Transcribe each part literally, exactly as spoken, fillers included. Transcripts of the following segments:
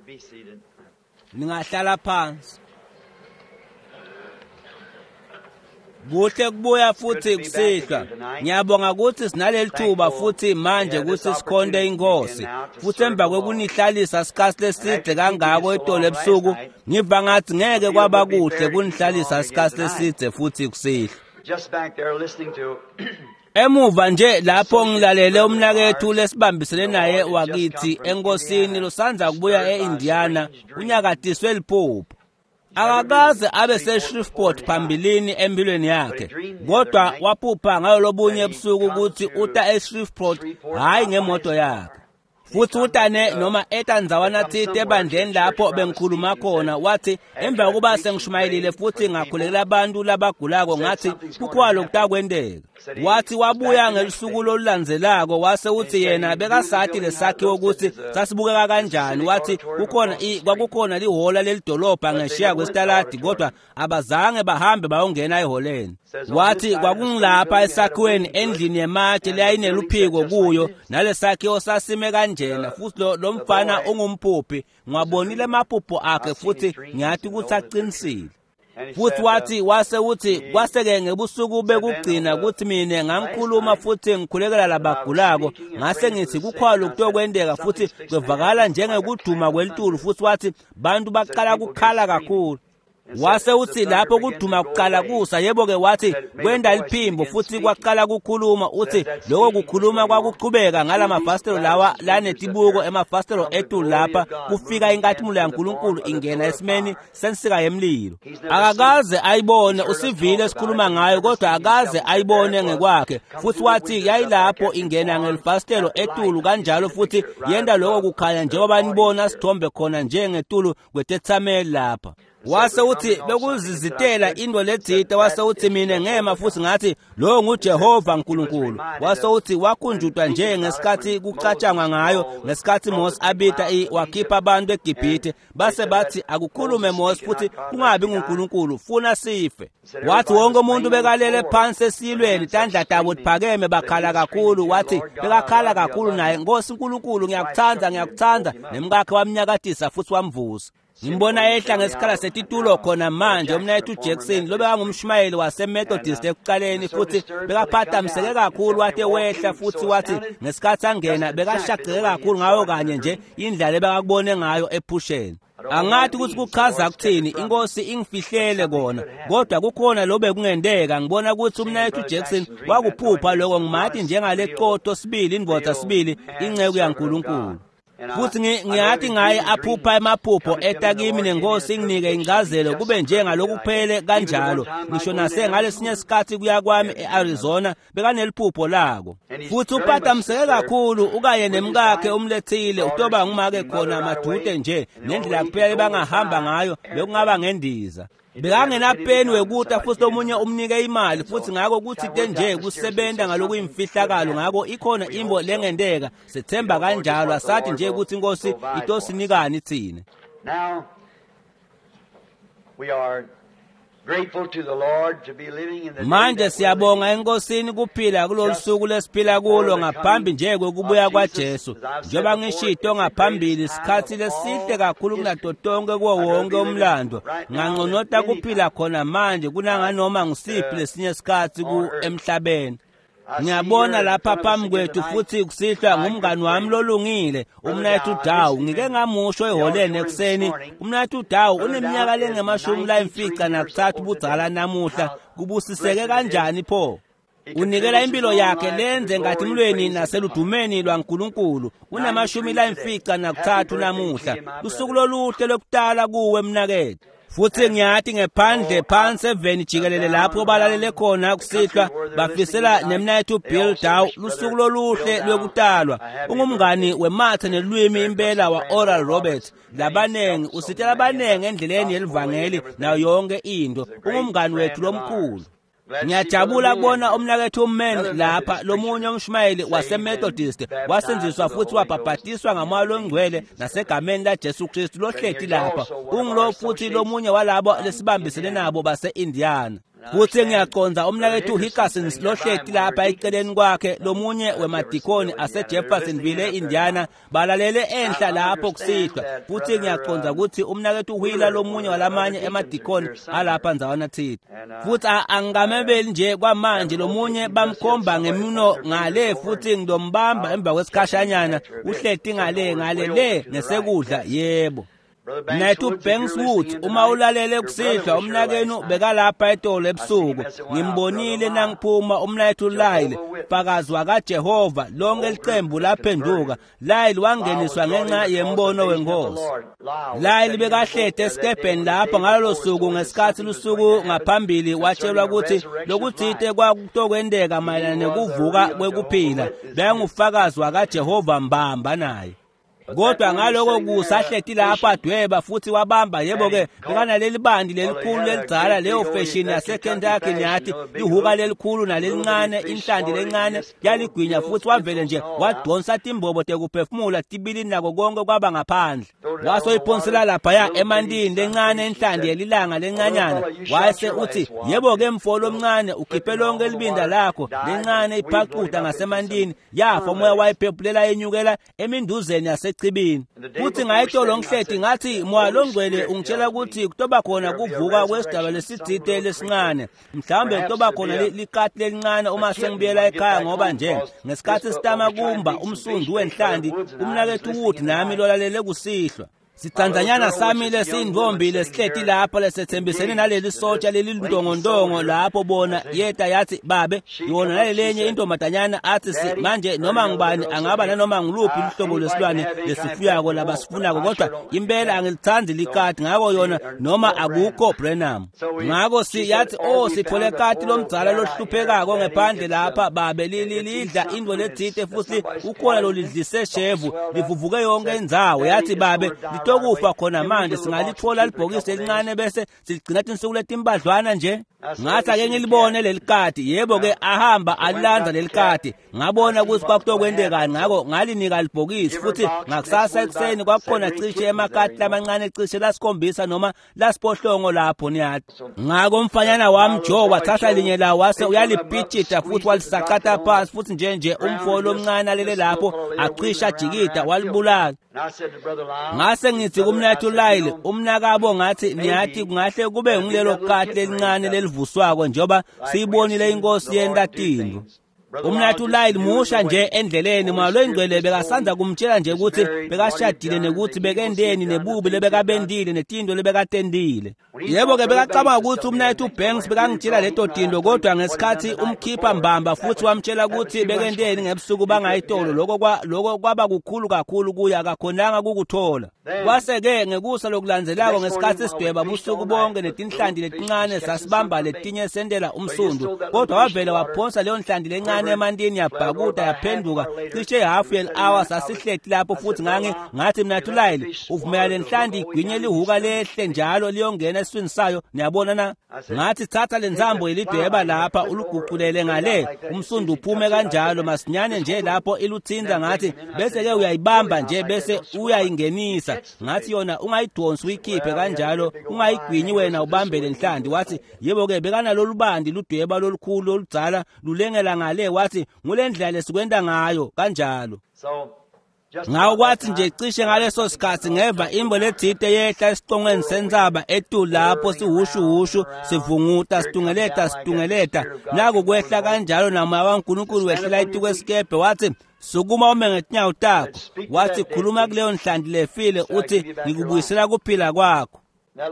Be seated. Ningahlala phansi. Kuhle kubuya futhi kusihlwa. Ngiyabonga ukuthi sinaleli thuba futhi manje ukuthi sikhonde inkosi. Futhi emva kwekunihlalisa isikhathi leside kangako etolo ebusuku, ngiva ngathi ngeke kwaba kuhle kunihlalisa isikhathi leside futhi kusihlwa. Just back there listening to Emuva nje lapho ngilalele umnakethu lesibambisene naye wakithi enkosini losandza kubuya e-Indiana unyakatiswe liphupho. Akakaze abe se-Shreveport phambilini empilweni yakhe, kodwa waphupha ngayo lobunye ebusuku ukuthi uta e-Shreveport hhayi ngemoto yakhe. Futhi utane noma eta ndzawana thite ebandleni lapho bengikhuluma khona, wathi emva kokuba sengishumayelile futhi ngakhulekela abantu labagulako, ngathi kukhona lokutakwenteka. Wathi wabuya ngelusuku lolulandzelako, wase uthi yena bekasathi lesakhiwo ukuthi sasibukeka kanjani. Wathi kukhona kwakukhona lihola lelidolobha ngeshiya kwesitaladi, kodwa abazange bahambe bayongena eholeni. Wathi kwakungilapha esakhiweni endlini yematshe leyayineluphiko kuyo, nalesakhiwo sasime kanjena. Futhi lo, lo mfana ungumphuphi, ngiwabonile amaphupho akhe futhi ngiyathi ukuthi aqinisile. Futhi wathi wase uthi kwase-ke ngebusuku bekugcina ukuthi mina ngangikhuluma futhi ngikhulekela labagulako, ngase ngithi kukhona lokutokwenteka futhi kwevakala njengekuduma kwelitulu. Futhi wathi bantu baqala kukhala kakhulu. Wase uthi lapho kuduma kuqala kusa, yebo-ke wathi kwenda liphimbo futhi kwaqala kukhuluma. Uthi lokho kukhuluma kwakuqhubeka ngala mafasitelo lawa lanetibuko emafasitelo etulu lapha kufika inkatimula yaNkulunkulu ingena esimeni sensika yemlilo. Akakaze ayibone, usivile sikhuluma ngayo, kodwa akaze ayibone ngekwakhe. Futhi wathi yayilapho ingena ngelifasitelo etulu kanjalo, futhi yenda lokho kukhanya njengoba nibona sithombe khona njengetulu kwetethameli lapha. Wase uthi bekuzizitela into ledzite. Wase uthi mina ngema futhi ngathi lo nguJehova uNkulunkulu. Wase uthi wakhunjutwa nje ngesikhathi kucatshangwa ngayo ngesikhathi Mose abita wakhipha abantu eGibhithe, base bathi akukhulume Mose futhi kungabi nguNkulunkulu, funa sife. Wathi wonke umuntu bekalele phansi esilweni, tandla tabo tiphakeme, bakhala kakhulu. Wathi bekakhala kakhulu naye, Nkosi uNkulunkulu ngiyakuthanda, ngiyakuthanda. Nemkakhe wamnyakatisa futhi wamvusa. Ngimbona ehla ngesikhala setitulo khona manje umnayethu Jackson lo bekangumshumayeli waseMethodist ekuqaleni, futhi bekaphathamiseke kakhulu. Wathi wehla futhi wathi ngesikhathi angena bekashaqeke kakhulu ngayo kanye nje indlela ebekakubone ngayo ephusheni. Angathi ukuthi kuchaza kuthini, inkosi ingifihlele kona, kodwa kukhona lo bekungenteka. Ngibona ukuthi umnayethu Jackson wakuphupha lokho, ngimathi njengale qoto sibili, indvodza sibili, inceku yaNkulunkulu. Futhi ngiyathi ngaye aphupha emaphupho eta kimi nenkosi inginike incazelo kube njengalokhu kuphele kanjalo. Ngisho nase ngalesinye isikhathi kuya kwami e-Arizona bekaneliphupho lako. Futhi uphathamiseke kakhulu ukaye nemkakhe umlethile utoba ngumake khona madude nje, nendlela kuphela bangahamba ngayo bekungaba ngendiza. Bekangenapeni wekuta futhi omunye umnike imali, futhi ngako kuthi nje kusebenza ngalokuyimfihlakalo. Ngako ikhona imbo lengenteka, sethemba kanjalo, asathi nje ukuthi inkosi itosinikani thina. Now we are grateful to the Lord to be living in the Manje siyabonga enkosini kuphila kulolu suku lesiphila kulo ngaphambi nje kokubuya kwaJesu. Njengoba ngishito ngaphambili, isikhathi lesihle kakhulu kunato tonke kuwo wonke umlando. Nganconota kuphila khona manje kunanganoma ngisiphi lesinye isikhathi ku emhlabeni. Ngiyabona lapha phambi kwethu futhi kusihlwa ngumngani wami lolungile umnayethu Dawu. Ngike ngamusho eholeni ekuseni. Umnayethu Dawu uneminyaka lengemashumi layimfica nakuthathu budzala namuhla. Kubusiseke kanjani pho? Unikela impilo yakhe lenze ngathimlweni naseludumeni lwaNkulunkulu. Unamashumi layimfica nakuthathu namuhla. Lusuku loluhle lokutala kuwe mnakethu. Futhi ngiyathi ngephandle phansi eveni jikelele lapho balalele khona kusihlwa bafisela nemnayethu Bill Dow lusuku loluhle lwekutalwa. Ungumngani wemathe nelwimi impela wa Oral Roberts. Labanengi usitela abanengi endleleni yelivangeli nayo yonke into. Ungumngani wethu lomkhulu. Ngiyajabula kubona umnakethu Man lapha, lomunye umshumayeli waseMethodist wasenziswa futhi wabhabhatiswa ngamoya longcwele nasegameni laJesu Kristu lohleti lapha. Ungilo futhi lomunye walabo lesibambisene nabo base-Indiana. Futhi ngiyaqonda umnakethu Hickerson lohleti lapha eceleni kwakhe lomunye wemadikoni aseJeffersonville eIndiana balalele enhla lapho kusihlwa. Futhi ngiyaqonda ukuthi umnakethu Wheeler lomunye walamanye emadikoni alapha ndzawana thina. Futhi angikamebeli nje kwamanje lomunye bamkhomba ngemino ngale futhi ngilombamba emva kwesikhashanyana uhleti ngale ngale le ngesekudla yebo. Mnakethu Banks Wood uma ulalele kusihlwa umnakenu bekalapha etolo ebusuku ngimbonile nangiphuma umnakethu Lyle fakazi wakaJehova lonke licembu laphenduka. Lyle wangeniswa ngenxa yembono wenkosi. Lyle bekahlete esikebheni lapho ngalolo suku ngesikhathi lusuku ngaphambili watshelwa ukuthi lokuthite kwakutokwenteka mayelana nekuvuka kwekuphila. Bekangufakazi wakaJehova mbamba naye. Kodwa ngaloko kusahleti lapha adweba futhi wabamba yebo ke bekanaleli bandi lelikhulu lelidzala leyo fashion yaseKentucky niyathi lihuka lelikhulu nalelincane inhlanti lencane yaligwinya futhi wavele nje wadonsa timbobo tekuphefumula tibili nako konke kwaba ngaphandle wasoyiphonsela laphaya emantini lencane inhlanti yelilanga lencanyana wase uthi yebo ke mfo lomncane ukhiphe lonke libinda lakho lencane iphaquta ngasemantini yafa umoya wayiphephulela yenyukela eminduzeni yase echibini. Futhi ngayitolo ngihleti ngathi moya longcwele ungitshela ukuthi kutoba khona kuvuka kwesidalwa lesitsite lesincane mhlawumbe kutoba khona likati lelincane uma sengibuyela ekhaya ngoba nje ngesikhathi sitama kumba umsundu wenhlanti umnakethu Wood nami lolalele kusihlwa sitsandzanyana sami lesiyintfombi lesihleti lapha lesetsembisene naleli sotsha leliluntongontongo lapho bona yeta yathi babe yona nalelenye intombazanyana athi si manje noma ngubani angaba nanoma ngiluphi luhlobo lwesilwane lesifuyako labasifunako kodwa impela angilithandi likati ngako yona noma akukho Branham. Ngako si yathi oh sithole kati lomdzala lohluphekako ngephandle lapha babe lilidla into letsite futhi ukhona lolidlise shevu livuvuke yonke indzawo yathi babe litokufa khona manje singalithola libhokisi elincane bese siligcina tinsuku letimbadlwana nje. Ngathi ake ngilibone lelikati yebo ke ahamba alilandza lelikati ngabona ukuthi kwakutokwentekani ngako ngalinika libhokisi futhi ngakusasa ekuseni kwakukhona cishe emakati lamancane cishe lasikhombisa noma lasiphohlongo lapho niyathi. Ngako umfanyana wami Joe wathatha linye lawo wase uyalipitshita futhi walisacata phansi futhi nje nje umfo lomncane alele lapho acisha ajikida walibulala. Ngase ngithi kumnakethu Lyle umnakabo ngathi niyathi kungahle kube ngilelo kati lelincane lelivuswako njengoba siyibonile inkosi yenta tintfo. Umnakethu Lyle musha nje endleleni moya loyingcwele bekasandza kumtshela nje ukuthi bekashadile nekuthi bekendeni nebubi lebekabendile netinto lebekatendile. Yebo ke bekacabanga ukuthi umnakethu Banks bekangitshela leto tinto kodwa ngesikhathi umkhipha mbamba futhi wamtshela ukuthi bekendeni ngebusuku bangayitolo lokho kwa lokho kwaba kukhulu kakhulu kuye akakhonanga kukuthola. Kwase ke ngekusa lokulandzelako ngesikhathi sidweba busuku bonke netinhlanti letincane sasibamba letinye sendela umsundu kodwa wavele waphonsa leyo nhlanti lencane emantini yabhakuda yaphenduka cishe hafu yel-hour sasihleti lapho futhi ngangi ngathi mnakethu Lyle uvumela lenhlanti igwinye lihuka lehle njalo liyongena esiswini sayo niyabona na. Ngathi thatha lentsambo yelidweba lapha uluguqulele ngale umsundu uphume kanjalo masinyane nje lapho iluthinza ngathi bese ke uyayibamba nje bese uyayingenisa ngathi yona ungayidonsi uyikhiphe kanjalo ungayigwinyi wena ubambe lenhlanti. Wathi yebo ke bekanalolubandi ludweba lolukhulu oludzala lulengela ngale wathi ngulendlela lesikwenta ngayo kanjalo. Ngawo kwathi nje cishe ngaleso sikhathi ngeva imbo letsite yehla esicongweni sentsaba etulu lapho sihushuhushu sivunguta situngeleta situngeleta naku kwehla kanjalo namoya waNkulunkulu wehlela etikwesikebhe wathi sukuma ume ngetinyawo takho. Wathi khuluma kuleyo nhlanti lefile uthi ngikubuyisela kuphila kwakho.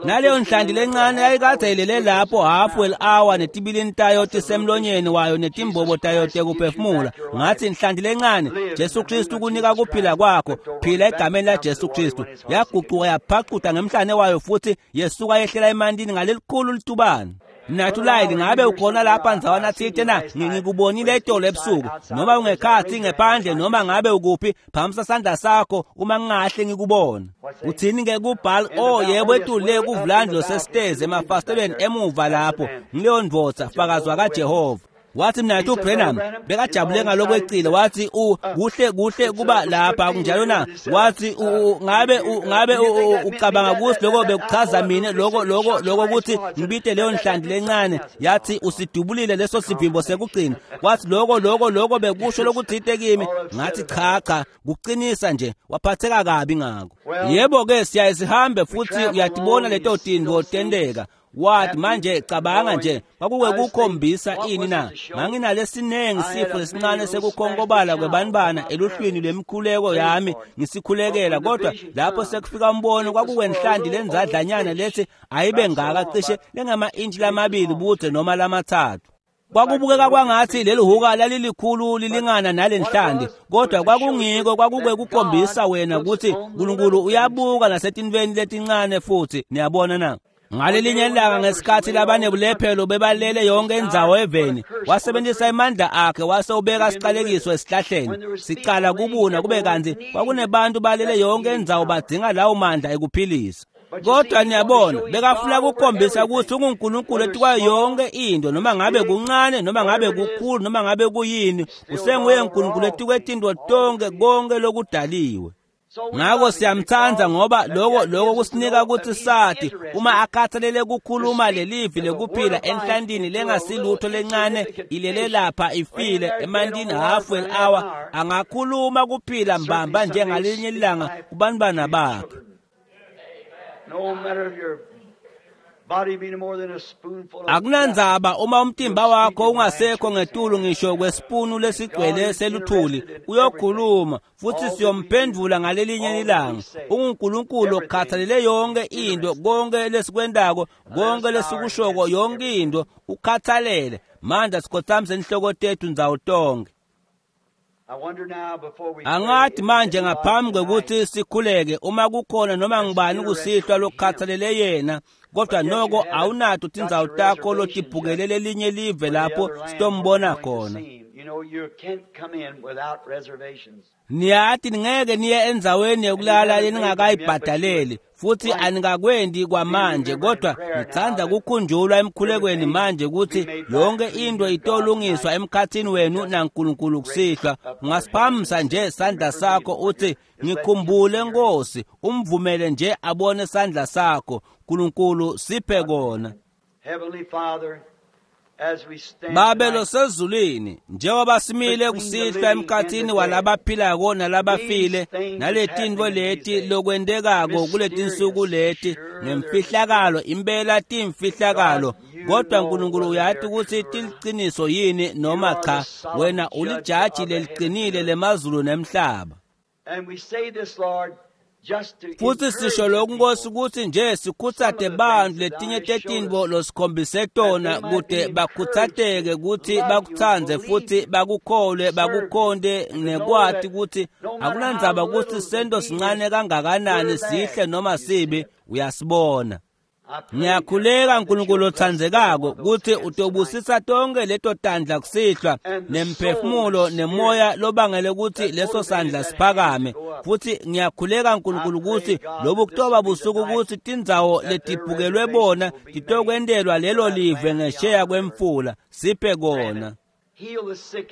Naleyo nhlanti lencane yayikade ilele lapho hafu el-hour netibilini tayo tisemlonyeni wayo netimbobo tayo tekuphefumula. Ngathi nhlanti lencane Jesu Kristu kunika kuphila kwakho phila egameni la Jesu Kristu. Yaguquka yaphaquta ngemhlane wayo futhi yesuka yehlela emantini ngalelikhulu litubane. Mnakethu Lyle ngabe ukhona lapha ndzawana thite na ngikubonile itolo ebusuku noma ungekhathi ngephandle noma ngabe ukuphi phamisa sandla sakho uma ngingahle ngikubona. Uthini ke kubhal oh yebo etule kuvulandi losesitezi emafastelweni emuva lapho ngileyo ndvodza fakazi wakaJehova. Wathi mnaketfu Branham bekajabule ngalokwecile. Wathi u kuhle kuhle kuba lapha kunjalo na? Wathi ngabe ngabe ucabanga ukuthi lokho bekuchaza mina lokho lokho lokho ukuthi ngibite leyo nhlanti lencane? Yathi usidubulile leso sivimbo sekugcina. Wathi lokho lokho lokho bekusho lokuthite kimi. Ngathi cha cha, kuqinisa nje. Waphatheka kabi ngako. Yebo ke siyaye sihambe futhi uyatibona leto tintfo tenteka. Wathi manje cabanga nje kwakuke kukhombisa ini na? Nganginalesinengi sifo lesincane sekukhongobala kwebantwana eluhlwini lwemikhuleko yami ngisikhulekela, kodwa lapho sekufika umbono kwakuwenhlanti lenzadlanyana lethi ayibe ngaka cishe lengama-intshi lamabili budze noma lamathathu. Kwakubukeka kwangathi leli huka lalilikhulu lilingana nalenhlanti, kodwa kwakungiko kwakuke kukhombisa wena ukuthi uNkulunkulu uyabuka nasetintfweni letincane futhi. Niyabona na? Ngalelinye ilanga ngesikhathi labanebulephelo bebalele yonke indzawo eveni, wasebenzisa amandla akhe wase ubeka siqalekiso esihlahleni sicala kubuna kube kanti kwakunebantu balele yonke indzawo badinga lawo mandla ekuphilisa. Kodwa niyabona bekafuna kukhombisa ukuthi unguNkulunkulu etikwayo yonke into, noma ngabe kuncane noma ngabe kukhulu noma ngabe kuyini, usenguye uNkulunkulu etikwetinto tonke konke lokudaliwe. Ngako siyamthanda ngoba lokho lokho kusinika ukuthi sathi uma akhathalele kukhuluma lelivi lekuphila enhlantini lengasilutho lencane ilele lapha ifile emantini half an hour, angakhuluma kuphila mbamba njengalinye ilanga kubantwana bakhe. Akunandzaba uma umtimba wakho ungasekho ngetulu ngisho kwesipunu lesigcwele seluthuli, uyokhuluma futhi siyomphendvula ngalelinye ilanga. UnguNkulunkulu okhathalele yonke into, konke lesikwentako, konke lesikushoko, yonke into ukhathalele. Manje sikhothamise inhloko tethu ndzawo tonke. Angathi manje ngaphambi kwekuthi sikhuleke uma kukhona noma ngibani kusihlwa lokukhathalele yena, kodwa noko awunato tindzawo takho lotibhukele lelinye live lapho sitombona khona. Niyathi ningeke niye endzaweni yokulala leningakayibhadaleli futhi anikakwendi kwamanje, kodwa ngithanda kukhunjulwa emkhulekweni manje ukuthi yonke into itolungiswa emkhathini wenu naNkulunkulu kusihlwa. Ungasiphamisa nje sandla sakho uthi ngikhumbule Nkosi, umvumele nje abone sandla sakho. Nkulunkulu siphe kona. Babe losezulwini, njengoba simile kusihlwa emkhathini walabaphilako nalabafile, naletintfo leti lokwentekako kuletinsuku leti ngemfihlakalo, impela timfihlakalo, kodwa Nkulunkulu uyati ukuthi tiliciniso yini noma cha. Wena ulijaji leliqinile lemazulu nemhlaba. Futhi sisho lokhu Nkosi ukuthi nje sikhutsate bantu letinye tetintfo losikhombise tona kute bakhuthateke ukuthi bakutsandze futhi bakukholwe bakukhonte nekwati ukuthi akunandzaba ukuthi sento sincane kangakanani sihle noma sibi, uyasibona. Ngiyakhuleka Nkulunkulu otsandzekako ukuthi utobusisa tonke leto tandla kusihlwa nemphefumulo nemoya lobangele ukuthi leso sandla siphakame. Futhi ngiyakhuleka Nkulunkulu ukuthi lobu kutoba busuku ukuthi tindzawo letibhukelwe bona titokwentelwa lelo live ngesheya kwemfula. Siphe kona.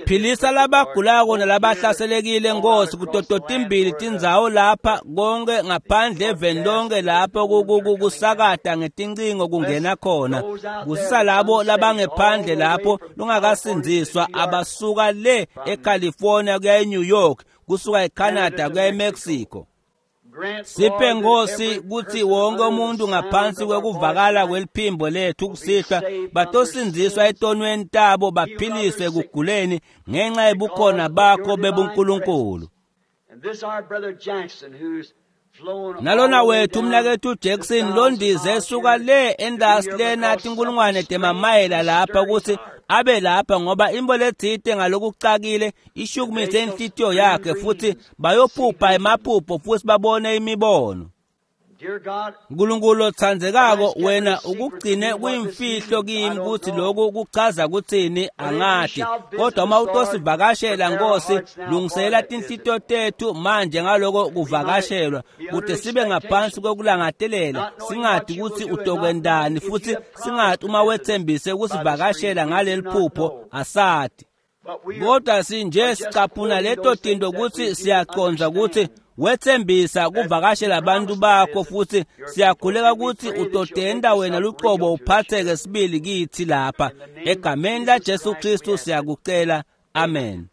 Philisa labagulako nalabahlaselekile Nkosi kuto totimbili tindzawo lapha konke ngaphandle eveni lonke lapho kusakata ngetincingo kungena khona. Kusisa labo labangephandle lapho lungakasindziswa abasuka le eCalifornia kuya eNew York, kusuka eCanada kuya eMexico. Siphe Nkosi kuthi wonke umuntu ngaphansi kwekuvakala kweliphimbo lethu kusihlwa batosindziswa etonweni tabo baphiliswe ekuguleni ngenxa yebukhona bakho bebuNkulunkulu. Nalona wethu umnaketfu Jackson londize esuka le endasi lena tinkulungwane temamayela lapha ukuthi abe lapha ngoba imbo letsite ngalokucakile ishukumise inhlitiyo yakhe futhi bayophupha emaphupho futhi babone imibono. Nkulunkulu otsandzekako wena ukugcine kuyimfihlo kimi kutsi lokhu kuchaza kutsini angati kodwa uma utosivakashela Nkosi lungisela tinhlitiyo tetfu manje ngaloko kuvakashelwa kute sibe ngaphansi kokulangatelela singati kutsi utokwendani futhi singati uma wetsembise kusivakashela ngaleli phupho asati kodwa sinje sicaphuna leto tinto kutsi siyacondza kutsi wetsembisa kuvakashela abantu bakho futhi siyakhuleka kutsi utotenda wena lucobo uphatheke sibili kitsi lapha egameni laJesu Kristu siyakucela amen.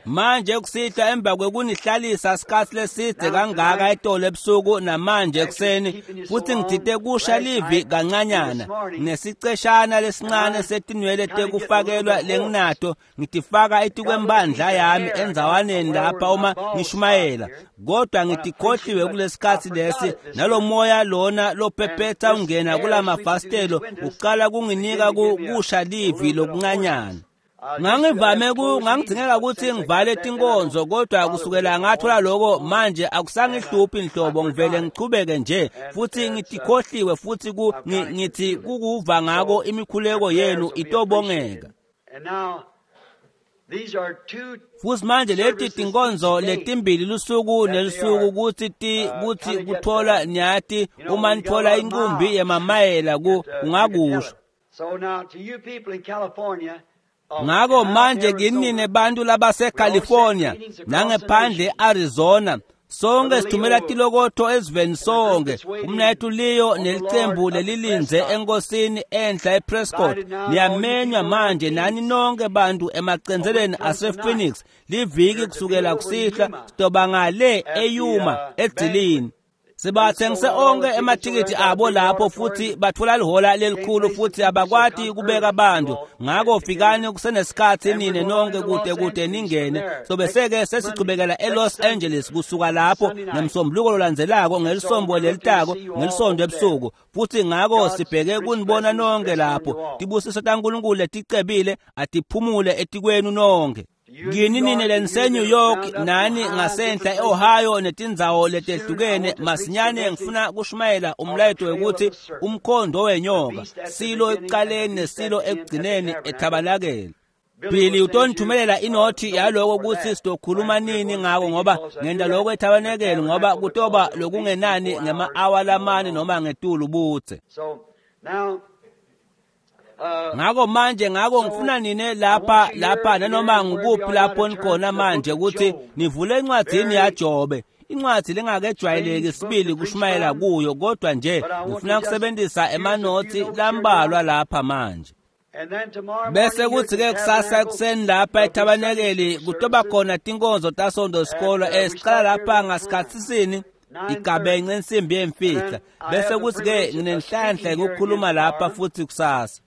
Manje kusihlwa emva kwekunihlalisa sikhatsi lesidze kangaka etolo ebusuku namanje ekuseni futhi ngithite kusha livi kancanyana nesiceshana lesincane setinwele tekufakelwa lenginato ngitifaka etikwembandla yami endzawaneni lapha uma ngishumayela kodwa ngitikhohliwe kulesikhatsi lesi nalomoya lona lophephetha ungena kulamafasitelo uqala kunginika kusha livi lokuncanyana. Ngangivame ku ngangidingeka ukuthi ngivale tinkonzo kodwa kusukela ngathola lokho manje akusangihluphi inhlobo ngivele ngichubeke nje futhi ngitikhohliwe futhi ku ngithi kukuva ngako imikhuleko yenu itobongeka. Futhi manje leti tinkonzo letimbili lusuku nelusuku kutsi ti kutsi kuthola nyati uma nithola inqumbi yemamayela ku ungakusho. Ngako manje kinine bantu labaseCalifornia nangephandle eArizona sonke sithumela tilokotho eziveni sonke umnayethu Leo nelicembu lelilindze enkosini enhla ePrescott niyamenywa manje nani nonke bantu emacentseleni asePhoenix liviki kusukela kusihlwa sitoba ngale eYuma edzilini. Sibathengise onke ematikiti abo lapho futhi bathola lihola lelikhulu futhi abakwati kubeka abantu ngako fikani kusenesikhatsi nine nonke kude kude ningene sobeseke sesichubekela eLos Angeles kusuka lapho ngemsombuluko lolandzelako ngelisombo lelitako ngelisonto ebusuku futhi ngako sibheke kunibona nonke lapho tibusiso taNkulunkulu leticebile atiphumule etikwenu nonke. Kini nine lenise-New York nani ngasenhla e-Ohio netindzawo letehlukene masinyane ngifuna kushumayela umlayeto wekuthi umkhondo wenyoka silo ekuqaleni nesilo ekugcineni ethabalakele. Billy utonithumelela inothi yaloko kutsi sitokhuluma nini ngako ngoba ngenta lokho ethabanekele ngoba kutoba lokungenani ngema-awa lamane noma ngetulu budze. Ngako manje ngako ngifuna nine lapha lapha nanoma ngikuphi lapho nikhona manje ukuthi nivule encwadzini yaJobe incwadi lengakejwayeleki sibili kushumayela kuyo kodwa nje ngifuna kusebenzisa emanothi lambalwa lapha manje. Bese kuthi-ke kusasa ekuseni lapha ethabanekeli kutoba khona tinkonzo tasonto sikolo esiqala lapha ngasikhatsisini igabence insimbi yemfica bese kuthi-ke nginenhlanhla yokukhuluma lapha futhi kusasa.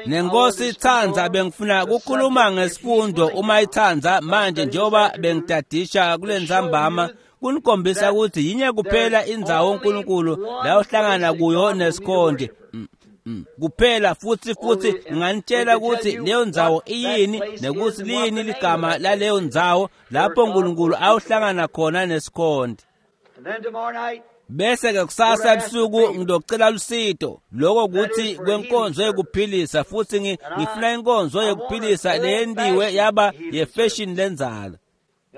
Nenkosi itsandza bengifuna kukhuluma ngesifundo uma itsandza manje njengoba bengidadisha kule ntsambama kunikhombisa ukuthi yinye kuphela indzawo uNkulunkulu la uhlangana kuyo nesikhonti kuphela futhi futhi nginganitshela ukuthi leyo ndzawo iyini nekuthi liyini ligama laleyo ndzawo lapho uNkulunkulu awuhlangana khona nesikhonti. Bese ke kusasa ebusuku ngidocela lusito lokho kuthi kwenkonzo yekuphilisa futhi ngifuna inkonzo yekuphilisa leyendiwe yaba yefashion lenzala.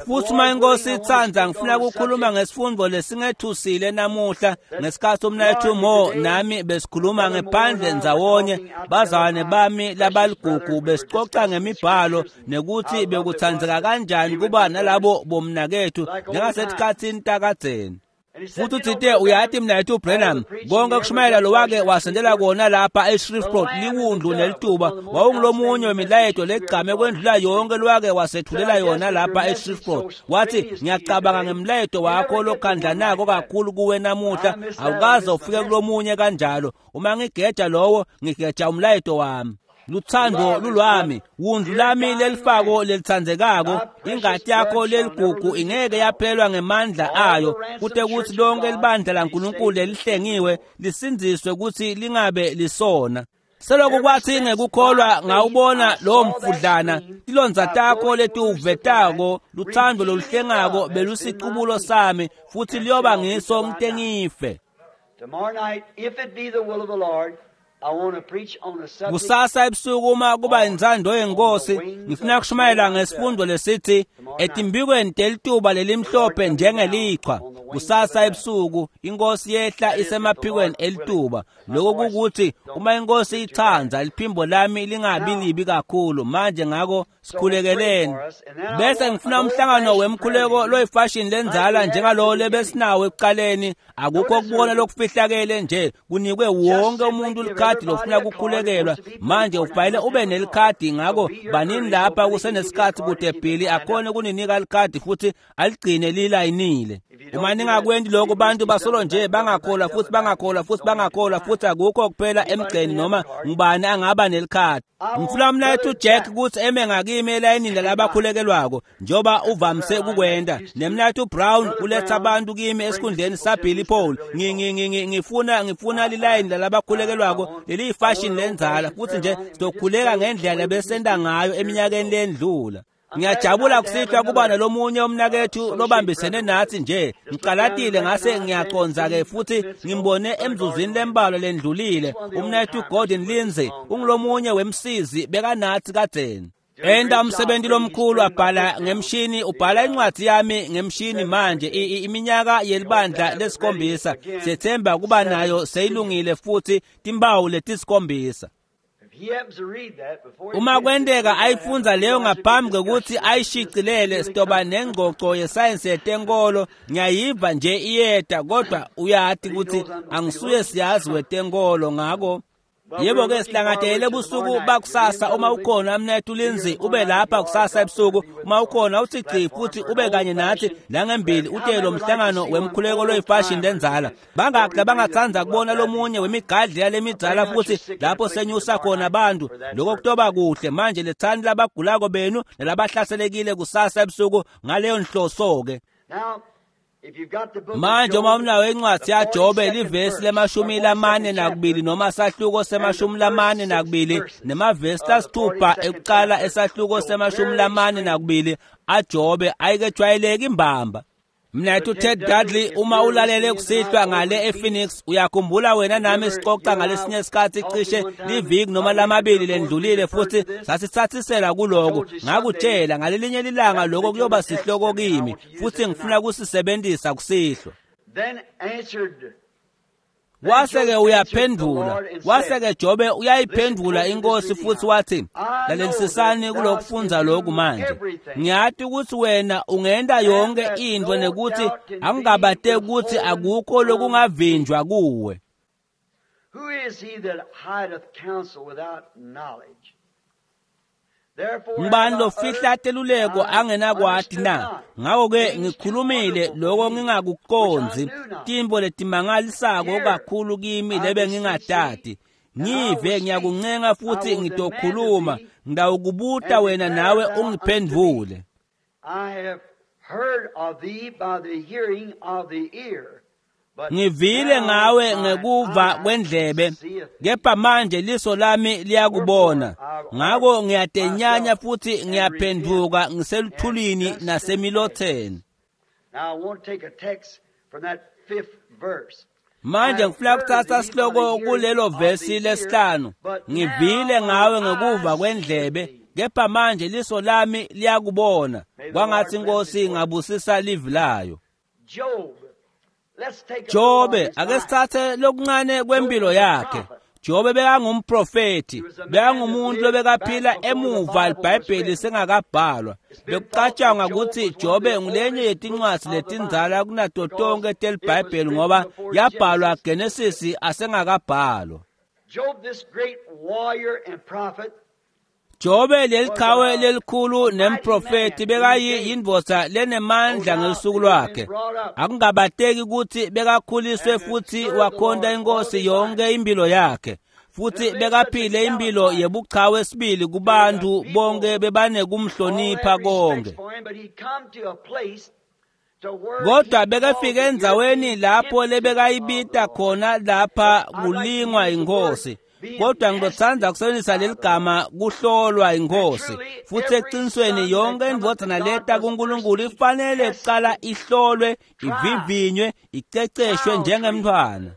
Futhi uma inkosi itsandza ngifuna ukukhuluma ngesifundo lesingethusile namuhla ngesikhathi umnayethu Mo nami besikhuluma ngephandle ndzawonye bazalwane bami labaligugu besixoxa ngemibhalo nekuthi bekuthandzeka kanjani kuba nalabo bomnakethu njengasetikhatsini takadzeni. Futhi uthite uyathi mnayethu Branham konke kushumayela lo wake wasendela kona lapha eShreveport liwundlu nelituba wawungulomunye wemilayeto legcame kwendlula yonke lwake wasethulela yona lapha eShreveport. Wathi ngiyacabanga ngemlayeto wakho lokhandlanako kakhulu kuwe namuhla awukaze ufike kulomunye kanjalo uma ngigeja lowo ngigeja umlayeto wami. Luthando lulwami wundlu lami lelifako lelitsandzekako ingati yakho leligugu ingeke yaphelwa ngemandla ayo kute kutsi lonke libandla laNkulunkulu lelihlengiwe lisindziswe kutsi lingabe lisona. Selokhu kwathi ngekukholwa ngawubona lowo mfudlana, tilondza takho letiwuvetako, luthando loluhlengako belusicubulo sami, futhi liyoba ngiso ngite ngife. Tomorrow night, if it be the will of the Lord, I want to preach on the subject. Kusasa ebusuku uma kuba intsandvo yenkosi, ngifuna kushumayela ngesifundo lesithi etimbikweni telituba lelimhlophe njengelichwa. Kusasa ebusuku inkosi yehla isemaphikweni elituba. Lokho kukuthi uma inkosi ithanda liphimbo lami lingabi libi kakhulu. Manje ngakho sikhulekeleni. Bese ngifuna umhlangano wemkhuleko loyifashion lenzala njengalowo lebesinawo ekuqaleni. Akukho kubona lokufihlakele nje, kunikwe wonke umuntu likhadi lofuna kukhulekelwa. Manje ufanele ube nelikhadi, ngakho banini lapha kusenesikhathi kude Billy akhone kuninika likhadi futhi aligcine lilayinile. Uma ningakwendi lokho, bantu basolo nje bangakholwa futhi bangakholwa futhi bangakholwa futhi akukho kuphela emgceni noma ngubani angaba nelikhadi. Ngifuna mnethu Jack ukuthi eme ngakimi elayinini lalabakhulekelwako njengoba uvamise ukukwenda, nemnethu Brown uletha abantu kimi esikhundleni saBilly Paul. Ngifuna ngifuna lilayini lalabakhulekelwako leliyifashion lenzala, futhi nje sizokhuleka ngendlela besenda ngayo eminyakeni lendlula. Ngiyajabula kusihlwa kuba nalomunye umnakethu lobambisene nathi nje. Ngicalatile ngase ngiyaconza-ke futhi ngimbone emzuzwini lembalwa lendlulile. Umnakethu Gordon Lindsay ungulomunye wemsizi bekanathi kadzeni. Enda umsebenzi lomkhulu, abhala ngemshini, ubhala incwadi yami ngemshini manje. Iminyaka yelibandla lesikhombisa sethemba kuba nayo seyilungile futhi timbawu letisikhombisa. Uma kwenteka ayifunza leyo ngaphambi kokuthi ayishicilele, sitoba nengxoxo yesayensi yetenkolo. Ngiyayiva nje iyeda, kodwa uyati ukuthi angisuye siyazi wetenkolo. Ngako yebo-ke silangadelele busuku bakusasa. Uma ukhona mnethu Lindsay, ube lapha kusasa ebusuku. Uma ukhona uthi gci futhi ube kanye nathi langembili utele lo mhlangano wemkhuleko loyifashion lenzala. Bangaki labangatsandza kubona lomunye wemigadli yalemidzala futhi lapho senyusa khona abantu? Lokho kutoba kuhle. Manje lethani labagulako benu nalabahlaselekile kusasa ebusuku ngaleyo nhloso-ke. Manje uma unayo incwadi yaJobe, livesi lemashumi lamane nakubili noma sahluko semashumi lamane nakubili nemavesi lasithupha ekuqala esahluko semashumi lamane nakubili aJobe ayikejwayeleki imbamba. Mnethu Ted Dudley, uma ulalele kusihlwa ngale ePhoenix, uyakhumbula wena nami sixoxa ngalesinye isikhathi cishe liviki noma lamabili lendlulile, futhi sasithathisela kuloko. Ngakutshela ngalelinye lilanga lokho kuyoba sihloko kimi, futhi ngifuna kusisebenzisa kusihlwa. Wase-ke uyaphendula, wase-ke Jobe uyayiphendula inkosi futhi wathi, lalelisisani kulokufundza lokhu manje. Ngiyati ukuthi wena ungenta yonke into nekuthi angingabate ukuthi akukho lokungavinjwa kuwe. Who is he that hideth counsel without knowledge? Ngubani lofihla teluleko angenakwati na? Ngakho-ke ngikhulumile lokho ngingakuqondzi, tintfo letimangalisako kakhulu kimi lebe ngingatati. Ngive ngiyakuncenga futhi ngitokhuluma, ngitawukubuta wena nawe ungiphendvule. I have heard of thee by the hearing of the ear. Ngivile ngawe ngekuva kwendlebe, kepha manje liso lami liyakubona. Ngako ngiyatenyanya futhi ngiyaphenduka ngiseluthulini nasemilotheni. Now I want to take a text from that fifth verse. Manje ngifuna kuthatha sihloko kulelo vesi lesihlanu. Ngivile ngawe ngekuva kwendlebe, kepha manje liso lami liyakubona. Kwangathi inkosi ingabusisa livi layo. Job. Let's take a Jobe, ake sithathe lokuncane kwempilo yakhe. Jobe bekangumprofeti, bekangumuntu lobekaphila emuva iBhayibheli sengakabhalwa. Bekucatshangwa ukuthi Jobe ngulenye yetincwadzi letindzala kunato tonke teliBhayibheli ngoba yabhalwa Genesis asengakabhalwa. Job, this great warrior and prophet, Jobe leliqhawe lelikhulu nemprofeti bekayindvodza lenemandla ngelusuku lwakhe. Akungabateki ukuthi bekakhuliswe futhi wakhonta inkosi yonke impilo yakhe. Futhi bekaphile impilo yebuchawe sibili kubantu bonke bebanekumhlonipha konke. for him, but he come to a place to where Kodwa he bekafike endzaweni lapho lebekayibita khona lapha kulingwa inkosi. Kodwa ngizothanda kusebenzisa leli gama kuhlolwa inkosi. Futhi eqinisweni yonke indvodzana leta kuNkulunkulu ifanele kuqala ihlolwe, ivivinywe, iceceshwe njengemntwana.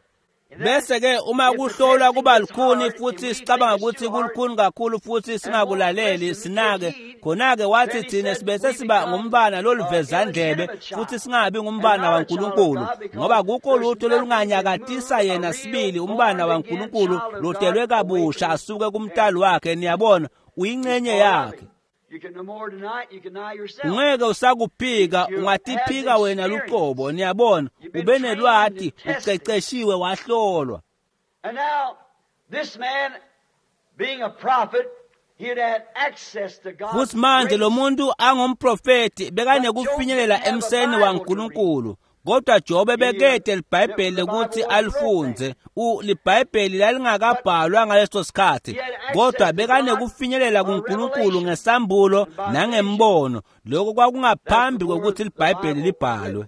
Bese ke uma kuhlolwa kuba lukhuni futhi sicabanga ukuthi kulukhuni kakhulu futhi singakulaleli sinake, khona-ke wathi thina sibese siba ngumntwana loluvezandlebe futhi singabi ngumntwana waNkulunkulu, ngoba kukho lutho lolunganyakatisa yena sibili umntwana waNkulunkulu lotelwe kabusha asuke kumntali wakhe. Niyabona, uyincenye yakhe. Ungeke usakuphika, ungatiphika wena luqobo. Niyabona, ube nelwati, uceceshiwe, wahlolwa. And now this man being a prophet, he had had access to God's Futhi manje lo grace. muntu angumprofeti bekanekufinyelela emseni waNkulunkulu. Kodwa Jobe bekede liBhayibheli ukuthi alifunze. U liBhayibheli lalingakabhalwa ngaleso sikhathi, kodwa bekanekufinyelela kuNkulunkulu ngesambulo nangembono. Lokho kwakungaphambi kokuthi liBhayibheli libhalwe.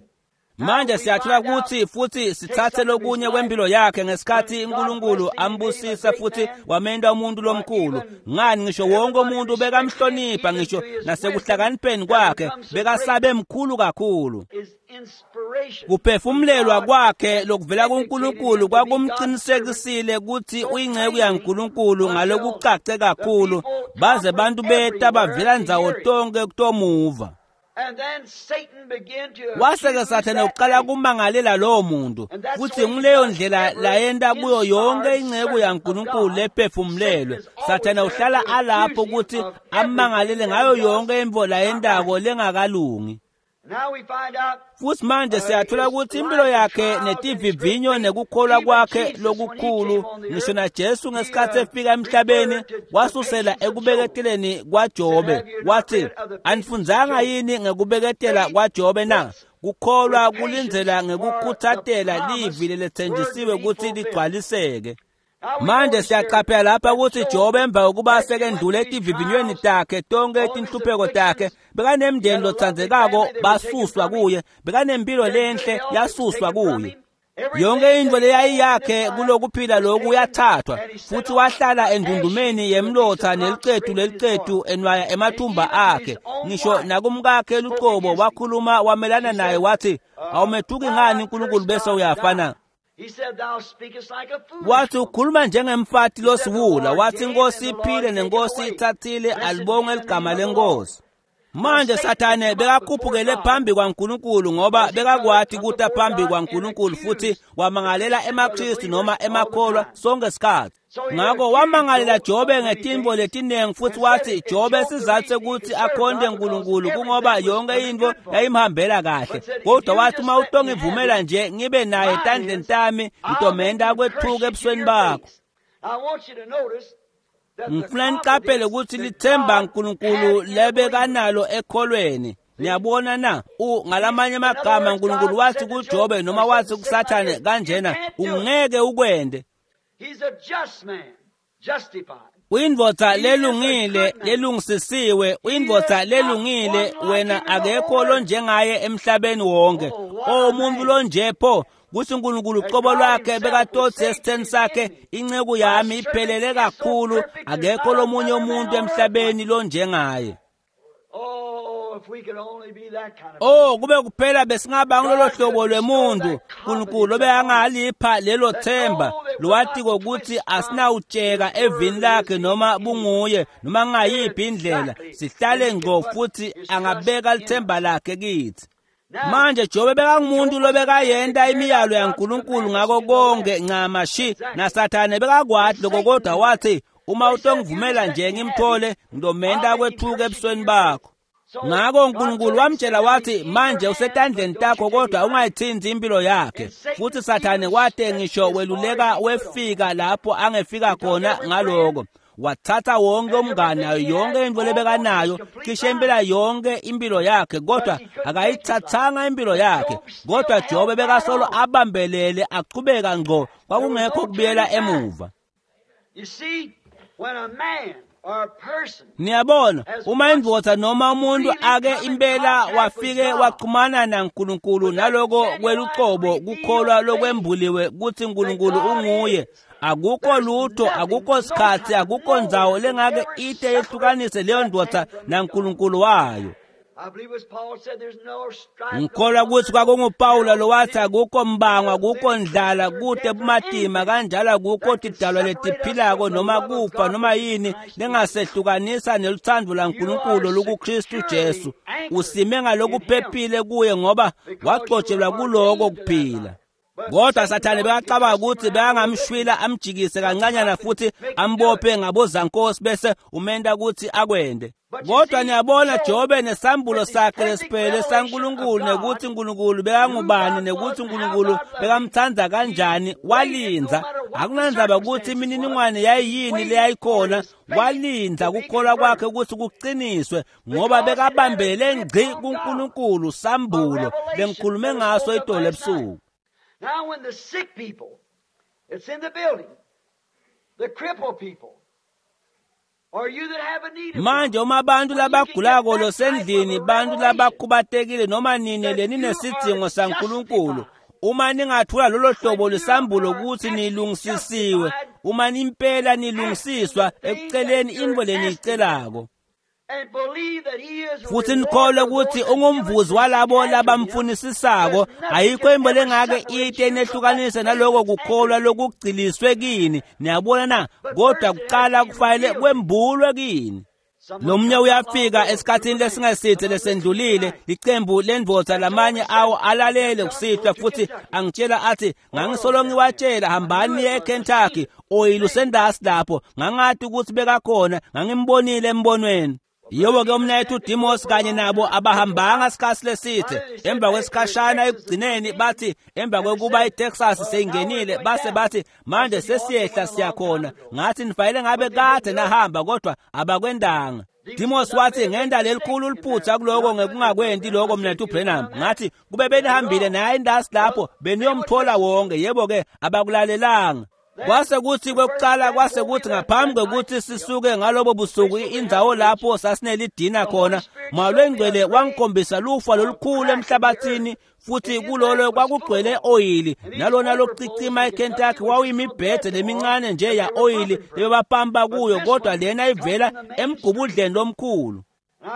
Manje siyathola ukuthi futhi sithathe lokunye kwempilo yakhe ngesikhathi uNkulunkulu ambusisa futhi wamenta umuntu lomkhulu. Ngani ngisho wonke umuntu bekamhlonipha, ngisho nasekuhlakanipheni kwakhe bekasabe mkhulu kakhulu. Is inspiration. Kuphefumlelwa kwakhe lokuvela kuNkulunkulu kwakumqinisekisile ukuthi uyinceku yaNkulunkulu ngalokucace kakhulu, baze bantu beta bavela ndzawo tonke kutomuva. And then Satan began to Wase-ke accuse Sathane that uqala man. kumangalela lowo muntu, futhi nguleyo ndlela layenta kuyo yonke inceku yaNkulunkulu lephefumlelwe. Sathane uhlala alapho ukuthi amangalele ngayo yonke intfo layentako lengakalungi. Now we find out Futhi manje siyathola ukuthi impilo yakhe netivivinyo nekukholwa kwakhe lokukhulu, ngisho naJesu ngesikhathi efika emhlabeni wasusela ekubeketeleni kwaJobe. Wathi, anifundzanga yini ngekubeketela kwaJobe na? Kukholwa kulindzela ngekukhuthatela livi lelethenjisiwe ukuthi ligcwaliseke. Manje siyaqaphela lapha ukuthi Jobe emva kokuba sekendlule etivivinyweni takhe tonke tinhlupheko takhe, bekanemndeni lotsandzekako basuswa kuye, bekanempilo lenhle yasuswa kuye. Yonke into leyayiyakhe kulokuphila lokhu yathathwa, futhi wahlala endundumeni yemlotha neliqethu leliqethu enwaya emathumba akhe. Ngisho nakumkakhe luqobo wakhuluma wamelana naye wathi, awumethuki ngani uNkulunkulu bese uyafa na? He said, Thou speakest like a foolish Wathi woman. ukhuluma njengemfati losiwula. Wathi inkosi iphile nenkosi ithathile, alibonge ligama lenkosi. Manje Sathane bekakhuphukele phambi kwaNkulunkulu ngoba bekakwati kuta phambi kwaNkulunkulu futhi wamangalela emaKristu noma emakholwa sonke isikhathi. Ngakho wamangalela Jobe ngetintfo letinengi futhi wathi Jobe sizathu sekuthi akhonte uNkulunkulu kungoba yonke intfo yayimhambela kahle. Kodwa wathi uma utongivumela nje ngibe naye etandleni tami, ngitomenta kwethuka ebusweni bakho. I want you to notice that the Ngifuna niqaphele ukuthi confidence that lithemba God uNkulunkulu had in lebekanalo ekholweni. Niyabona na? U ngalamanye amagama uNkulunkulu wathi kuJobe noma wathi kuSathane kanjena, ungeke ukwende. He's a just man, justified. Uyindvodza lelungile lelungisisiwe, uyindvodza lelungile wena akekho lonjengaye emhlabeni wonke. O umuntu lonje pho kuthi uNkulunkulu uqobo lwakhe bekatothi esitheni sakhe, inceku yami iphelele kakhulu, akekho lomunye umuntu emhlabeni lonjengaye. Oh, if we could only be that kind of Oh kube kuphela besingaba ngilolo hlobo lwemuntu uNkulunkulu obekangalipha lelo themba lowatiko ukuthi asinawutsheka evini lakhe noma bunguye noma ngayiphi indlela, sihlale ngqo futhi angabeka lithemba lakhe kithi. Manje Jobe bekangumuntu lobekayenta imiyalo yaNkulunkulu ngako konke ncamashi, naSathane bekakwati lokho, kodwa wathi uma utongivumela nje ngimthole ngitomenta kwethuka ebusweni bakho. Ngakho uNkulunkulu wamtshela wathi manje usetandleni takho kodwa ungayithinti impilo yakhe. Futhi Sathane kwate ngisho weluleka wefika lapho angefika khona ngaloko. Wathatha wonke umngane nayo yonke into lebekanayo, cishe impela yonke impilo yakhe, kodwa akayithathanga impilo yakhe. Kodwa Jobe bekasolo abambelele aqhubeka ngqo, kwakungekho kubuyela emuva. You see, when a man Niyabona, uma indvodza noma umuntu ake impela wafike waxhumana naNkulunkulu naloko kwelucobo kukholwa lokwembuliwe kutsi Nkulunkulu unguye, akukho lutho, akukho sikhatsi, akukho ndzawo lengake ite yehlukanise leyo ndvodza naNkulunkulu wayo. Ngikholwa kutsi kwakunguPawula lowathi akukho mbango, akukho ndlala, kute bumatima kanjalo akukho tidalwa letiphilako noma kufa noma yini lengasehlukanisa nelutsandvo lwaNkulunkulu lukuKristu Jesu. Usime ngalokuphephile kuye ngoba wagcotshelwa kuloko kuphila. Kodwa Sathane bekacabanga ukuthi bekangamshwila amjikise kancanyana futhi ambophe ngabozankosi bese umenta ukuthi akwende. Kodwa niyabona Jobe nesambulo sakhe lesiphelele saNkulunkulu nekuthi uNkulunkulu bekangubani nekuthi uNkulunkulu bekamthanda kanjani, walindza. Akunandzaba ukuthi imininingwane yayiyini leyayikhona, walindza kukholwa kwakhe ukuthi kuqiniswe ngoba bekabambele ngci kuNkulunkulu sambulo lengikhulume ngaso itolo ebusuku. Now when the sick people, it's in the building, the crippled people, or you that have a need of Manje uma abantu labagulako losendlini, bantu labakhubatekile noma nini leninesidzingo saNkulunkulu, uma ningathula lolo hlobo lwesambulo ukuthi nilungisisiwe, uma nimpela nilungisiswa ekuceleni intfo leniyicelako, futhi nikholwe ukuthi ungumvuzi walabo labamfunisisako, ayikho into lengake ite inehlukanise naloko kukholwa lokugciliswe kini. Niyabona na? Kodwa kuqala kufanele kwembulwe kini. Lomnye uyafika esikhathini lesingesithe lesendlulile, licembu lendvodza lamanye awo alalele kusihlwa futhi angitshela athi ngangisolo ngiwatshela hambani niye eKentucky oyilusendasi lapho, ngangati ukuthi bekakhona, ngangimbonile embonweni. Yebo ke umnayethu Dimos kanye nabo abahambanga isikhathi lesithe. Emva kwesikhashana ekugcineni bathi emva kwekuba iTexas seyingenile base bathi manje sesiyehla siyakhona. Ngathi nifanele ngabe kade nahamba kodwa abakwendanga. Dimos wathi ngenda lelikhulu liphutha kuloko ngekungakwendi lokho mnethu Branham. Ngathi kube benihambile naye indasi lapho beniyomthola wonke. Yebo ke abakulalelanga. Kwase kuthi kwekuqala kwase kuthi ngaphambi kwekuthi sisuke ngalobo busuku indzawo lapho sasinelidina khona, Moya Longcwele wangikhombisa lufa lolukhulu emhlabathini futhi kulolo kwakugcwele oyili nalona lokucicima eKentucky wawuyimibhede lemincane nje ya oyili lebebapampa kuyo, kodwa lena ivela emgubudleni lomkhulu.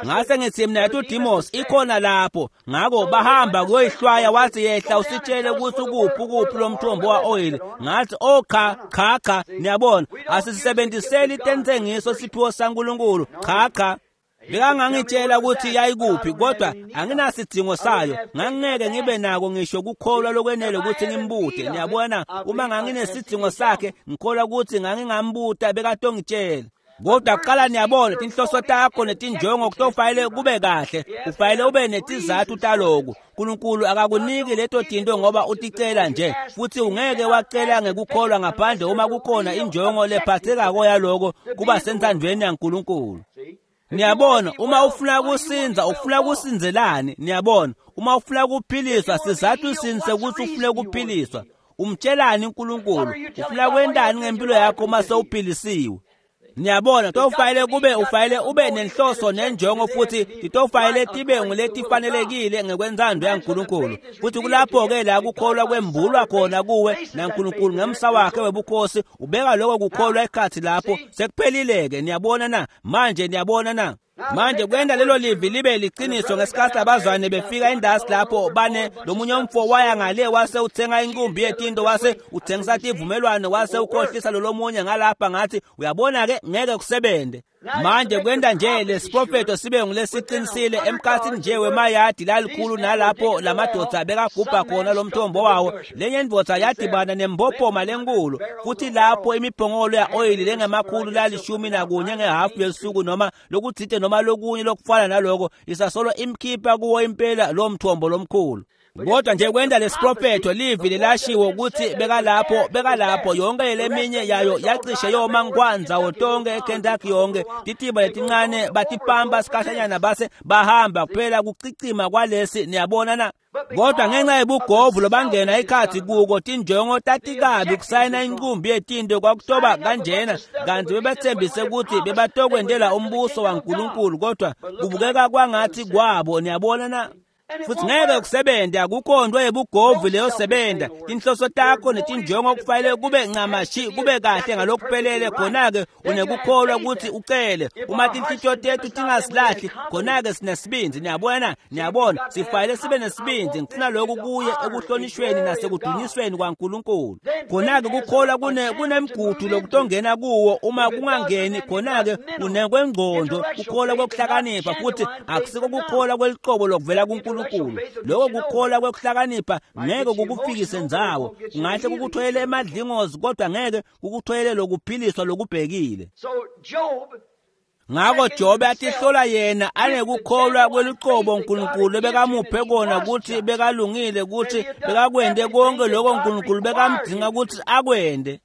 Ngase ngithi mina uDimos ikhona lapho, ngako bahamba kuyoyihlwaya. Wathi yehla usitshele ukuthi ukuphi ukuphi lo mthombo wa oil. Ngathi oh cha cha cha, niyabona asisebenziseli intentengiso siphiwo saNkulunkulu, cha cha. Bekangangitshela ukuthi yayikuphi kodwa anginasidingo sayo, ngangeke ngibe nako ngisho kukholwa lokwenele ukuthi ngimbute. Niyabona uma nganginesidingo sakhe ngikholwa ukuthi ngangingambuta bekatongitshela. Kodwa kuqala niyabona tinhloso takho netinjongo kutofanele kube kahle, ufanele ube netizathu taloku. uNkulunkulu akakuniki leto tinto ngoba uticela nje, futhi ungeke wacela ngekukholwa ngaphandle uma kukhona injongo lephathekako yaloko kuba sentandweni yaNkulunkulu. Niyabona uma ufuna kusinza ufuna kusinzelani? Niyabona uma ufuna kuphiliswa sizathu sini sekuthi ufune kuphiliswa? Umtshelani uNkulunkulu? Ufuna kwendani ngempilo yakho uma sewuphilisiwe? Niyabona tofanele kube ufanele ube nenhloso nenjongo futhi titofanele tibe nguletifanelekile ngekwenzando yaNkulunkulu. Futhi kulapho ke la kukholwa kwembulwa khona kuwe naNkulunkulu ngemsa wakhe webukhosi ubeka lokho kukholwa ekhathi lapho sekuphelile ke. Niyabona na? Manje niyabona na? Manje kwenda lelo livi libe liqiniso ngesikhathi abazwane befika indasi lapho bane lomunye umfo waya ngale wase uthenga inkumbi yetinto wase uthengisa tivumelwano wase ukhohlisa lo lomunye ngalapha. Ngathi uyabona ke ngeke kusebende. Manje kwenda nje lesiprofeto sibe ngulesiqinisile emkhathini nje wemayadi lalikhulu nalapho lamadoda bekagubha khona lomthombo wawo, lenye indvodza yadibana nembophoma lenkulu futhi lapho imiphongolo ya oyili lengemakhulu lalishumi nakunye ngehafu yesuku noma lokuthite noma lokunye lokufana naloko isasolo imkhipha kuwo impela lo mthombo lomkhulu. Kodwa nje kwenda lesiprofetho livi lelashiwo ukuthi bekalapho bekalapho yonke leminye yayo yacishe yoma ngkwanzawo tonke eKentucky yonke titiba letincane batipamba sikhashanyana base bahamba kuphela kucicima kwalesi niyabona na. Kodwa ngenxa yebugovu lobangena ikhathi kuko tinjongo tatikabi kusayina inqumbi yetinto kwakutoba kanjena kanti bebethembise ukuthi bebatokwendela umbuso waNkulunkulu kodwa kubukeka kwangathi kwabo niyabona na. Futhi ngeke kusebenze akukho nto yebugovu leyo sebenza tinhloso takho netinjongo kufanele kube ncamashi kube kahle ngalokuphelele khona-ke unekukholwa ukuthi ucele uma tinhlitiyo tethu tingasilahli khona-ke sinesibindi niyabona niyabona sifanele sibe nesibindi ngifuna lokhu kuye ekuhlonishweni nasekudunyisweni kwaNkulunkulu khona-ke kukholwa kune kunemgudu lokutongena kuwo uma kungangeni khona-ke unekwengqondo kukholwa kokuhlakanipha futhi akusiko kukholwa kweliqobo lokuvela kuNkulunkulu lokho kukholwa kwekuhlakanipha ngeke kukufikise ndzawo kungahle kukuthwele emadlingozi kodwa ngeke kukuthwele lokuphiliswa lokubhekile. Ngakho Jobe atihlola yena anekukholwa kweluqobo uNkulunkulu bekamuphe kona ukuthi bekalungile ukuthi bekakwende konke lokho uNkulunkulu bekamdinga ukuthi akwende.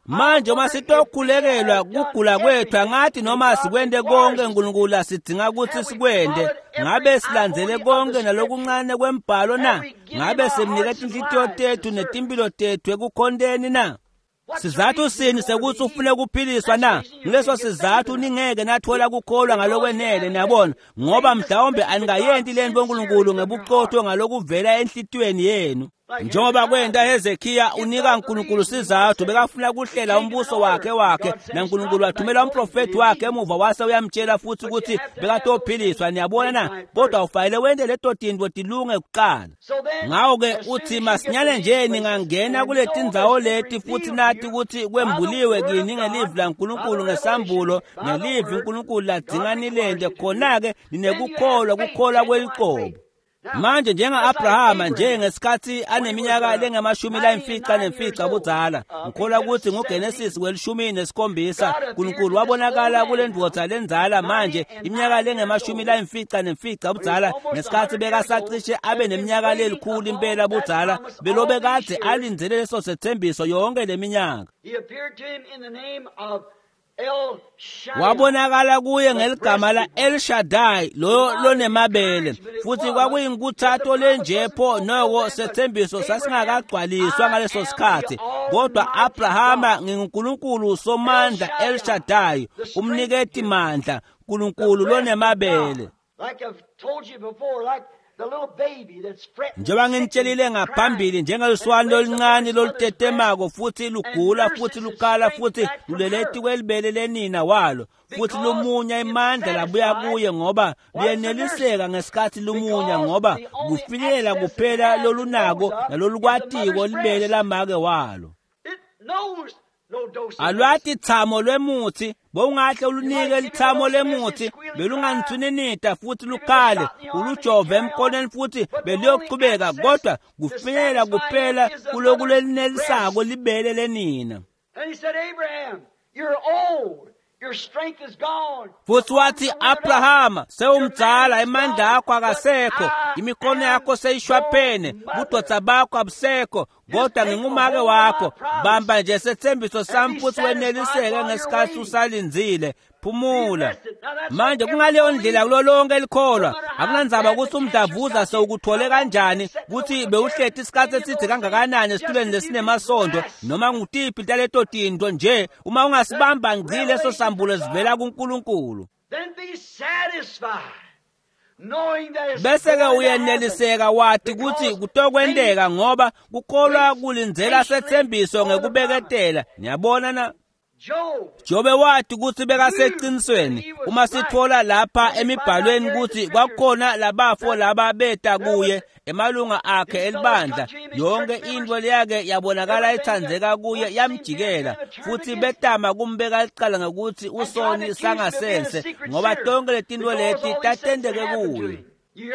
Manje uma sitokhulekelwa kugula kwethu angathi noma sikwende konke uNkulunkulu asidinga ukuthi sikwende ngabe silandzele konke nalokuncane kwembhalo na ngabe simnike tinhlitiyo tethu netimpilo tethu ekukhonteni na. Sizathu sini sekuthi ufune ukuphiliswa na? Nguleso sizathu ningeke nathola kukholwa ngalokwenele niyabona ngoba mhlawumbe aningayenti lento uNkulunkulu ngebuqotho ngalokuvela enhlitiyweni yenu. Njengoba kwenta Hezekiya unika uNkulunkulu sizathu bekafuna kuhlela umbuso wakhe wakhe naNkulunkulu wathumela umprofeti wakhe emuva wase uyamtshela futhi ukuthi bekatophiliswa niyabona na kodwa ufanele wente leto tintfo tilunge kuqala. Ngakho-ke uthi masinyane nje ningangena kule tindzawo leti futhi nathi ukuthi kwembuliwe kini ngelivi laNkulunkulu ngesambulo ngelivi uNkulunkulu ladzinga nilente khona-ke ninekukholwa kukholwa kweliqobo. Manje njenga-Abrahama njengesikhathi aneminyaka lengamashumi layimfica nemfica budzala ngikholwa ukuthi nguGenesis welishumi nesikhombisa uNkulunkulu wabonakala kule ndvodza lendzala manje iminyaka lengamashumi layimfica nemfica budzala ngesikhathi bekasacishe abe neminyaka lelikhulu impela budzala belobe kadze alindzele leso sethembiso yonke leminyaka. Wabonakala kuye ngeligama la El Shaddai lo lonemabele futhi kwakuyinkuthato lenjepho noko sethembiso sasingakagcwaliswa ngaleso sikhathi kodwa Abrahama nginguNkulunkulu somandla El Shaddai umniketi mandla uNkulunkulu lonemabele. Njengoba nginitshelile ngaphambili njengeluswane oluncane lolutetemako futhi lugula futhi lukhala futhi luleleti kwelibele lenina walo futhi lumunya imandla labuya kuye ngoba luyeneliseka ngesikhathi lumunya ngoba kufinyelela kuphela lolunako nalolukwatiko libele lamake walo. Alwati thamo lwemuthi bowungahle ulunike lithamo lemuthi belunganithuninida futhi lukhale ulujove emkonweni futhi beliyoqhubeka kodwa kufinyelela kuphela kuloku lelinelisako libele lenina. Futhi wathi Abrahama sewumdzala emandla akho akasekho imikhono yakho seyishwaphene budvodza bakho abusekho kodwa ngingumake wakho bamba nje sethembiso sami futhi weneliseke ngesikhathi usalindzile phumula. Manje kungaleyo ndlela kulo lonke elikholwa akunandzaba ukuthi umdlavuza sewukuthole kanjani ukuthi bewuhleti isikhathi eside kangakanani esitulweni lesinemasondo noma ngutiphi taleto tinto nje uma ungasibamba ngci leso sambulo sivela kuNkulunkulu bese-ke uyeneliseka wathi ukuthi kutokwenteka ngoba kukholwa kulindzela sethembiso ngekubeketela niyabona na. Jobe wathi ukuthi bekaseqinisweni uma sithola lapha emibhalweni ukuthi kwakukhona labafo laba beta kuye emalunga akhe elibandla yonke into leyake yabonakala ithandzeka kuye yamjikela futhi betama kumbeka licala ngokuthi usoni sangasense ngoba tonke letinto leti tatenteke kuye.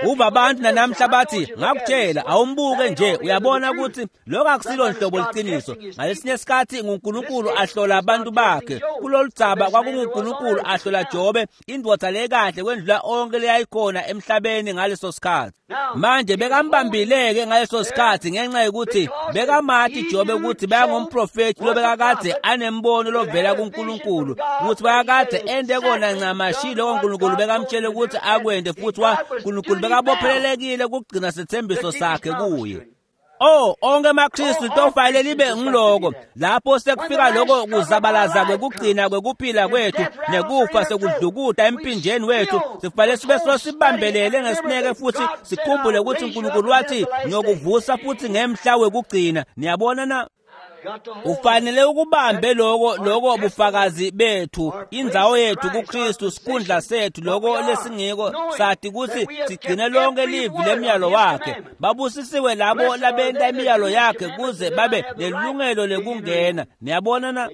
Uva abantu nanamhla bathi ngakutshela awumbuke nje uyabona ukuthi lokho akusilo nhlobo liciniso. Ngalesinye isikhathi nguNkulunkulu ahlola abantu bakhe. Kulolu dzaba kwakunguNkulunkulu ahlola Jobe, indvodza lekahle kwendlula onke leyayikhona emhlabeni ngaleso sikhathi. Manje bekambambile-ke ngaleso sikhathi ngenxa yokuthi bekamati Jobe ukuthi bayangumprofethi lobekakade anembono lovela kuNkulunkulu, ukuthi bayakade ende kona ncamashi lokho uNkulunkulu bekamtshele ukuthi akwende, futhi wa uNkulunkulu bekabophelelekile kugcina sethembiso sakhe kuye. Oh, onke amaKristu tofanele libe ngiloko lapho sekufika lokho kuzabalaza kwekugcina kwekuphila kwethu nekufa sekudlukuta empinjeni wethu, sifanele sibe sosibambelele ngesineke futhi sikhumbule ukuthi uNkulunkulu wathi ngiyokuvusa futhi ngemhla wekugcina. Niyabona na? Ufanele ukubambe lokho lokho bufakazi bethu, indzawo yethu kuKristu, sikhundla sethu, lokho lesingiko, sathi ukuthi sigcine lonke livi lemiyalo wakhe. Babusisiwe labo labenta imiyalo yakhe kuze babe nelungelo lekungena. Niyabona na?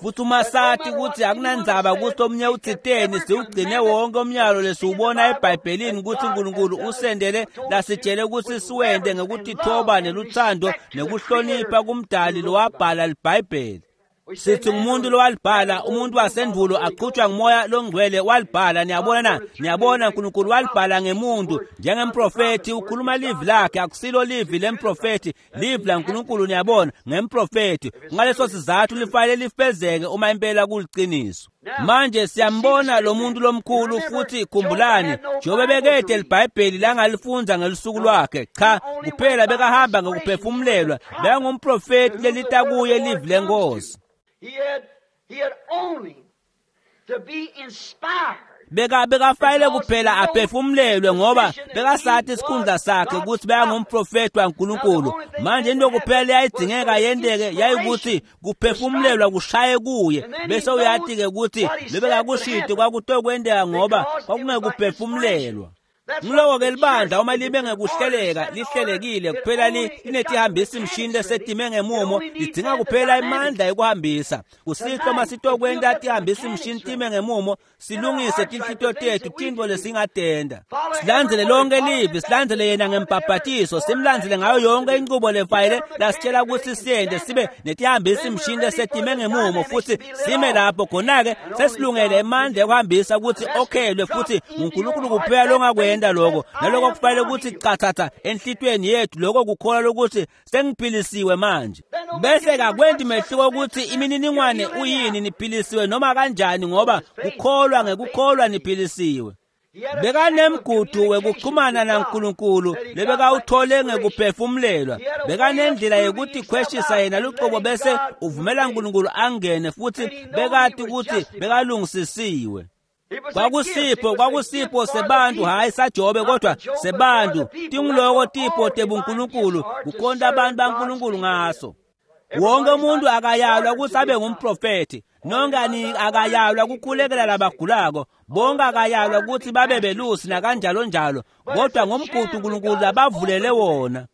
Futhi uma sathi ukuthi akunandzaba ukuthi omunye uthiteni, siwugcine wonke umyalo lesiwubona eBhayibhelini ukuthi uNkulunkulu usendele lasitshele ukuthi siwende ngekutithoba neluthando nekuhlonipha kumdali lowabhala iBhayibheli. Sithi ngumuntu lowalibhala, umuntu wasendulo aqhutshwa ngumoya longcwele walibhala. Niyabona na? Niyabona uNkulunkulu walibhala ngemuntu njengemprofethi, ukhuluma livi lakhe, akusilo livi lemprofethi, livi laNkulunkulu. Niyabona, ngemprofethi. Ngaleso sizathu lifanele lifezeke uma impela kuliciniso. Manje siyambona lo muntu lomkhulu, futhi khumbulani, Jobe bekede liBhayibheli langalifunza ngelusuku lwakhe. Cha, kuphela bekahamba ngekuphefumulelwa, bekangumprofethi lelita kuye livi lenkosi. He had, he had only to be inspired. Beka bekafanele kuphela aphefumulelwe ngoba bekasathi isikhundla sakhe ukuthi bekangumprofethi waNkulunkulu. Manje into kuphela yayidingeka yenteke yayikuthi kuphefumulelwa kushaye kuye, bese uyati-ke ukuthi lebekakushito kwakutokwenteka ngoba kwakungekuphefumulelwa. Ngiloko-ke libandla uma libe ngekuhleleka lihlelekile kuphela linetihambisa imishini lesetime ngemumo, lidzinga kuphela imandla yokuhambisa. Kusihlwa uma sitokwenta tihambisa imishini time ngemumo, silungise tinhlitiyo tethu tintfo lesingatenta. Silandzele lonke livi, silandzele yena ngembhabhatiso, simlandzele ngayo yonke inqubo lefayele lasitshela ukuthi siyente, sibe netihambisa imishini lesetime ngemumo futhi sime lapho khona-ke sesilungele emandla yokuhambisa ukuthi okhelwe futhi nguNkulunkulu kuphela longakwenta lokho. Naloko kufanele ukuthi chathatha enhlitweni yethu lokho kukholwa lokuthi sengiphilisiwe manje. Bese kakwenti mehluko ukuthi imininingwane uyini, niphilisiwe noma kanjani, ngoba kukholwa ngekukholwa niphilisiwe. Bekanemgudu wekuxhumana naNkulunkulu lebekawuthole ngekuphefumulelwa. Bekanendlela yokuthi khweshisa yena luqobo bese uvumela uNkulunkulu angene, futhi bekati ukuthi bekalungisisiwe. Kwakusipho kwakusipho sebantu, hayi saJobe kodwa sebantu. Tinguloko tipho tebuNkulunkulu kukhonta abantu baNkulunkulu ngaso. Wonke umuntu akayalwa ukuthi abe ngumprofethi, nonke akayalwa kukhulekela labagulako, bonke akayalwa ukuthi babe belusi nakanjalo njalo, kodwa ngomgudu uNkulunkulu labavulele wona.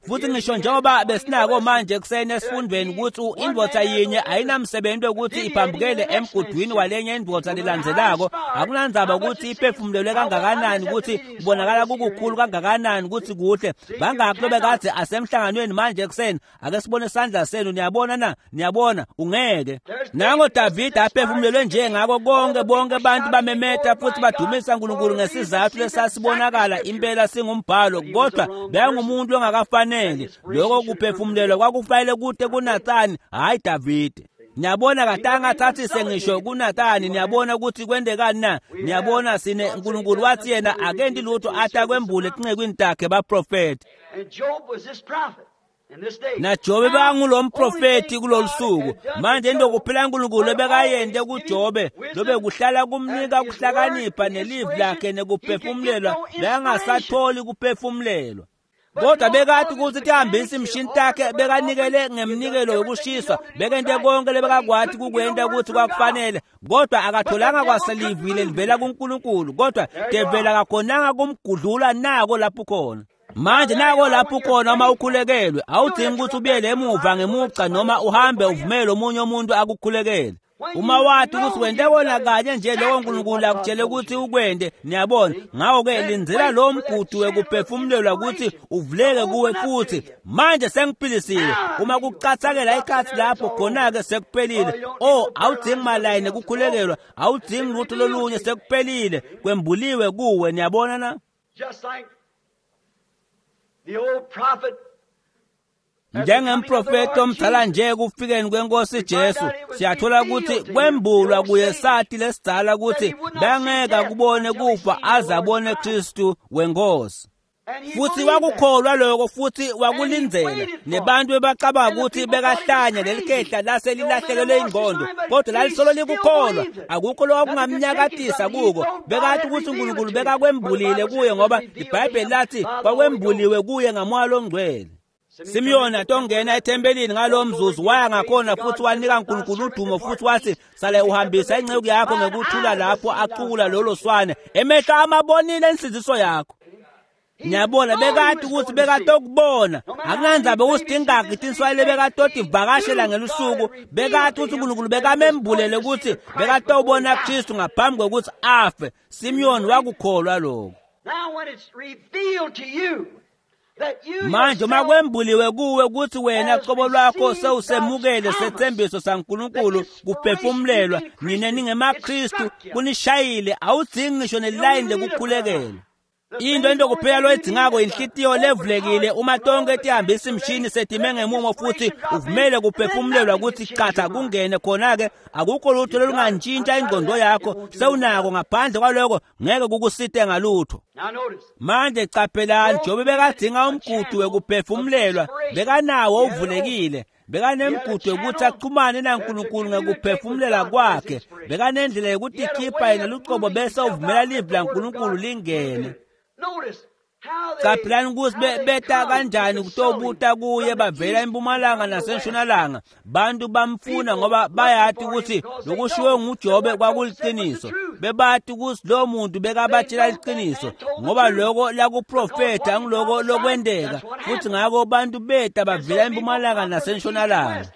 Futhi ngisho njengoba besinako manje ekuseni esifundweni ukuthi indvodza yinye ayinamsebenzi wokuthi iphambukele emgudwini walenye indvodza lelandzelako. Akunandzaba ukuthi iphefumulelwe kangakanani, ukuthi kubonakala kukukhulu kangakanani, ukuthi kuhle bangakhi lobekade asemhlanganweni manje ekuseni. Ake sibone isandla senu. Niyabona na? Niyabona ungeke. Nango Davide aphefumulelwe nje ngako konke, bonke abantu bamemeta futhi badumisa uNkulunkulu ngesizathu lesasibonakala impela singumbhalo, kodwa bekangumuntu ongakafanele. Lokho kuphefumulelwa kwakufanele kude kuNathani, hayi Davide. Niyabona katanga athathise ngisho kuNathani. Niyabona ukuthi kwentekani na? Niyabona sine uNkulunkulu wathi yena akenti lutho athi akwembule etincekwini takhe baprofethi. NaJobe bekangulomprofethi kulolu suku. Manje into kuphela uNkulunkulu ebekayente kuJobe lobe kuhlala kumnika kuhlakanipha nelivi lakhe nekuphefumulelwa, bekangasatholi kuphefumulelwa. Kodwa bekati ukuthi tihambisa imishini takhe bekanikele ngemnikelo wokushiswa, bekente konke lebekakwati kukwenta ukuthi kwakufanele, kodwa akatholanga kwaselivile livela kuNkulunkulu. Kodwa devela akakhonanga kumgudlula nako lapho khona. Manje nako lapho khona uma ukhulekelwe, awudingi ukuthi ubuyele emuva ngemugca noma uhambe uvumele omunye umuntu akukhulekele. Uma wathi ukuthi wente kona kanye nje lokho uNkulunkulu akutshele ukuthi ukwente, niyabona. Ngakho-ke lindzela lowo mgudu wekuphefumulelwa ukuthi uvuleke kuwe futhi. Manje sengiphilisile. Uma kucathakela ikhathi lapho khona-ke sekuphelile. Oh, awudingi malayini ekukhulekelwa, awudingi lutho lolunye, sekuphelile, kwembuliwe kuwe, niyabona na? Just like the old prophet Njengemprofeti omdala nje kufikeni kwenkosi Jesu, siyathola ukuthi kwembulwa kuye sathi lesidzala ukuthi bangeke akubone kufa aze abone Kristu wenkosi. and he Futhi believed that. wakukholwa lokho futhi wakulindzela. Nebantu bebacabanga ukuthi bekahlanya lelikhehla lase lilahlekelwe ingqondo, kodwa lalisolo likukholwa. Akukho lokwakungamnyakatisa kuko. Bekathi ukuthi uNkulunkulu bekakwembulile kuye ngoba iBhayibheli lathi kwakwembuliwe kuye ngamoya longcwele. Simiyoni atongena ethempelini ngalowo mzuzu waya ngakhona futhi wanika uNkulunkulu udumo futhi wathi sale uhambisa inceku yakho ngekuthula lapho acukula lolo swane emehlo amabonile insindiso yakho. Ngiyabona bekade ukuthi bekatokubona akunandzaba ukuthi tinswayile bekatoti vakashela ngelusuku bekade ukuthi uNkulunkulu bekamembulele ukuthi bekatobona Kristu ngaphambi kokuthi afe. Simiyoni wakukholwa lokho. Now when it's revealed to you that you Manje uma yourself kwembuliwe kuwe ukuthi wena qobo lwakho sewusemukele sethembiso saNkulunkulu kuphefumulelwa nine ningemaKristu kunishayile awudzingi ngisho nelayini lekukhulekela. Into into kuphela loyidingako inhlitiyo levulekile uma tonke tihambisa imishini setime ngemumo futhi uvumele kuphefumulelwa ukuthi qatha kungene khona-ke akukho lutho lolungantshintsha ingqondo yakho sewunako ngaphandle kwaloko ngeke kukusite ngalutho. Now notice Manje qaphelani Jobe bekadinga umgudu wekuphefumulelwa bekanawo uvulekile bekanemgudu yokuthi axhumane naNkulunkulu ngekuphefumulela kwakhe bekanendlela yokuthi yena lucobo bese uvumela livi laNkulunkulu lingene. Notice how they Qaphelani ukuthi how be- they beta come kanjani to kutobuta kuye from the bavela east empumalanga and the west. nasentshonalanga bantu bamfuna ngoba bayati ukuthi lokushiwo nguJobe kwakuliqiniso bebati ukuthi lo muntu bekabatshela iqiniso ngoba lokho lakuprofetha ngiloko lokwenteka futhi ngako bantu beta bavela empumalanga nasentshonalanga.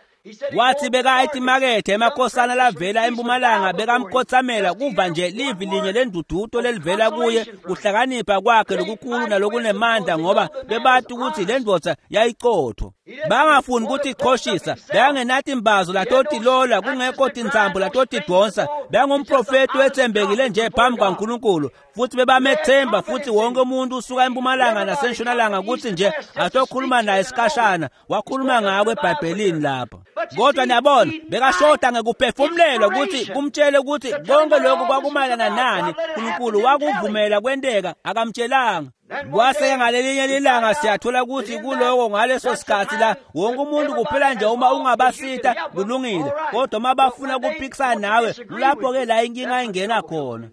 Wathi bekayithi imakethe emakhosana lavela empumalanga bekamkhothamela kuva nje livi linye lendududo lelivela kuye kuhlakanipha kwakhe lokukhulu nalokunemandla ngoba bebati ukuthi le ndvodza yayiqotho. Bangafuni ukuthi iqhoshisa bekangenathi imbazo latotilola kungekho tintsambo latotidonsa bekangumprofeti wethembekile nje phambi kwaNkulunkulu futhi bebamethemba futhi wonke umuntu usuka empumalanga nasentshonalanga ukuthi nje atokhuluma naye isikhashana wakhuluma ngako eBhayibhelini lapha. Kodwa niyabona bekashoda ngekuphefumulelwa ukuthi kumtshele ukuthi konke lokhu kwakumayelana nani uNkulunkulu wakuvumela kwenteka akamtshelanga. Kwase ngalelinye lilanga siyathola ukuthi kuloko ngaleso sikhathi la wonke umuntu kuphela nje uma ungabasita kulungile kodwa uma bafuna kuphikisana nawe kulapho ke la inkinga ingena khona.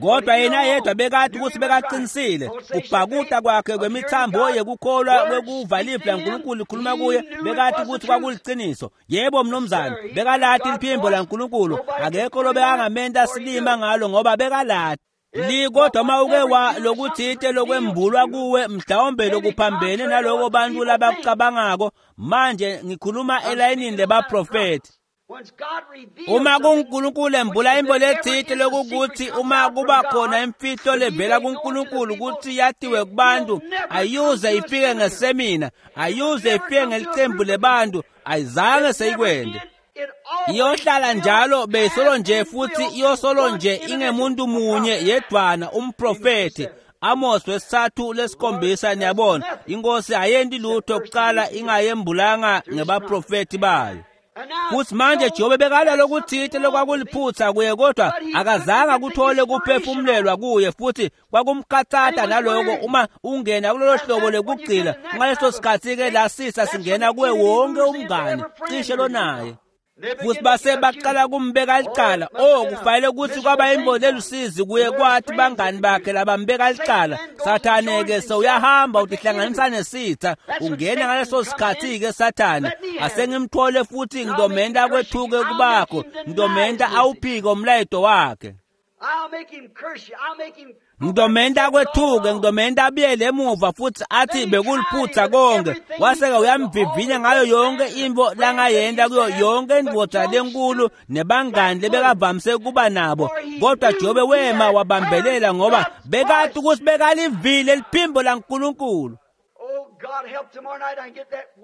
Kodwa yena yedwa bekade ukuthi bekaqinisile kubhakuta kwakhe kwemithambo yekukholwa kwekuva livi laNkulunkulu likhuluma kuye bekade ukuthi kwakuliqiniso. Yebo mnumzane bekalati liphimbo laNkulunkulu akekho lobekangamenta silima ngalo ngoba bekalati. Li kodwa uma uke wa lokuthite lokwembulwa kuwe mhlawumbe lokuphambene naloko bantu labakucabangako manje ngikhuluma elayinini lebaprofeti. Once God reveals Uma something, kuNkulunkulu embula imbo lethite lokukuthi uma kuba khona imfihlo levela kuNkulunkulu ukuthi yatiwe kubantu ayuze ifike ngesemina ayuze ifike ngelicembu lebantu ayizange seyikwende. it always Iyohlala njalo beyisolo nje futhi will iyosolo one nje individual ingemuntu munye yedwana umprofeti. Amos wesithathu lesikhombisa niyabona inkosi ayenti lutho kuqala ingayembulanga ngebaprofeti bayo. And now Futhi manje Jobe bekala lokuthite lokwakuliphutha kuye kodwa akazange akuthole kuphefumulelwa kuye futhi kwakumkhathata naloko uma ungena kulolo hlobo lekugcila ngaleso sikhathi ke la sisa singena kuwe wonke umngane cishe lonaye. Futhi base baqala kumbeka licala oh kufanele ukuthi kwaba imbono elusizi kuye kwathi bangani bakhe labambeka licala Sathane ke sewuyahamba utihlanganisa nesitha ungena ngaleso sikhathi ke Sathane asengimthole futhi ngidomenta kwethuke kubakho ngidomenta awuphike umlayeto wakhe. I'll make him curse you. I'll make him Ngitomenta kwethuke, ngitomenta abuyele emuva futhi athi bekuliphutha konke. Waseke uyamvivinya ngayo yonke intfo langayenta kuyo yonke indvodza lenkulu nebangani lebekavamise kuba nabo. Kodwa Jobe wema wabambelela ngoba bekati ukuthi bekalivile liphimbo laNkulunkulu.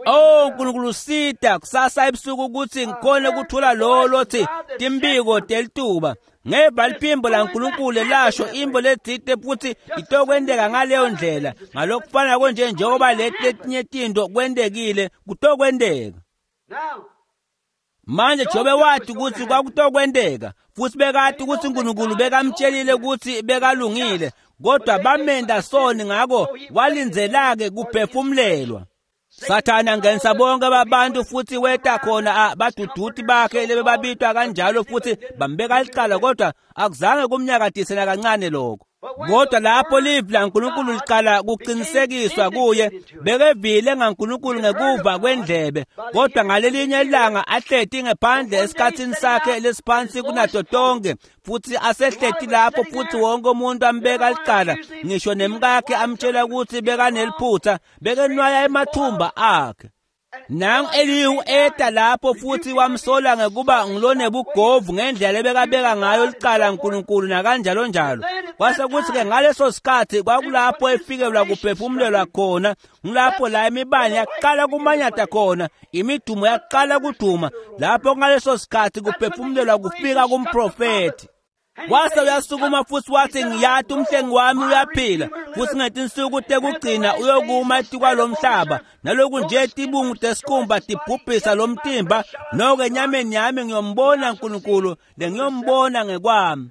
Oh Nkulunkulu sita kusasa ebusuku ukuthi ngikhone ukuthola lowo lothi timbiko telituba. Ngeva liphimbo laNkulunkulu lasho imbo letsite futhi itokwenteka ngaleyo ndlela. Ngalokufana konje njengoba leti letinye tintfo kwentekile kutokwenteka. Manje Jobe wathi ukuthi kwakutokwenteka futhi bekati ukuthi uNkulunkulu bekamtshelile ukuthi bekalungile, kodwa bamenda soni ngako walindzelake kuphefumlelwa. Sathane angenisa bonke babantu futhi weta khona baduduti bakhe lebebabitwa kanjalo futhi bambeka licala, kodwa akuzange kumnyakatise nakancane lokho. Kodwa lapho livi laNkulunkulu liqala kuqinisekiswa kuye, bekevile ngaNkulunkulu ngekuva kwendlebe, kodwa ngalelinye ilanga ahleti ngephandle esikhathini sakhe lesiphansi kunato tonke, futhi asehleti lapho futhi wonke umuntu ambeka licala, ngisho nemkakhe amtshela ukuthi bekaneliphutha, bekenwaya emathumba akhe. Nangu Elihu eta lapho futhi wamsola ngekuba ngilonebugovu ngendlela lebekabeka ngayo licala uNkulunkulu nakanjalo njalo. Kwase kuthi-ke ngaleso sikhathi kwakulapho efikelwa kuphefumulelwa khona, ngilapho la imibane yaqala kumanyata khona, imidumo yaqala kuduma, lapho ngaleso sikhathi kuphefumulelwa kufika kumprofethi. Wase uyasukuma futhi wathi ngiyati umhlengi wami uyaphila futhi ngetinsuku tekugcina uyokuma etikwalomhlaba, naloku nje tibungu tesikhumba tibhubhisa lomtimba, noko enyameni yami ngiyombona uNkulunkulu lengiyombona ngekwami.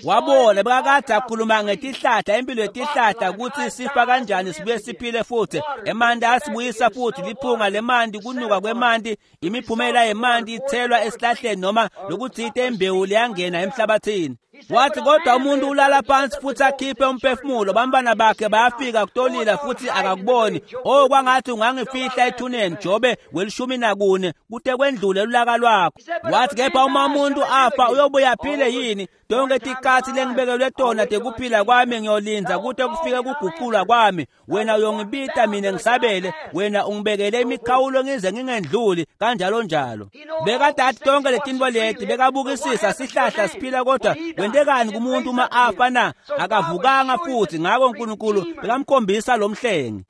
Wabona bekakade akhuluma ngetihlahla, impilo yetihlahla ukuthi sifa kanjani sibuye siphile futhi, emanti asibuyisa futhi, liphunga lemanti, kunuka kwemanti, imiphumela yemanti ithelwa esihlahleni noma lokuthite imbewu liyangena emhlabathini. Wathi kodwa umuntu ulala phansi futhi akhiphe umphefumulo, bantwana bakhe bayafika kutolila futhi akakuboni. Oh kwangathi ungangifihla ethuneni Jobe welishumi nakune kute kwendlule ulaka lwakho. Wathi kepha uma umuntu afa uyobuya aphile yini? Tonke tikhatsi lengibekelwe tona tekuphila kwami ngiyolindza kute kufike kuguqulwa kwami. Wena uyongibita mina ngisabele, wena ungibekele imikhawulo ngize ngingendluli kanjalo njalo. Bekadati tonke letintfo leti bekabukisisa sihlahla siphila, kodwa kwentekani kumuntu uma afa na? Akavukanga futhi. Ngako uNkulunkulu bekamkhombisa lo mhlengi.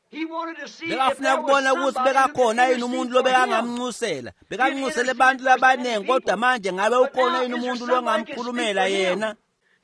Bekafuna ukubona ukuthi bekakhona yini umuntu lobekangamnxusela, bekanxusele abantu labaningi, kodwa manje ngabe ukhona yini umuntu longamkhulumela yena?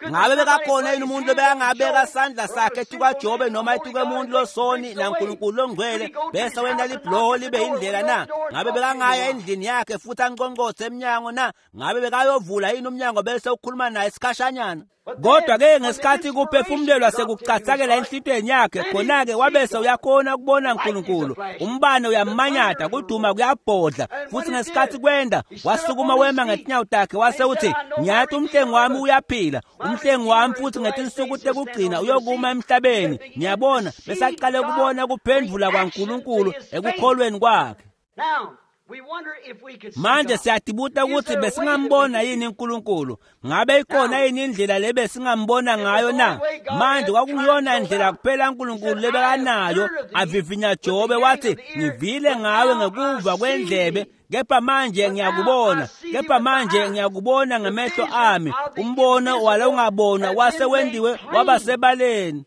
Ngabe bekakhona yini umuntu lobekangabeka sandla sakhe etikwaJobe noma etikwemuntu losoni naNkulunkulu longcwele bese wenta libhuloho libe indlela na? Ngabe bekangaya endlini yakhe futhi anqonqothe emnyango na? Ngabe bekayovula yini umnyango bese ukhuluma naye isikhashanyana? Kodwa ke ngesikhathi kuphefumulelwa sekucathakela enhlitweni yakhe, khona-ke wabese uyakhona ukubona uNkulunkulu. Umbane uyamanyata, kuduma kuyabhodla, futhi ngesikhathi kwenda wasukuma wema ngetinyawo takhe wase uthi ngiyathi umhlengi wami uyaphila, umhlengi wami futhi ngetinsuku tekugcina uyokuma emhlabeni. Ngiyabona besaqale ukubona kuphendvula kwaNkulunkulu ekukholweni kwakhe. Manje siyatibuta ukuthi besingambona yini uNkulunkulu? Ngabe ikhona yini indlela lebesingambona ngayo na? Manje kwakuyona indlela kuphela uNkulunkulu lebekanayo. Avivinya Jobe wathi ngivile ngawe ngekuva kwendlebe, kepha manje ngiyakubona, kepha manje ngiyakubona ngemehlo ami. Umbono wala ungabonwa wase wendiwe waba sebaleni.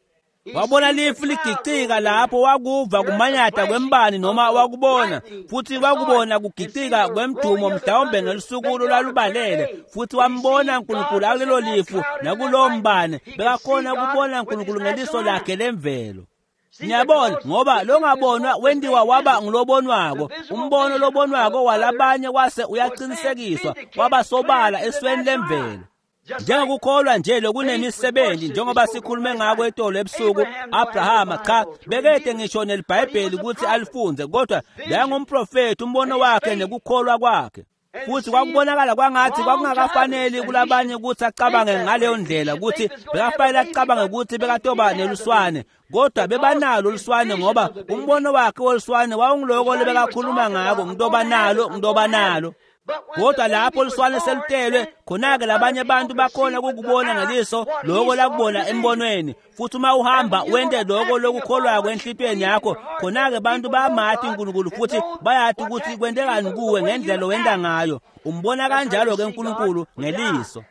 Wabona lifu ligicika lapho, wakuva kumanyata kwembani noma wakubona, futhi wakubona kugicika kwemdumo mhlawumbe ngelusuku lwalubalele, futhi wambona uNkulunkulu akulelo lifu nakulowo mbane. Bekakhona ukubona uNkulunkulu ngeliso lakhe lemvelo. Ngiyabona ngoba longabonwa wendiwa waba ngilobonwako. Umbono lobonwako walabanye wase uyaqinisekiswa waba sobala esweni lemvelo. Njengokukholwa nje lokunemisebenzi, njengoba sikhulume ngako etolo ebusuku, Abrahama cha bekede ngisho neliBhayibheli ukuthi alifunze, kodwa bekangumprofethi, umbono wakhe nekukholwa kwakhe. Futhi kwakubonakala kwangathi kwakungakafaneli kulabanye ukuthi acabange ngaleyo ndlela, ukuthi bekafanele acabange ukuthi bekatoba neluswane, kodwa bebanalo luswane ngoba umbono wakhe woluswane wawungiloko lebekakhuluma ngako, ngitoba nalo, ngitoba nalo. Kodwa lapho luswane selutelwe khona-ke labanye abantu bakhona kukubona ngeliso loko lakubona embonweni. Futhi uma uhamba wente loko lokukholwako enhlitiyweni yakho, khona-ke bantu bayamati uNkulunkulu futhi bayati ukuthi kwentekani kuwe ngendlela wenta ngayo. Umbona kanjalo-ke uNkulunkulu ngeliso.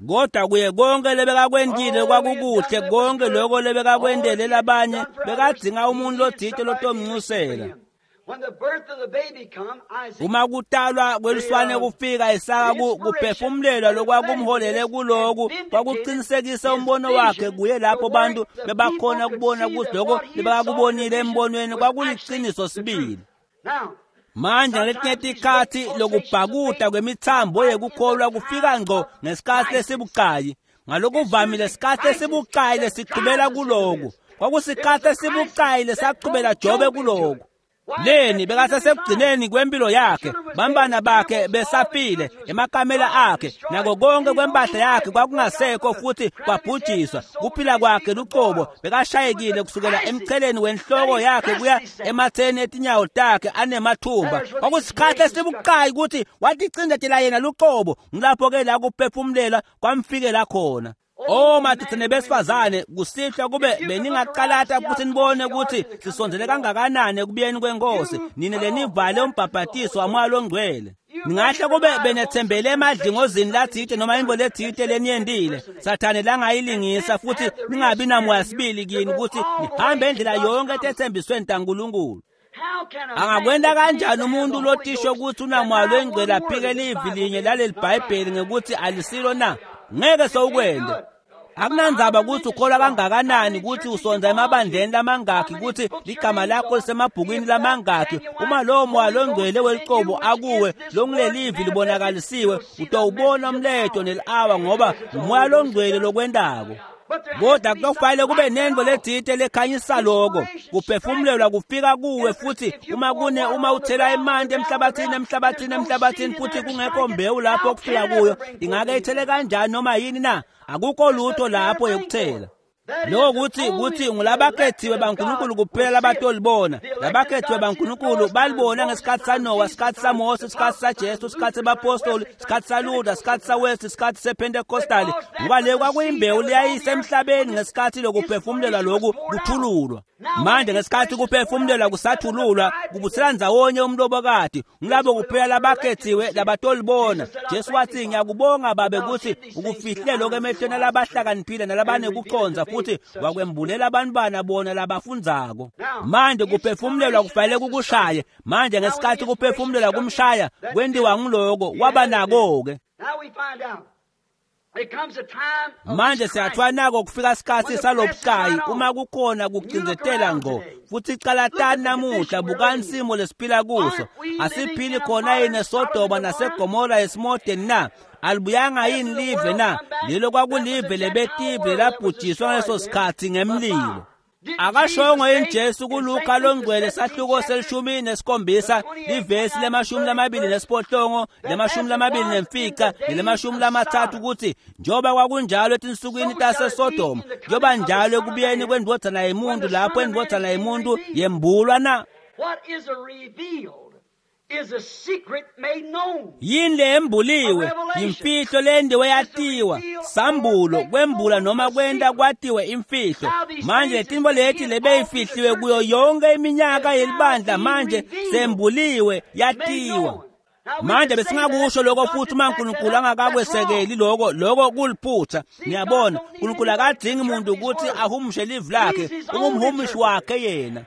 Kodwa kuye konke lebekakwentile kwakukuhle, konke loko lebekakwentele labanye bekadzinga umuntu lotsite lotomncusela. Uma kutalwa kweluswane kufika Isaka kuphefumulelwa lokwakumholele kuloku kwakuqinisekisa umbono wakhe kuye lapho bantu bebakhona kubona ukuthi lokho lebakubonile embonweni kwakuliqiniso sibili. Manje ngaletinye tikhatsi lokubhakuta kwemitsambo yekukholwa kufika ngco ngesikhatsi lesibucayi. Ngalokuvamile isikhatsi lesibucayi lesichubela kuloku kwakusikhatsi lesibucayi lesachubela Jobe kuloku. Leni bekasesekugcineni kwempilo yakhe, bambana bakhe besafile, emakamela akhe nako konke kwempahla yakhe kwakungasekho futhi kwabhujiswa. Kuphila kwakhe lucobo bekashayekile kusukela emcheleni wenhloko yakhe kuya ematheni etinyawo takhe anemathumba. Kwakusikhatsi lesibucayi ukuthi waticindzetela yena lucobo. Ngilapho-ke la kuphefumulela kwamfikela khona. Oh madoda nebesifazane, kusihlwa kube beningaqalata futhi nibone ukuthi sisondzele kangakanani ekubuyeni kwenkosi, nine lenivale umbhabhatiso waMoya loNgcwele. Ningahle kube benethembele emadlingozini latsite noma intfo letsite leniyentile Sathane langayilingisa, futhi ningabi namoya sibili kini ukuthi nihambe indlela yonke etetsembisweni taNkulunkulu. Angakwenta kanjani umuntu lotisho ukuthi unamoya loNgcwele aphike livi linye laleli Bhayibheli ngekuthi alisilo na? Ngeke sewukwente. Akunandzaba ukuthi ukholwa kangakanani, ukuthi usonza emabandleni lamangakhi, ukuthi ligama lakho lisemabhukwini lamangakhi, uma lowo moya longcwele welicobo akuwe longulelivi libonakalisiwe, utawubona umletho neli-awa ngoba umoya longcwele lokwentako. Kodwa kutofanele kube nentfo letsite lekhanyisa loko kuphefumulelwa kufika kuwe. Futhi uma kune uma uthela emanti emhlabathini emhlabathini emhlabathini futhi kungekho mbewu lapho kufika kuyo, ingake ithele kanjani noma yini na? Akukho lutho lapho yokuthela. Lokho kuthi kuthi ngulabakhethiwe baNkulunkulu kuphela labatolibona. Labakhethiwe baNkulunkulu balibona ngesikhatsi saNowa, isikhatsi saMose, isikhatsi saJesu, isikhatsi sebapostoli, isikhatsi saLuther, isikhatsi saWesley, isikhatsi sePentecostal. Ngoba le kwakuyimbewu leyayise emhlabeni ngesikhatsi lokuphefumulelwa lokhu kuthululwa. Manje ngesikhatsi kuphefumulelwa kusathululwa kubutsela ndzawonye umlobokati, ngulabo kuphela labakhethiwe labatolibona. Jesu wathi, ngiyakubonga Babe ukuthi ukufihle lokho emehlweni alabahlakaniphile nalabanekucondza, futhi wakwembulela abantwana bona labafundzako. Manje kuphefumulelwa kufanele kukushaye. Manje ngesikhatsi kuphefumulelwa kumshaya kwentiwa nguloko waba nako-ke. Manje siyathwa nako kufika isikhatsi salobucayi uma kukhona kucindzetela ngqo. Futhi calatani namuhla, bukani simo lesiphila kuso. Asiphili khona yini eSodoma naseGomora esimodeni na? Alibuyanga yini live na? Lelo kwakulive lebetive labhujiswa ngaleso sikhatsi ngemlilo. Akashongo yini Jesu kuLuka longcwele sahluko selishumi nesikhombisa livesi lemashumi lamabili nesiphohlongo lemashumi lamabili nemfica nelemashumi lamatsatfu ukuthi njengoba kwakunjalo etinsukwini taseSodoma, njengoba njalo ekubuyeni kwendvodzana yemuntu lapho indvodzana yemuntu yembulwa na? Yini leyembuliwe? Yimfihlo lendiwe yatiwa, sambulo, kwembula noma kwenta kwatiwe imfihlo. Manje letintfo leti lebeyifihliwe kuyo yonke iminyaka yelibandla manje sembuliwe yatiwa. Manje besingakusho lokho futhi uma uNkulunkulu angakakwesekeli lokho, lokho kuliphutha. Niyabona, uNkulunkulu akadzingi umuntu ukuthi ahumushe livi lakhe, ungumhumushi wakhe yena.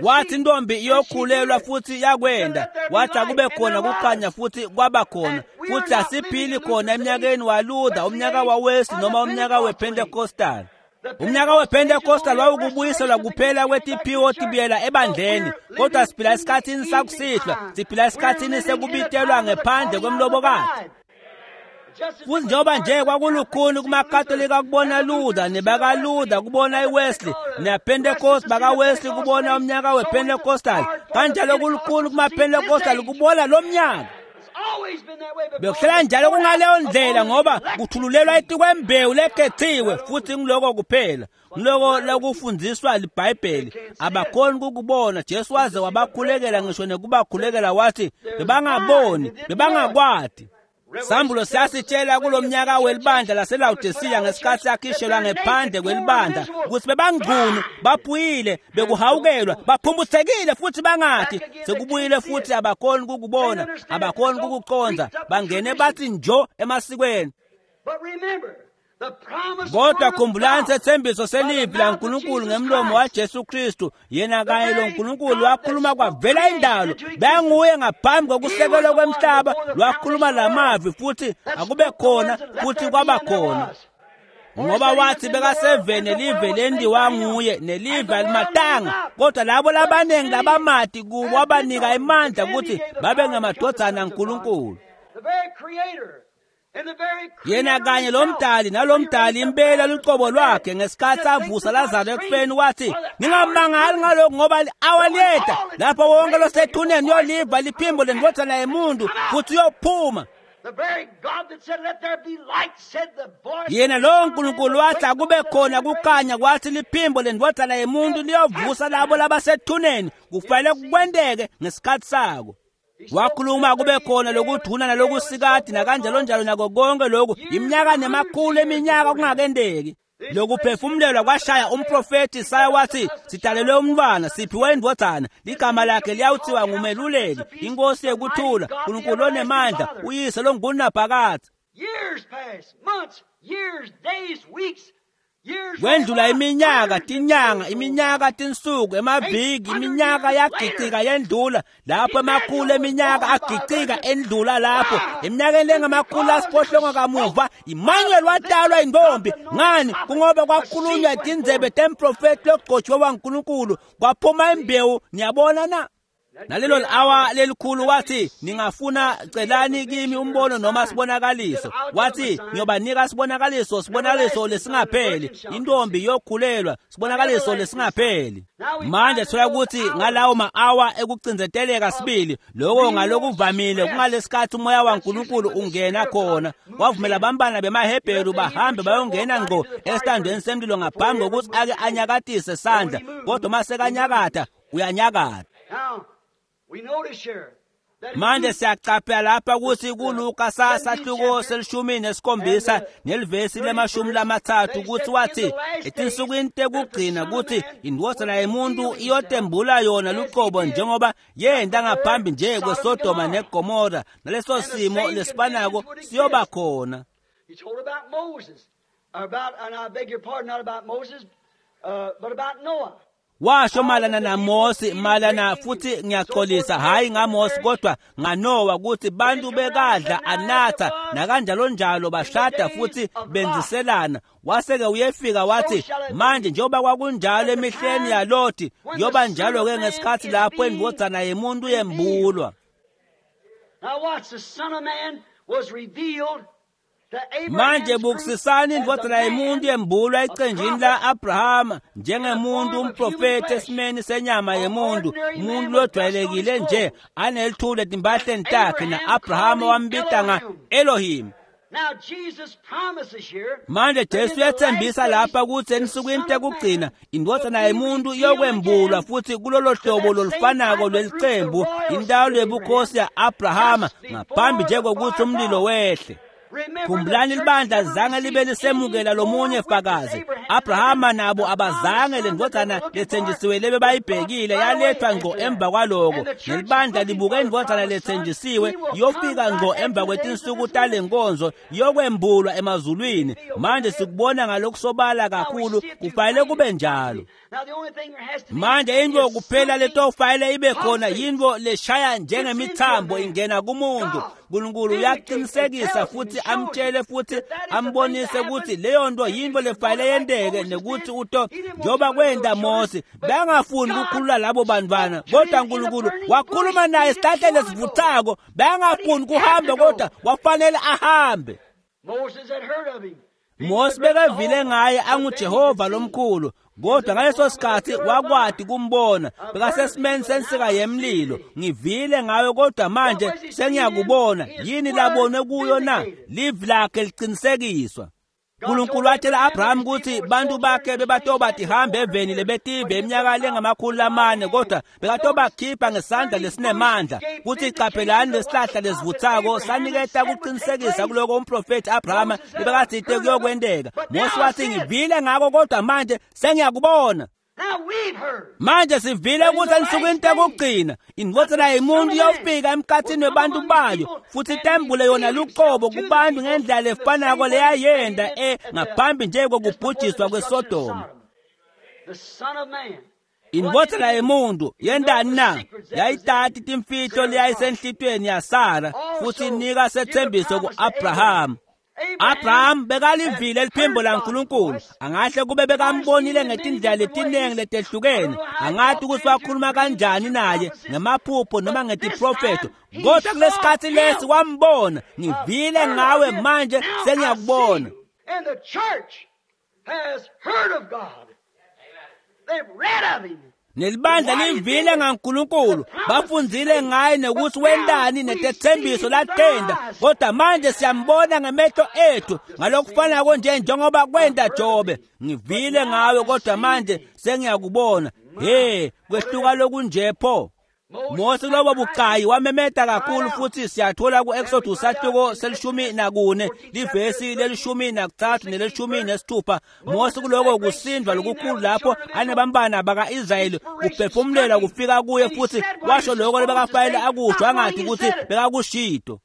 Wathi intombi iyokhulelwa futhi yakwenda, wathi akube khona kukhanya futhi kwaba khona. Futhi asiphili khona eminyakeni waLuther, umnyaka waWesley noma umnyaka wePentecostal. Umnyaka wePentecostal wawukubuyiselwa kuphela kwetiphiwo tibuyela ebandleni, kodwa siphila esikhathini sakusihlwa, siphila esikhathini sekubitelwa ngephandle kwemlobokati. Futhi njengoba nje kwakulukhuni kumaKatolika kubona Luther nebakaLuther kubona iWesley nePentecost bakaWesley kubona umnyaka wePentecostal, kanjalo kulukhuni kumaPentecostal kubona lo mnyaka. Bekuhlala njalo kungaleyo ndlela ngoba kuthululelwa etikwembewu lekhethiwe futhi ngiloko kuphela ngiloko lokufundziswa liBhayibheli. Abakhoni kukubona. Jesu waze wabakhulekela ngisho nekubakhulekela wathi bebangaboni, bebangakwati. Sambulo siyasitshela kulomnyaka welibandla laseLawodisiya ngesikhathi sakhishelwa ngephandle kwelibandla ukuthi bebangcunu, baphuyile, bekuhawukelwa, baphumbuthekile futhi bangathi sekubuyile futhi abakhoni kukubona, abakhoni kukuqonda, bangene bathi njo emasikweni. Kodwa khumbulani sethembiso selivi laNkulunkulu ngemlomo waJesu Kristu, yena kanye lo Nkulunkulu wakhuluma kwavela indalo, benguye ngaphambi kokusekelwa kwemhlaba, lwakhuluma lamavi futhi akube khona futhi kwaba khona. Ngoba wathi bekasevene live lendiwa nguye nelive alimatanga, kodwa labo labaningi labamati kubo wabanika emandla ukuthi babe ngamadvodzana aNkulunkulu. Yena kanye lo mdali nalomdali impela lucobo lwakhe ngesikhathi avusa Lazaro ekufeni wathi ningamangali ngalokhu ngoba li-awa liyeta lapho wonke losethuneni uyoliva liphimbo lendvodzana yemuntu futhi uyophuma. Yena lowo Nkulunkulu wathi akube khona kukhanya, kwathi liphimbo lendvodzana yemuntu liyovusa labo labasethuneni. Kufanele kwenteke ngesikhathi sako. Wakhuluma kube khona lokuduna nalokusikati nakanjalo njalo nako konke lokhu iminyaka nemakhulu eminyaka kungakendeki. Lokuphefumulelwa kwashaya umprofethi Isaya wathi sidalelwe umntwana, siphiwe indvodzana, ligama lakhe liyawuthiwa ngumeluleki, inkosi yekuthula, uNkulunkulu onemandla, uyise longunaphakadze. Kwendlula iminyaka, tinyanga, iminyaka, tinsuku, emaviki, iminyaka yagicika yendlula lapho, emakhulu eminyaka agicika endlula lapho. Eminyakeni lengamakhulu asiphohlongo kamuva Emmanuel watalwa intombi. Ngani? Kungoba kwakhulunywa tindzebe temprofethi logcotshwe waNkulunkulu, kwaphuma imbewu. Niyabona na? Nalelo awa lelikhulu wathi ningafuna celani kimi umbono noma sibonakaliso. Wathi ngiyobanika sibonakaliso, sibonakaliso lesingapheli, intombi iyokhulelwa, sibonakaliso lesingapheli. Manje thola ukuthi ngalawo ma-awa ekucinzeteleka sibili lokho ngalokuvamile kungalesikhathi umoya waNkulunkulu ungena khona, wavumela abantwana bemaHebheru bahambe bayongena ngqo esitandweni semlilo ngaphambi kokuthi ake anyakatise sandla, kodwa uma sekanyakatha uyanyakatha. Manje siyacaphela lapha ukuthi kuLuka sasahluko selishumi nesikhombisa nelivesi lemashumi lamathathu ukuthi wathi etinsukwini tekugcina ukuthi indvodzana yemuntu iyotembula yona luqobo njengoba yenta ngaphambi nje kweSodoma neGomora, naleso simo lesifanako siyoba khona. Washo malana naMose, malana futhi ngiyaxolisa hayi ngaMose kodwa ngaNowa ukuthi bantu bekadla anatha nakanjalo njalo bashada futhi benziselana. Waseke uyefika wathi manje njengoba kwakunjalo emihleni yaLothi kuyoba njalo ke ngesikhathi lapho indvodzana yemuntu yembulwa. Manje bukusisani indvodzana yemuntu yembulwa ecenjini la-Abrahama njengemuntu umprofethi esimeni senyama yemuntu, umuntu lojwayelekile nje anelithule etimpahleni takhe, na-Abrahama wambita nga-Elohim. Manje Jesu uyathembisa lapha ukuthi ensukwini tekugcina indvodzana yemuntu iyokwembulwa futhi kulolo hlobo lolufanako lwelicembu, intalo yebukhosi ya-Abrahama ngaphambi nje kokuthi umlilo wehle. Khumbulani libandla zange libe lisemukela lomunye fakazi. Abrahama nabo abazange lendvodzana lethenjisiwe lebe bayibhekile yalethwa ngqo emva kwaloko. Nelibandla libuke indvodzana lethenjisiwe iyofika ngqo emva kwetinsuku talenkonzo iyokwembulwa emazulwini. Manje sikubona ngalokusobala kakhulu, kufanele kube njalo. Manje into kuphela letofanele ibe khona yinto leshaya njengemithambo ingena kumuntu. uNkulunkulu uyaqinisekisa futhi amtshele futhi ambonise ukuthi leyo nto yinto lefanele yenteke nekuthi uto njengoba kwenta Mose bangafuni ukukhulula labo bantwana, kodwa uNkulunkulu wakhuluma naye esihlahleni esivuthako. Bangafuni kuhamba kodwa wafanele ahambe. Mose bekevile ngaye anguJehova lomkhulu, kodwa ngaleso sikhathi wakwati kumbona bekasesimeni sensika yemlilo. Ngivile ngawe kodwa manje sengiyakubona. Yini labonwe kuyo na? Livi lakhe liqinisekiswa. uNkulunkulu watshela Abraham ukuthi bantu bakhe bebatoba tihambe eveni lebetive iminyaka lengamakhulu amane, kodwa bekatobakhipha ngesandla lesinemandla. Kuthi qaphelani lesihlahla lesivuthako saniketa kuqinisekisa kuloko umprofethi Abraham lebekatsite kuyokwenteka. Mose wathi ngivile ngako kodwa manje sengiyakubona. Manje sivile ukuthi ensukwini tekugcina indvodzana yemuntu iyofika emkhathini webantu bayo futhi itembule yona luqobo kubantu ngendlela lefanako leyayenda e ngaphambi nje kokubhujiswa kweSodoma. Indvodzana yemuntu yendani na? Yayitati timfihlo leyayisenhlitweni yaSara futhi inika sethembiso ku-Abraham. Abraham bekalivile liphimbo laNkulunkulu. Angahle kube bekambonile ngetindlela letinengi letehlukene. Angathi ukuthi wakhuluma kanjani naye ngemaphupho noma ngetiprofetho, kodwa kulesikhathi lesi wambona. Ngivile ngawe manje sengiyakubona. And the church has heard of God. They've read of him. Nelibandla livile ngaNkulunkulu, bafundzile ngaye nokuthi wendani netethembiso latenda, kodwa manje siyambona ngemehlo ethu ngalokufanako nje njengoba kwenda Jobe. Ngivile ngawe kodwa manje sengiyakubona. He, kwehluka lokunje pho. Mose kulobo bucayi wamemeta kakhulu, futhi siyathola ku-Exodus sahluko selishumi nakune livesi lelishumi nakuthathu nelishumi nesithupha. Mose kuloko kusindwa lokukhulu lapho anebambana baka-Israyeli kuphefumulela kufika kuye, futhi washo lokho lebekafanele akusho, angathi ukuthi bekakushito.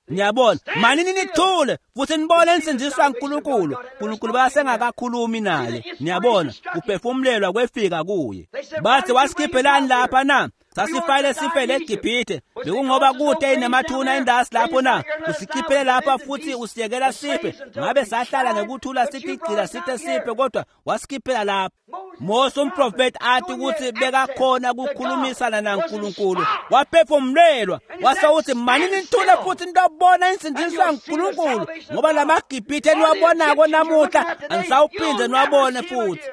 Niyabona, manini nithule futhi nibone insindiso kaNkulunkulu. uNkulunkulu basengakakhulumi naye. Niyabona, kuphefumulelwa kwefika kuye. Bathi wasikhiphelani lapha na? Sasifayile sifele eGibhithe. Bekungoba kude inemathuna indasi lapho na? Usikhiphele lapha futhi usiyekela sife. Ngabe sahlala ngekuthula sithi igcila sithe sife, kodwa wasikhiphela lapha. Mose umprofeti athi ukuthi bekakhona ukukhulumisana naNkulunkulu, waphefumulelwa wase uthi manini nithule futhi nitobona insindiso kaNkulunkulu, ngoba lamaGibhithe eniwabonako namuhla anisawuphinde niwabone futhi.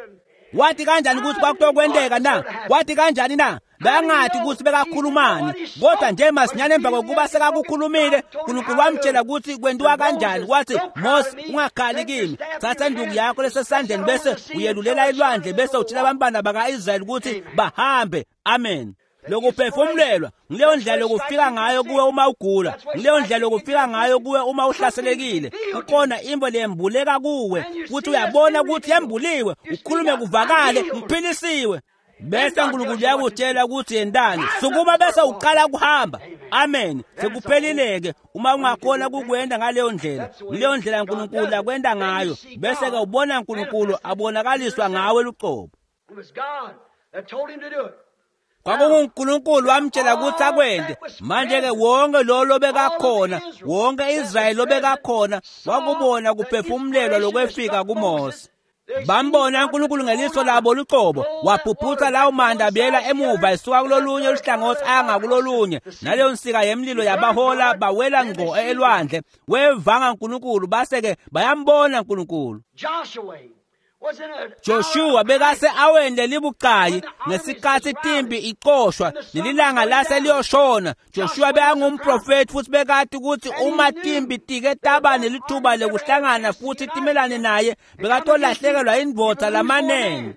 Wathi kanjani ukuthi kwakutokwenteka na? Wathi kanjani na? Bangathi ukuthi bekakhulumani, kodwa nje masinyane emva kokuba sekakukhulumile uNkulunkulu wamtshela ukuthi kwentiwa kanjani. Wathi Mose, ungakhali kimi, thatha induku yakho lesesandleni bese uyelulela elwandle bese utshela abantwana baka-Israyeli ukuthi bahambe. Amen. Lokuphefumulelwa ngileyo ndlela lokufika ngayo kuwe uma ugula, ngileyo ndlela lokufika ngayo kuwe uma uhlaselekile. Kukhona imvo leyembuleka kuwe futhi uyabona ukuthi yembuliwe, ukhulume kuvakale, ngiphilisiwe. Bese uNkulunkulu uyakutshela ukuthi yendani, sukuma bese uqala ukuhamba. Amen. Sekuphelileke uma ungakhona kukwenda ngaleyo ndlela. Leyo ndlela uNkulunkulu akwenda ngayo, bese ke ubona uNkulunkulu abonakaliswa ngawe luqobo. It was God that told him to do it. KwakunguNkulunkulu wamtshela ukuthi akwende. Manje ke wonke lo lobekakhona, wonke Israyeli lobekakhona wakubona kuphefumulelwa lokwefika kuMose. Bambona uNkulunkulu ngeliso labo luqobo, waphuphutha lawo manda abuyela emuva esuka kulolunye luhlangothi anga kulolunye. Naleyo nsika yemlilo yabahola bawela ngqo elwandle. Wevanga uNkulunkulu base ke bayambona uNkulunkulu. Joshua was in a Joshua bekase aweni lelibucayi ngesikhathi timbi iqoshwa nelilanga lase liyoshona. Joshua bekangumprofeti futhi bekati ukuthi uma timbi tike taba nelithuba lekuhlangana futhi timelane naye bekatolahlekelwa indvodza lamanene.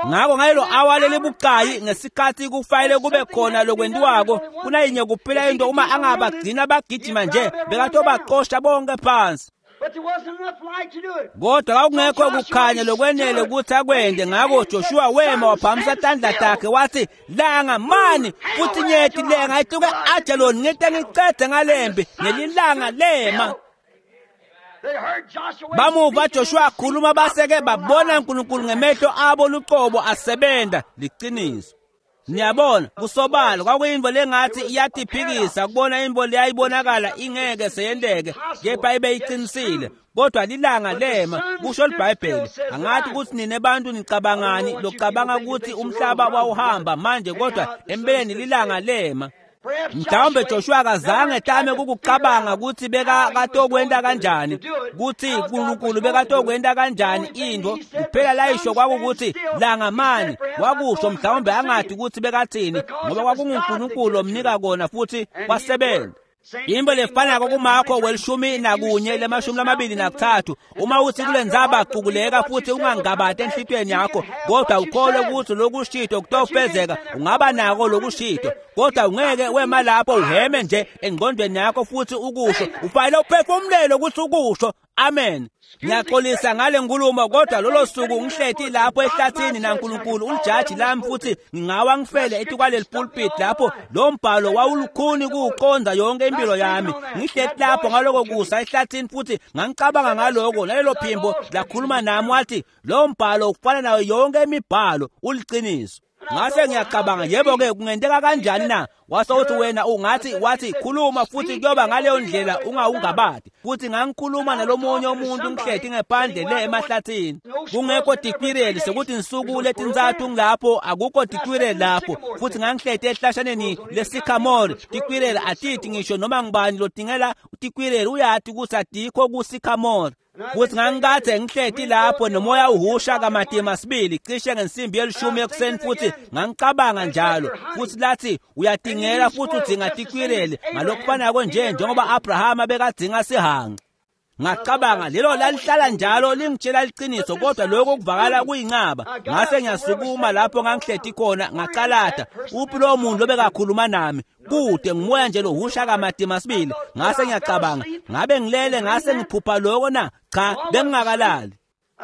Ngakho ngalelo awa lelibucayi ngesikhathi kufanele kube khona lokwentiwako, kunayinye kuphela into uma angabagcina bagijima nje bekatobaqosha bonke phansi. But there wasn't enough light to do it. Kodwa kwakungekho kukhanya lokwenele ukuthi akwende. Ngakho Joshua wema waphakamisa tandla takhe wathi, langa mani futhi nyeti lenga ituke Ajalon ngite ngicede ngalembi. Nelilanga lema. They heard Joshua Bamuva speaking Joshua and akhuluma baseke babona uNkulunkulu ngemehlo abo luqobo asebenta liqiniso. Niyabona kusobala kwakuyinto lengathi iyatiphikisa kubona into leyayibonakala ingeke seyenteke kepha ibe iqinisile, kodwa lilanga lema kusho iBhayibheli. Angathi ukuthi nine bantu nicabangani locabanga ukuthi umhlaba wawuhamba manje, kodwa empeleni lilanga lema. Mhlawumbe Joshua akazange tame kukucabanga ukuthi bekakatokwenta kanjani, kutsi uNkulunkulu bekatokwenta kanjani intfo. Kuphela layisho kwakukuthi langamani wakusho, mhlawumbe angathi ukuthi bekathini, ngoba kwakunguNkulunkulu lomnika kona futhi wasebenza. Into lefanako kuMakho welishumi nakunye lemashumi lamabili nakutsatfu, uma uthi kule ndzaba cukuleka futhi ungangabati enhlitiyweni yakho, kodwa ukholwe ukuthi lokushito kutofezeka, ungaba nako lokushito, kodwa ungeke wema lapho uheme nje engqondweni yakho futhi ukusho, ufanele uphefumulele ukuthi ukusho. Amen. Ngiyaxolisa ngale nkulumo, kodwa lolo suku ngihleti lapho ehlathini naNkulunkulu ulijaji lami, futhi ngingawa ngifele etikwaleli pulpit lapho lo mbhalo wawulukhuni kuwuqonda yonke impilo yami. Ngihleti lapho ngaloko kusa ehlathini futhi ngangicabanga ngaloko, nalelo phimbo lakhuluma nami wathi lo mbhalo ufana nayo yonke imibhalo, uliciniso. Ngase ngiyacabanga, yebo-ke kungenteka kanjani na? Wase uthi wena ungathi wathi khuluma futhi kuyoba ngaleyo ndlela ungawungabadi. Futhi ngangikhuluma nalomunye umuntu ngihleti ngephandle le emahlathini, kungekho tikwireli, sekuthi insuku letintsatfu ngilapho akukho tikwireli lapho. Futhi ngangihleti ehlashaneni lesikhamore, tikwireli atithi ngisho noma ngibani lodingela tikwireli uyati ukuthi atikho kusikhamore. Futhi ngangikade ngihleti lapho nomoya uhusha kamatima sibili cishe ngensimbi yelishumi ekuseni, futhi ngangicabanga njalo. Futhi lathi uyatingela futhi udzinga tikwireli ngalokufanako nje njengoba Abrahama bekadzinga sihanqa. Ngacabanga lelo lalihlala njalo lingitshela liqiniso, kodwa lokho kuvakala kuyincaba. Ngase ngiyasukuma lapho ngangihleti khona ngacalata, uphi lowo muntu lobekakhuluma nami? Kude ngumoya nje lohusha kamatima sibili. Ngase ngiyacabanga, ngabe ngilele ngase ngiphupha lokho na? Cha, bengingakalali.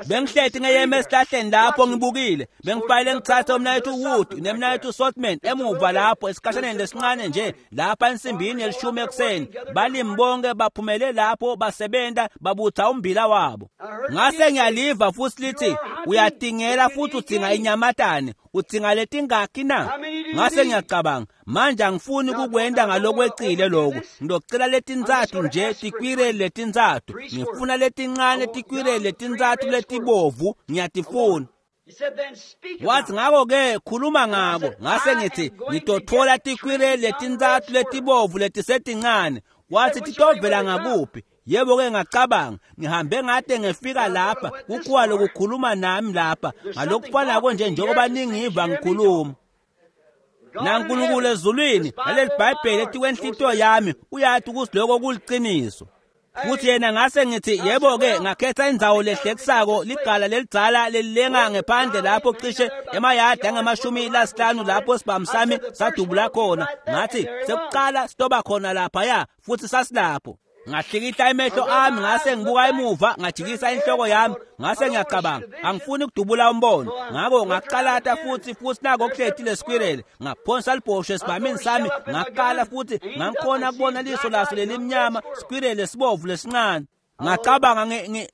Bengihleti ngeyeme esihlahleni lapho ngibukile, bengifanele ngithathe umnayethu Wood nemnayethu Sotman emuva lapho esikhashaneni lesincane nje lapha ensimbini yelishumi ekuseni. Balimi bonke baphumele lapho basebenta babutha umbila wabo. Ngase ngiyaliva futhi lithi uyatingela futhi udzinga inyamatane, udzinga letingakhi na? Ngase ngiyacabanga, manje angifuni kukwenta ngalokwecile lokho, ngizocela letintsatfu nje tikwireli letintsatfu, ngifuna letincane tikwireli letintsatfu letibovu, ngiyatifuna. Wathi ngako-ke khuluma ngako. Ngase ngithi ngitotfola tikwireli letintsatfu letibovu letisetincane. Wathi titovela ngakuphi? Yebo-ke ngacabanga, ngihambe ngade ngefika lapha kukhuwa lokukhuluma nami lapha ngalokufanako nje njengoba ningiva ngikhuluma. NaNkulunkulu ezulwini naleli Bhayibheli etikwenhlitiyo yami uyathi ukuthi lokho kuliciniso. Futhi yena ngase ngithi yebo-ke ngakhetha indzawo lehlekisako, ligala lelidzala lelilenga ngephandle lapho cishe emayadi angamashumi lasihlanu lapho sibhamu sami sadubula khona. Ngathi sekuqala sitoba khona laphaya, futhi sasilapho. Ngahlikihla emehlo ami ngase ngibuka emuva, ngajikisa inhloko yami, ngase ngiyacabanga angifuni ukudubula umbono. Ngako ngaqalata futhi futhi nako kuhleti lesikwireli, ngaphonsa libhosho esibhamini sami, ngaqala futhi ngangikhona kubona liso laso lelimnyama, sikwireli esibovu lesincane. Ngacabanga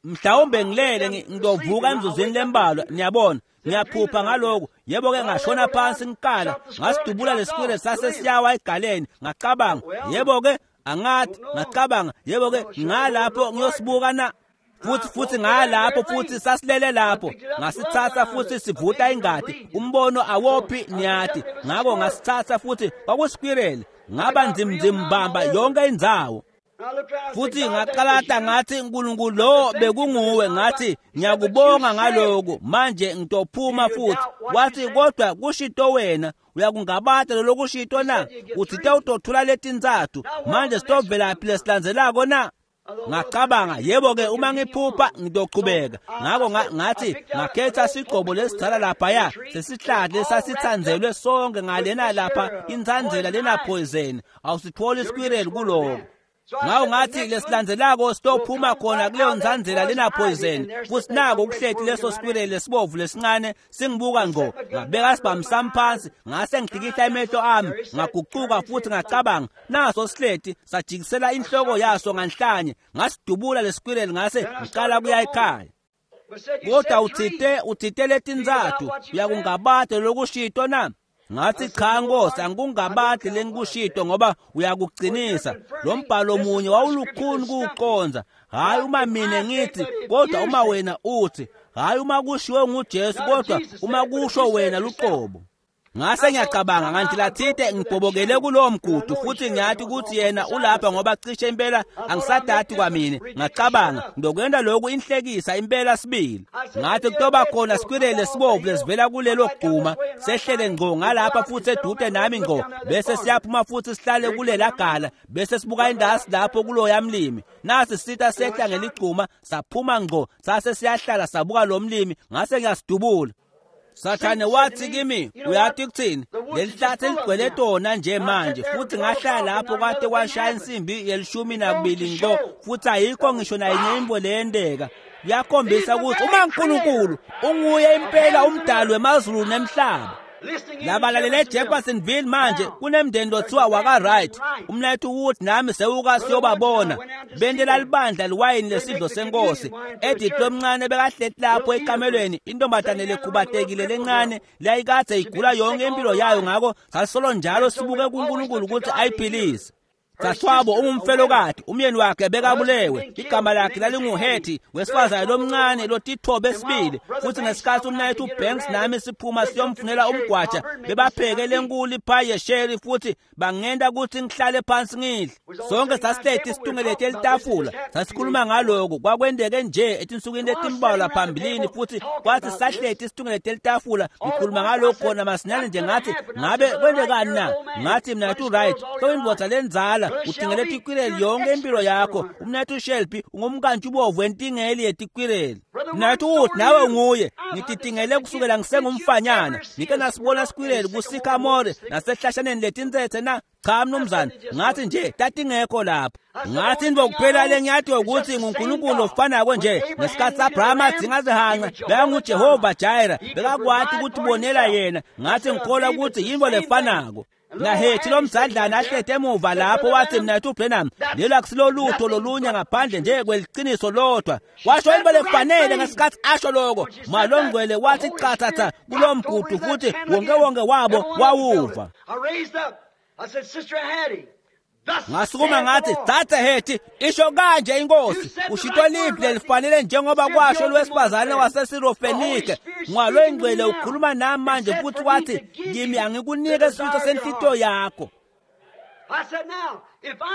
mhlawumbe ngilele ngizovuka emzuzwini lembalwa, niyabona ngiyaphupha ngalokho. Yebo-ke ngashona phansi ngikala, ngasidubula lesikwireli sase siyawa egaleni. Ngacabanga yebo-ke angathi, ngacabanga yebo-ke ngalapho ngiyosibuka na? Futhi futhi ngalapho futhi sasilele lapho, ngasithatha futhi sivuta ingadi, umbono awophi niyati. Ngako ngasithatha futhi kwakusikwireli, ngaba nzimzimbamba yonke indzawo. Futhi ngaqalata ngathi uNkulunkulu lo bekunguwe, ngathi ngiyakubonga ngaloko, manje ngitophuma futhi. Wathi kodwa kushito wena, uyakungabata lokushito na? Uthi utothula letintsatfu, manje sitovelaphi lesilandzelako na? Ngacabanga yebo-ke uma ngiphupha ngitochubeka. Ngako ngathi ngakhetha sigcobo lesidzala laphaya sesihlahla lesasithandzelwe sonke ngalena lapha intsandzela lena poison, awusitfoli isikwireli kuloko. Ngawo ngathi lesilandzelako sitophuma khona kuleyo ntsandzela lena poison, futhi nako kuhleti leso sikwireli lesibovu lesincane singibuka ngqo. Ngabeka sibhamu sami phansi, ngase ngihlikihla emehlo ami, ngagucuka futhi ngacabanga, naso sihleti sajikisela inhloko yaso nganhlanye, ngasidubula lesikwireli ngase ngiqala kuya ekhaya. Kodwa uthite uthite letintsatfu, uyakungabata lokushito na? Ngathi cha Nkosi, angikungabati lengikushito ngoba uyakuqinisa. Lo mbhalo munye wawulukhuni kuwuqonza, hhayi uma mina ngithi kodwa uma wena uthi, hhayi uma kushiwo nguJesu kodwa uma kusho wena luqobo. Ngase ngiyacabanga nganti lathite ngibhobokele kulowo mgudu futhi ngiyathi ukuthi yena ulapha ngoba cishe impela angisadati kwamine. Ngacabanga ngizokwenda lokhu inhlekisa impela sibili. Ngathi kutoba khona sikwirele sibovu lesivela kulelo guma sehlele ngqo ngalapha futhi edude nami ngqo bese siyaphuma futhi sihlale kulela gala bese sibuka indasi lapho kuloya mlimi. Nasi sitha sehla ngeligcuma saphuma ngqo sase siyahlala sabuka lo mlimi ngase ngiyasidubula. Sathane wathi kimi uyathi kuthini leli hlathi ligcwele tona nje manje futhi ngahlala lapho kwade kwashaya insimbi yelishumi nakubili ngqo futhi ayikho ngisho nayinye imbo leyendeka. Kuyakhombisa ukuthi uma uNkulunkulu unguye impela umdali wemazulu nemhlaba. Labalalele Jeffersonville manje kunemndeni lothiwa waka-Wright umnethu Wood nami sewuka siyobabona bentela libandla liwayini lesidlo senkosi. Edith lomncane bekahleti lapho ekamelweni intombazane lekhubatekile lencane leyayikade igula yonke impilo yayo ngakho sasolo njalo sibuke kuNkulunkulu ukuthi ayiphilise. Saswabo ungumfelokati umyeni wakhe bekabulewe igama lakhe lalinguHetty wesifazane lomncane lotithobe esibili futhi ngesikhathi umnayethu uBanks nami siphuma siyomfunela umgwaja bebapheke lenkulu iphayi yesheri futhi bangenta ukuthi ngihlale phansi ngidle. Sonke sasihleti situngelete elitafula sasikhuluma ngaloko kwakwendeke nje etinsukwini letimbalwa phambilini futhi kwathi sahleti situngelete elitafula ngikhuluma ngalokho khona masinyane nje ngathi ngabe kwendekani na. Ngathi mnayethu Wright sowindvodza lenzala utingele tikwireli yonke impilo yakho. Umnethu Shelby ungumkantshi ubovu entingeli yetikwireli. Mnethu Wood nawe unguye ngititingele kusukela ngisengumfanyana ngike nasibona sikwireli kusikamore nasehlashaneni letintsetse na cha mnumzane. Ngathi nje tatingekho lapho. Ngathi into kuphela lengiyathi ukuthi nguNkulunkulu ofanako nje ngesikhathi Abraham adzinga zihanqa bekanguJehova Jireh bekakwati ukuthi bonela yena. Ngathi ngikholwa ukuthi yinto lefanako. Nahethi lomzadlana ahlete emuva lapho wathi mnethu Branham lelo akusilolutho lolunye ngaphandle nje kweliciniso lodwa. Washo into lefanele ngesikhathi asho lokho. Malongcwele wathi qathatha kulomgudu futhi wonke wonke wabo wawuva. Ngasukuma ngathi thatha Hethi isho kanje inkosi ushito liphi lelifanele njengoba kwasho lwesifazane waseSirofenike ngwalwengcwele ukhuluma nami manje futhi wathi kimi angikunike isifiso senhlito yakho.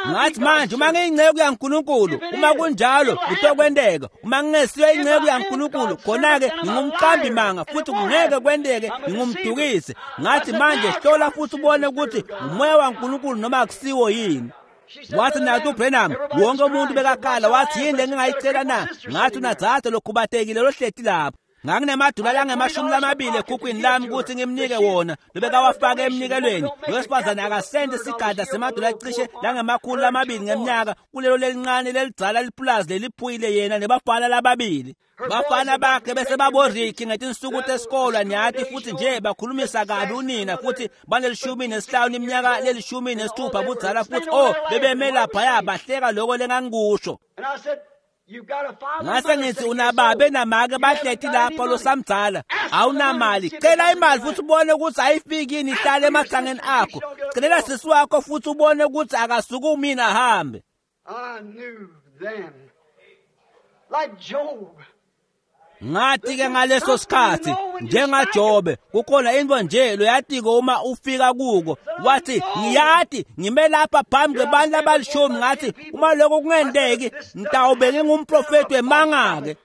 Ngathi manje uma ngiyinceku yaNkulunkulu uma kunjalo kutokwendeka uma ngingesiyo inceku yaNkulunkulu khona-ke ngingumqambi manga futhi kungeke kwendeke ngingumdukisi. Ngathi manje hlola futhi ubone ukuthi umoya waNkulunkulu noma akusiwo yini. Wathi nathi uBrenham wonke umuntu bekakhala wathi yini lengingayicela na. Ngathi unadzadze lokhubatekile lohleti lapho. Nganginemadula langemashumi lamabili ekhukhwini lami ukuthi ngimnike wona lobekawafaka emnikelweni. Lowesifazane akasente sigadla semadula cishe langemakhulu lamabili ngeminyaka kulelo lelincane lelidzala lipulazi leliphuyile yena nebafana lababili. Bafana bakhe bese baboriki ngetinsuku tesikolwa niyathi futhi nje bakhulumisa kabi unina futhi banelishumi nesihlanu iminyaka lelishumi nesithupha budzala futhi oh bebeme laphaya bahleka lokho lengangikusho. Ngase ngithi unababe namake bahleti lapho losamdzala awunamali cela imali futhi ubone ukuthi ayifiki yini ihlale emahlangeni akho. Celela sisi wakho futhi ubone ukuthi akasukumi yini ahambe. Ngathi ke ngaleso sikhathi njengaJobe kukhona into nje loyatiko uma ufika kuko wathi ngiyathi ngime lapha phambi kwebantu abalishumi ngathi uma lokho kungendeki ngitawube ngingumprofeti wemanga-ke.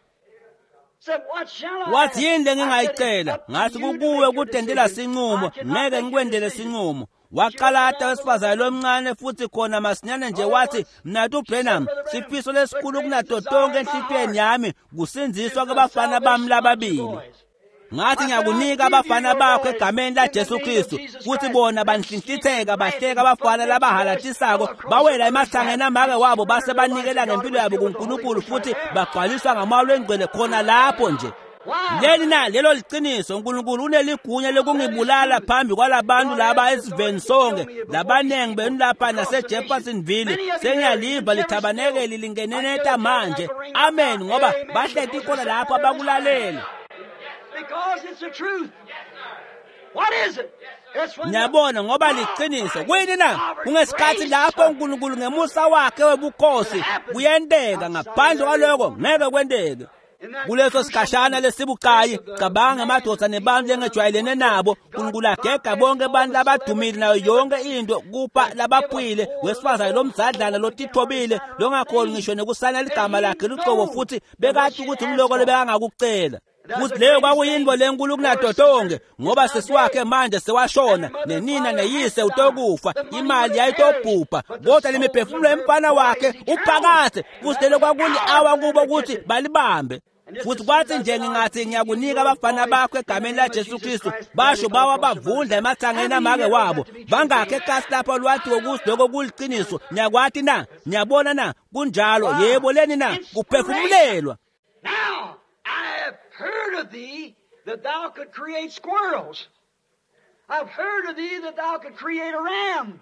Wathi yini lengingayicela? Ngathi kukuwe kudendela sinqumo ngeke ngikwendele sinqumo. Waqalata wesifazane lomncane futhi khona masinyane nje wathi mnathu Branham sifiso lesikhulu kunato tonke enhlitiyweni yami kusindziswa kwabafana bami lababili. Ngathi ngiyakunika abafana bakho egameni laJesu Kristu futhi bona banhlinhlitheka bahleka abafana labahalatisako bawela emahlangeni amake wabo base banikela ngempilo yabo kuNkulunkulu futhi bagcwaliswa ngamawolo engcwele khona lapho nje. Leli na lelo liqiniso uNkulunkulu uneligunya lokungibulala phambi kwalabantu laba esiveni sonke labanengi benu lapha naseJeffersonville sengiyaliva lithabanekeli lingeneneta manje. Amen ngoba bahleti khona lapho abakulalela. Ngiyabona ngoba liqiniso kuyini na kungesikhathi lapho uNkulunkulu ngemusa wakhe webukhosi kuyenteka ngaphandle kwaloko ngeke kwenteke. Kuleso sikhashana lesibucayi, cabanga emadoda nebantu lengejwayelene nabo, uNkulunkulu agega bonke abantu labadumile nayo yonke into kupha labaphuyile, wesifazane lomdzadlana lotithobile, longakhoni ngisho nekusana ligama lakhe lucobo, futhi bekati ukuthi umloko lebekangakucela. Futhi leyo kwakuyinto lenkulu kunato tonke, ngoba sisi wakhe manje sewashona, nenina neyise utokufa, imali yayitobhubha, kodwa lemiphefumulo yemfana wakhe uphakathe. Futhi lelo kwakuli-awa kubo ukuthi balibambe. Futhi kwathi nje ngingathi ngiyakunika abafana bakho egameni laJesu Kristu, basho bawa bavundla emathangeni amake wabo. Bangakhe ekasi lapha lwathi ukuthi lokho kuliqiniso. Niyakwati na? Niyabona na? Kunjalo. Yebo leni na? Kuphefumulelwa. Now I have heard of thee that thou could create squirrels. I've heard of thee that thou could create a ram.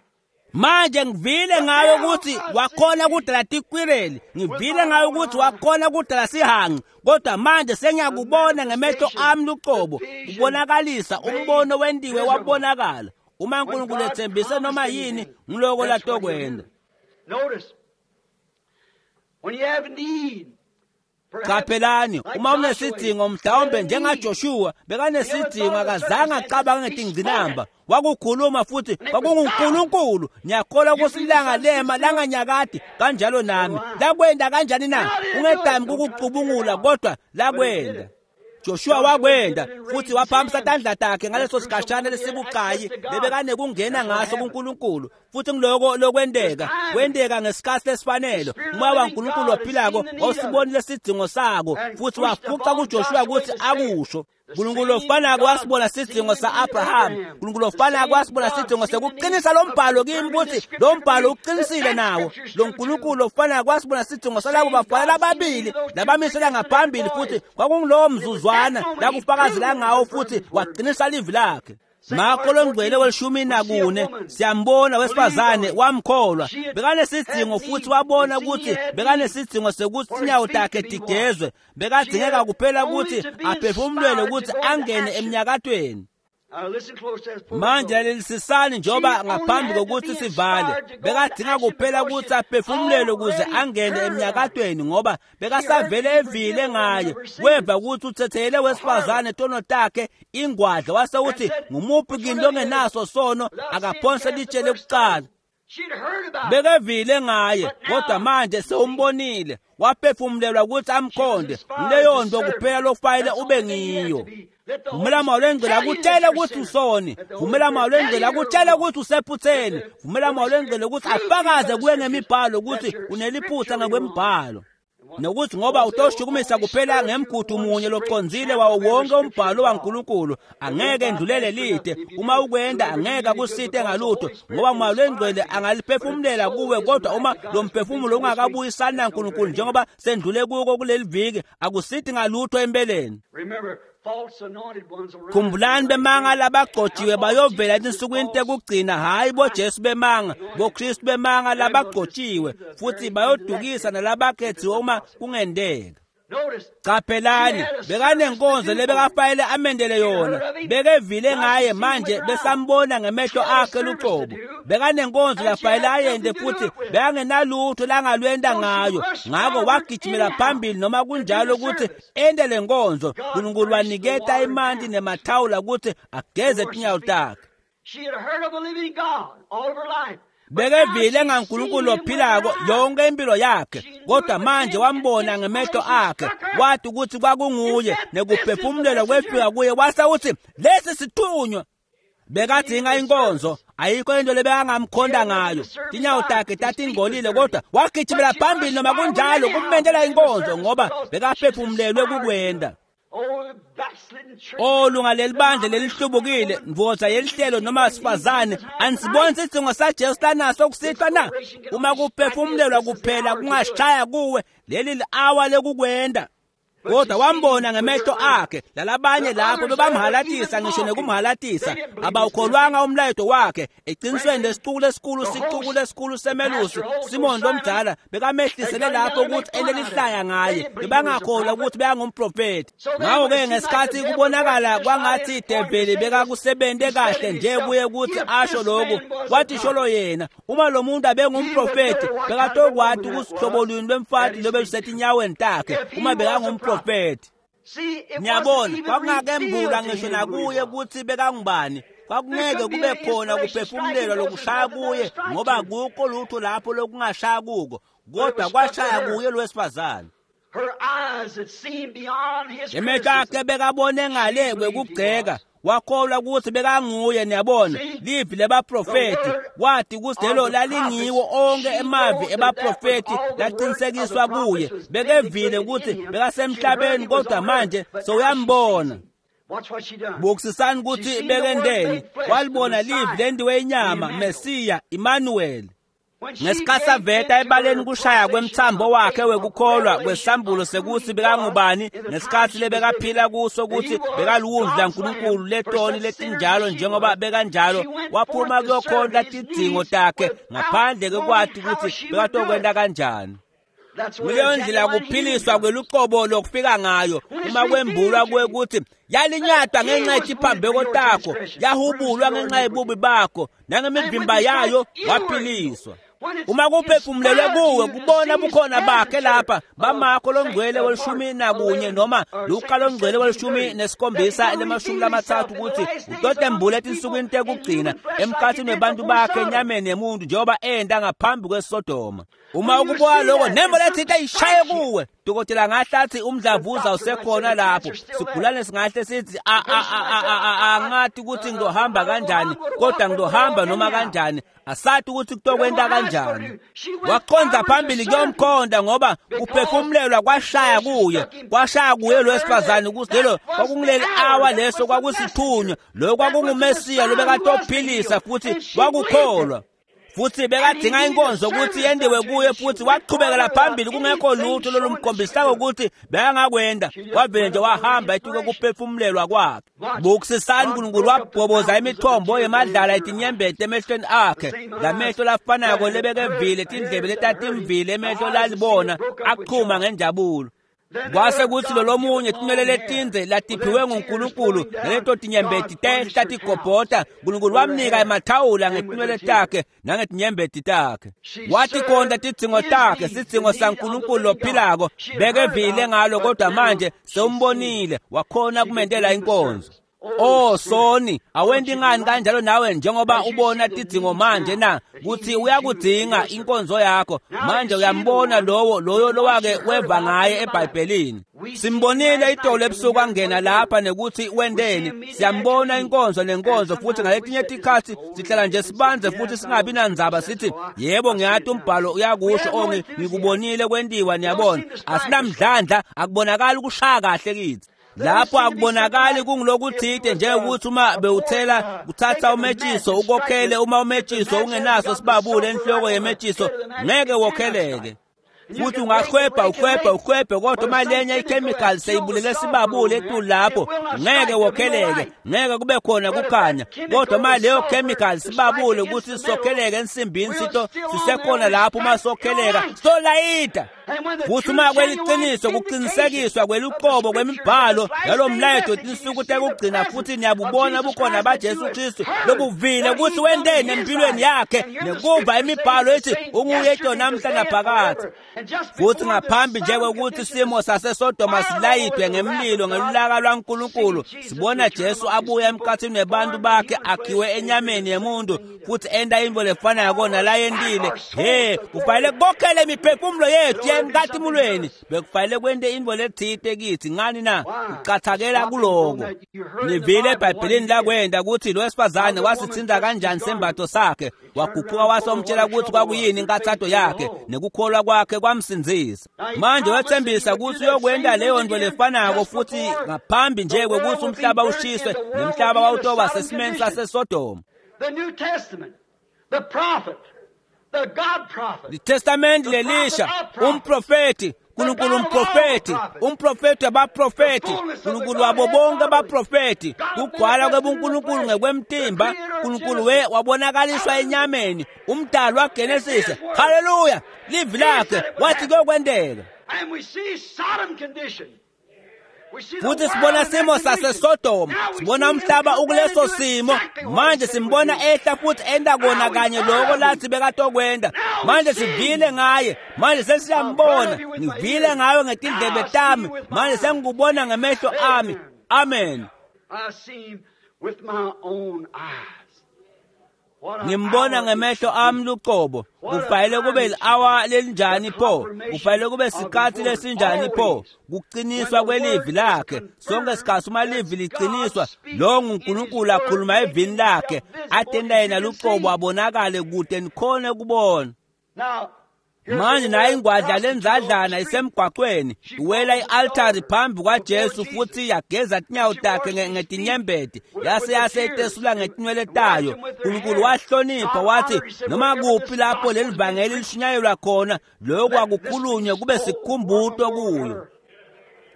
Manje ngivile ngayo ukuthi wakhona kudala tikwireli, ngivile ngayo ukuthi wakhona kudala sihanqi, kodwa manje sengiyakubona ngemehlo ami luqobo, kubonakalisa umbono wendiwe wabonakala. Uma uNkulunkulu ethembise noma yini, ngiloko latokwenda. Notice, when you have need, Qaphelani, uma unesidingo mhlawumbe njengaJoshua bekanesidingo, akazange acabange ngetingcinamba, wakukhuluma futhi kwakunguNkulunkulu. Ngiyakholwa ukuthi ilanga lema langanyakadi kanjalo nami. Lakwenda kanjani na? Ungedami kukucubungula, kodwa lakwenda. Joshua wakwenda futhi waphakamisa tandla takhe ngaleso sikhashana lesibucayi lebekanekungena ngaso kuNkulunkulu. Futhi ngiloko lokwendeka kwendeka ngesikhathi lesifanele. Umoya waNkulunkulu waphilako wawusibonile isidingo sako futhi wafuqa kuJoshua ukuthi akusho. uNkulunkulu ofanako wasibona isidingo sa-Abraham. uNkulunkulu ofanako wasibona isidingo sekuqinisa lo mbhalo kimi ukuthi lo mbhalo uqinisile nawo. Lo Nkulunkulu ofanako wasibona isidingo salabo bafana lababili labamisela ngaphambili, futhi kwakungulowo mzuzwana lakufakazela ngawo futhi waqinisa livi lakhe. Marko longcwele welishumi nakune siyambona wesifazane wamkholwa, bekanesidingo futhi wabona ukuthi bekanesidingo sekuthi inyawo takhe tigezwe, bekadingeka kuphela ukuthi aphefumulelwe ukuthi angene emnyakatweni. Manje lalelisisani njengoba ngaphambi kokuthi sivale, bekadinga kuphela ukuthi aphefumulelwe ukuze angene emnyakatweni, ngoba bekasavele evile ngaye. Weva ukuthi uthethele wesifazane tono takhe ingwadla, wase uthi ngumuphi kini longenaso sono akaphonse litshe lekuqala. Bekevile ngaye, kodwa manje sewumbonile, waphefumulelwa ukuthi amkhonde. Leyo nto kuphela lokufanele ube ngiyo. Vumela Moya Longcwele akutshele ukuthi usoni, vumela Moya Longcwele akutshele ukuthi usephutheni, vumela Moya Longcwele ukuthi afakaze kuye ngemibhalo ukuthi uneliphutha ngokwembhalo, nokuthi ngoba utoshukumisa kuphela ngemgudu munye locondzile wawo wonke umbhalo waNkulunkulu, angeke endlulele lide. Uma ukwenda angeke akusite ngalutho, ngoba Moya Longcwele angaliphefumulela kuwe, kodwa uma lo mphefumulo ungakabuyisani naNkulunkulu njengoba sendlule kuko kuleli viki, akusiti ngalutho empeleni. Khumbulani bemanga labagcotshiwe bayovela etinsukwini tekugcina, hhayi boJesu bemanga, boKristu bemanga labagcotshiwe, futhi bayodukisa nalabakhethiwe uma kungenteka. Qaphelani, bekanenkonzo lebekafanele amendele yona, bekevile ngaye, manje besambona ngemehlo akhe luqobo. Bekanenkonzo lafanele ayende futhi bekangenalutho langalwenda ngayo, ngakho wagijimela phambili noma kunjalo ukuthi ende le nkonzo. uNkulunkulu waniketa imanti nemathawula ukuthi ageze tinyawo takhe. Bekevile ngaNkulunkulu ophilako yonke impilo yakhe, kodwa manje wambona ngemehlo akhe, wathi ukuthi kwakunguye, nekuphefumulelwa kwefika kuye, wase uthi lesi sithunywa. Bekadinga inkonzo, ayikho into lebekangamkhonda ngayo. Tinyawo takhe tatingcolile, kodwa wagijimela phambili noma kunjalo kumendela inkonzo, ngoba bekaphefumulelwe kukwenda. Oh lunga leli bandla lelihlubukile, ndvodza yelihlelo noma sifazane, anisiboni isidingo saJesu lanaso kusihlwa na? Uma kuphefumulelwa kuphela kungashaya kuwe, leli li-awa lekukwenda. Kodwa wambona ngemehlo akhe, lalabanye lapho bebamhalatisa ngisho nekumhalatisa, abawukholwanga umlayeto wakhe. Eqinisweni lesicuku lesikhulu, sicuku lesikhulu semelusi Simon lomdala bekamehlisele lapho ukuthi elelihlaya ngaye, bebangakholwa ukuthi bekangumprofeti. Ngakho-ke ngesikhathi kubonakala kwangathi ideveli bekakusebente kahle nje kuye ukuthi asho lokhu, wathi sholo yena, uma lo muntu abengumprofeti bekatokwati ukuthi hlobo luni lwemfati lobe lusetinyaweni takhe uma bekangumprofeti. umprofethi. Ngiyabona kwakungakembulwa ngisho nakuye ukuthi bekangubani. Kwakungeke kube khona kuphefumulelwa lokushaya kuye ngoba akukho lutho lapho lokungashaya kuko, kodwa kwashaya kuye lo wesifazane. Emehlo akhe bekabone ngale kwekugceka, wakholwa ukuthi bekanguye. Niyabona livi lebaprofethi, wathi ukuthi lelo lalingiwo onke emavi ebaprofethi laqinisekiswa kuye. Bekevile ukuthi bekasemhlabeni, kodwa manje sewuyambona. Bukisisani ukuthi bekendeni, walibona livi lendiwe inyama, Mesiya Emmanuel. Ngesikhathi aveta ebaleni kushaya kwemthambo wakhe wekukholwa kwesambulo sekuthi bekangubani, ngesikhathi lebekaphila kuso ukuthi bekaluwundlu laNkulunkulu letoni letinjalo njengoba bekanjalo, waphuma kuyokhonta tidzingo takhe ngaphandle kwekwati ukuthi bekatokwenta kanjani. Kuleyo ndlela kuphiliswa kweluqobo lokufika ngayo uma kwembulwa kuwe ukuthi yalinyatwa ngenxa yetiphambeko takho, yahubulwa ngenxa yebubi bakho, nangemivimba yayo waphiliswa. Uma kuphefumulelwe kuwe kubona bukhona bakhe lapha bamakho longcwele welishumi nakunye noma Luka longcwele welishumi nesikhombisa lemashumi lamathathu ukuthi utotembule etinsukwini tekugcina emkhathini webantu bakhe enyameni yemuntu njengoba enda ngaphambi kweSodoma. Uma ukubuka lokho nembo lethinte ishaye kuwe, dokotela ngahle athi umdlavuza usekhona lapho, sigulane singahle sithi angathi ukuthi ngizohamba kanjani, kodwa ngizohamba noma kanjani, asathi ukuthi kutokwenta kanjani. Waqonda phambili kuyomkhonda ngoba kuphefumulelwa kwashaya kuye, kwashaya kuye lo wesifazane ukuthi lelo kwakunguleli awa leso kwakusithunywa, lo kwakunguMesiya lo bekatophilisa futhi wakukholwa. Futhi bekadinga inkonzo ukuthi yendiwe kuye, futhi waqhubekela phambili kungekho lutho lolumkhombisako ukuthi bekangakwenda. Wavele nje wahamba etuke kuphefumulelwa kwakhe. Bukisisani, uNkulunkulu wabhoboza imithombo yemadlala etinyembeti emehlweni akhe, lamehlo lafanako lebekevile, tindlebe letatimvile, emehlo lalibona aqhuma ngenjabulo. Kwase kuthi lolomunye tinwele letindze latiphiwe nguNkulunkulu naleto tinyembeti tehla tigobhota, uNkulunkulu wamnika emathawula ngetinwele takhe nangetinyembeti takhe. Wathi khonta tidzingo takhe, sidzingo saNkulunkulu lophilako, bekevile ngalo, kodwa manje sewumbonile, wakhona kumentela inkonzo. Oh soni, awenti ngani kanjalo nawe njengoba ubona tidzingo manje na kuthi uyakudzinga inkonzo yakho manje? Uyambona lowo loyo lowake weva ngaye eBhayibhelini. Simbonile itolo ebusuku angena lapha nekuthi wendeni, siyambona inkonzo nenkonzo, futhi ngaletinye tikhatsi sihlala nje sibanze futhi singabi nandzaba, sithi yebo ngiyati umbhalo uyakusho, ongi ngikubonile kwentiwa. Niyabona asinamdlandla, akubonakali ukushaya kahle kithi lapho, akubonakali kungilokuthide njengokuthi uma bewuthela kuthatha umetshiso ukokhele, uma umetshiso ungenaso sibabule enhloko yemetshiso ngeke wokheleke. Futhi ungahwebha uhwebhe uhwebhe, kodwa uma lenye ichemical seyibulele sibabule etulu lapho ngeke wokheleke, ngeke kube khona kukhanya. Kodwa uma leyo chemical sibabule ukuthi sokheleke ensimbini sito sisekhona lapho, uma sokheleka solayida. Futhi uma kweliqiniso kuqinisekiswa kweluqobo kwemibhalo yalo mlayeto tinsuku tekugcina, futhi niyabubona bukhona baJesu Kristu lobuvile ukuthi wenteni empilweni yakhe nekuva imibhalo ethi unguye namhla naphakadze. Futhi ngaphambi nje kwekuthi isimo saseSodoma silayidwe ngemlilo ngelulaka lwaNkulunkulu, sibona Jesu abuya emkhathini webantu bakhe akhiwe enyameni yemuntu futhi enta intfo lefanako nalayentile. He, kufanele kokhele imiphefumulo yethu emkhathimulweni, bekufanele kwente intfo letsite kithi. Ngani na? Kuqathakela kuloko. Nivile eBhayibhelini lakwenta ukuthi lo wesifazane wasithinta kanjani sembatho sakhe, waguquka wasomtshela ukuthi kwakuyini inkathato yakhe nekukholwa kwakhe kwamsindzisa. Manje wethembisa ukuthi uyokwenta leyo nto lefanako futhi ngaphambi nje kwekuthi umhlaba ushiswe nemhlaba wawutoba sesimeni saseSodoma. The New Testament, the prophet, the God prophet, Litestamenti lelisha, umprofeti, uNkulunkulu umprofeti, umprofeti wabaprofeti, uNkulunkulu wabo bonke abaprofeti, kugcwala kwebuNkulunkulu ngekwemtimba, uNkulunkulu we wabonakaliswa enyameni, umdali waGenesis. Haleluya! Livi lakhe wathi kuyokwenteka. And we see Sodom condition. Futhi sibona simo saseSodoma, sibona umhlaba ukuleso simo. Manje simbona ehla futhi enda kona kanye lokho lathi bekatokwenda. Manje sivile ngaye, manje sesiyambona. Ngivile ngawe ngetindlebe tami, manje sengikubona ngemehlo ami. Amen. I see him with my own eyes. Ngimbona ngemehlo ami luqobo. Kufanele kube li-awa lelinjani pho? Kufanele kube sikhathi lesinjani pho? Kuqiniswa kwelivi lakhe. Sonke sikhathi uma livi liqiniswa, lo nguNkulunkulu akhuluma evini lakhe, atenda yena luqobo abonakale kude nikhone kubona. Now, Manje nayo ingwadla lenzadlana isemgwaqweni iwela i-altari phambi kwaJesu futhi yageza tinyawo takhe nge- ngetinyembeti yase yase itesula ngetinwele tayo. uNkulunkulu wahlonipha wathi noma kuphi lapho leli vangeli lishunyayelwa khona lokhu akukhulunywe kube sikhumbuto kuyo.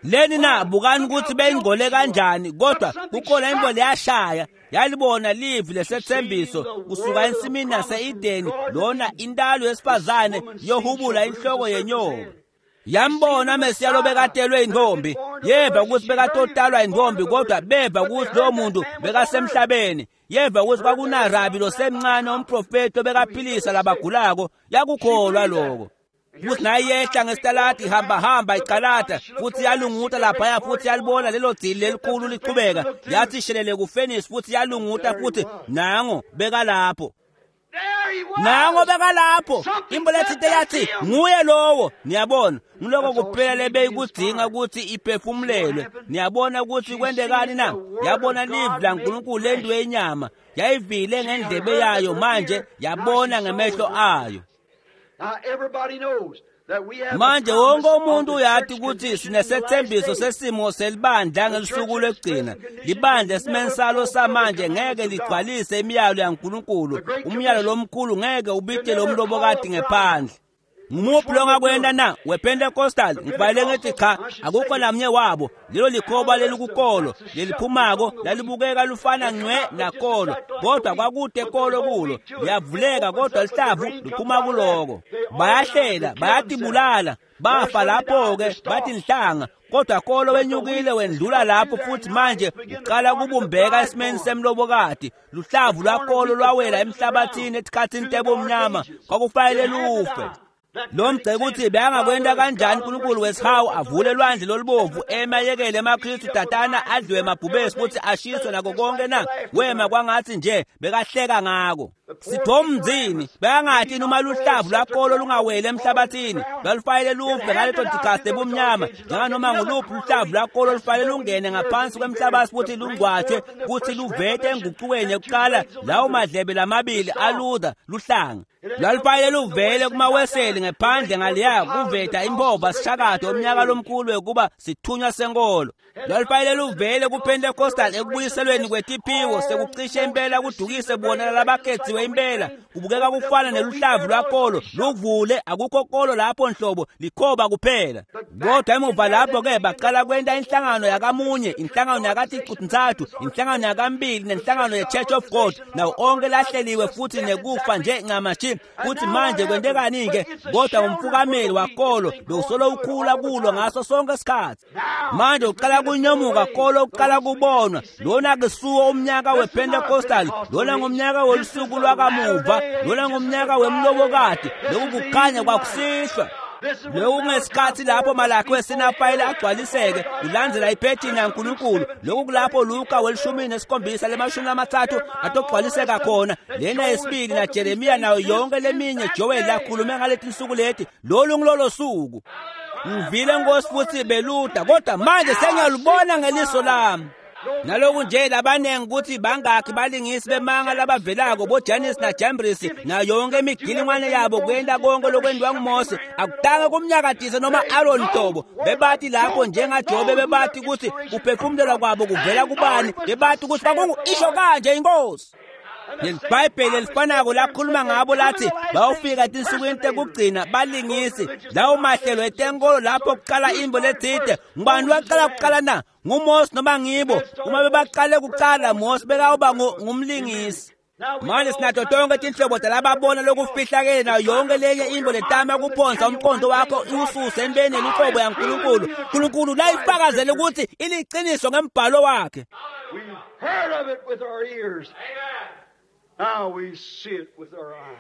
Leni na bukani ukuthi beyingcole kanjani, kodwa kukhona into leyashaya yalibona livi lesethembiso kusuka ensimini yase-Edeni, lona intalo yesifazane yohubula inhloko yenyoka. Yambona Mesiya lobekatelwe intombi, yeva ukuthi bekatotalwa intombi, kodwa beva ukuthi lowo muntu bekasemhlabeni. Yeva ukuthi kwakunarabi losemncane umprofeti obekaphilisa labagulako, yakukholwa lokho. Futhi naye yehla ngesitaladi ihamba hamba icalata futhi yalunguta laphaya futhi yalibona lelo dzili lelikhulu liqhubeka, yathi shelele kufenisi futhi yalunguta futhi nango bekalapho. There he was. Nango bekalapho. Imbo lethinte yathi nguye lowo. Niyabona ngiloko kuphela lebeyikudzinga ukuthi iphefumulelwe. Niyabona ukuthi kwendekani na? Yabona livi laNkulunkulu lento yenyama, yayivile ngendlebe yayo, manje yabona ngemehlo ayo. Now everybody knows that we have Manje a wonke promise of umuntu the uyati church ukuthi condition in the last sinesethembiso days. sesimo selibandla ngelusuku lwekugcina. Libandla esimeni salo samanje ngeke ligcwalise imiyalo yaNkulunkulu. Umyalo lomkhulu ngeke ubitele umlobokati ngephandle. Ngumuphi longakwenda na? WePentecostal ngifanele ngithi cha, akukho namnye wabo. Lelo likhoba lelikukolo leliphumako lalibukeka lufana ncwe nakolo, kodwa kwakude kolo kulo. Liyavuleka kodwa lihlavu liphuma kuloko. Bayahlela, bayatibulala, bafa lapho-ke bathi nhlanga, kodwa kolo wenyukile wendlula lapho futhi manje uqala kubumbeka esimeni semlobokati. Luhlavu lwakolo lwawela emhlabathini esikhathini tebumnyama, kwakufanele lufe. Lo mgceke uthi beyangakwenta kanjani uNkulunkulu wesihawu avule lwandle lolubovu emayekele emaKristu tatana adliwe emabhubesi futhi ashiswe nako konke na? Wema kwangathi nje bekahleka ngako. Sithomzini beyangathi noma luhlavu lwakolo lungaweli emhlabathini lwalufanele lufe ngaleto tikhathi ebumnyama, njenganoma nguluphi luhlavu lwakolo lufanele lungene ngaphansi kwemhlabathi futhi lungcwatshwe kuthi luvete enguqukweni yokuqala lawo madlebe lamabili aluda luhlanga. Lwalufanele luvele kumaweseli ngephandle ngaleya kuveta impova sishakade umnyaka lomkhulu wekuba sithunywa senkolo. Lwalufanele luvele kuPentecostal ekubuyiselweni kwetiphiwo sekucishe impela kudukise bona labakhethiwe impela. Kubukeka kufana neluhlavu lwakolo luvule, akukho kolo lapho nhlobo, likhoba kuphela. Kodwa emuva lapho-ke baqala kwenta inhlangano yakamunye, inhlangano yakaticu-ntsathu, inhlangano yakambili nenhlangano ye-Church of God, nawo onke lahleliwe futhi nekufa nje ncamashi. Futhi manje kwentekani-ke? Kodwa umfukameli wakolo bewusolo ukhula kulo ngaso sonke isikhathi. Manje uqala kunyomuka kolo uqala kubonwa. Lona kusuwo umnyaka wePentecostal, lona ngumnyaka wolusuku lwakamuva, lona ngumnyaka wemlobokati. Lokhu kukhanya kwakusihlwa. Lokhu kungesikhathi lapho Malaki wesinafayile agcwaliseke kulandzela iphethini yaNkulunkulu. Lokhu kulapho Luka welishumi nesikhombisa lemashumi amathathu atogcwaliseka khona. Lena yesibili na Jeremiya nayo yonke leminye Joel lakhulume ngaleti nsuku leti. Lolu ngilolo suku. Ngivile Nkosi futhi beluda, kodwa manje sengiyalubona ngeliso lami. Naloku nje labanengi ukuthi bangakhi balingisi bemanga labavelako boJanis naJambris nayo yonke imigilingwane yabo kwenta konke lokwenziwa nguMose, akutange kumnyakadise noma Aaron nhlobo. Bebathi lapho njengaJobe bebathi ukuthi kuphefumulelwa kwabo kuvela kubani, bebathi ukuthi kwakungu isho kanje inkosi. LeliBhayibheli elifanako lakhuluma ngabo lathi bayofika etinsukwini tekugcina balingisi lawo mahlelo etenkolo lapho kuqala imbo letsite. Ngubani waqala kuqala na? NguMose noma ngibo? Uma bebaqale kuqala, Mose bekawuba ngumlingisi. Manje sinato tonke tinhlobo talababona lokufihlakele nayo yonke lenye into letama kuphonsa umqondo wakho iwususe entweni yeluqobo yaNkulunkulu. Nkulunkulu layifakazele ukuthi iliqiniso ngembhalo wakhe. We've heard of it with our ears. Now we see it with our eyes.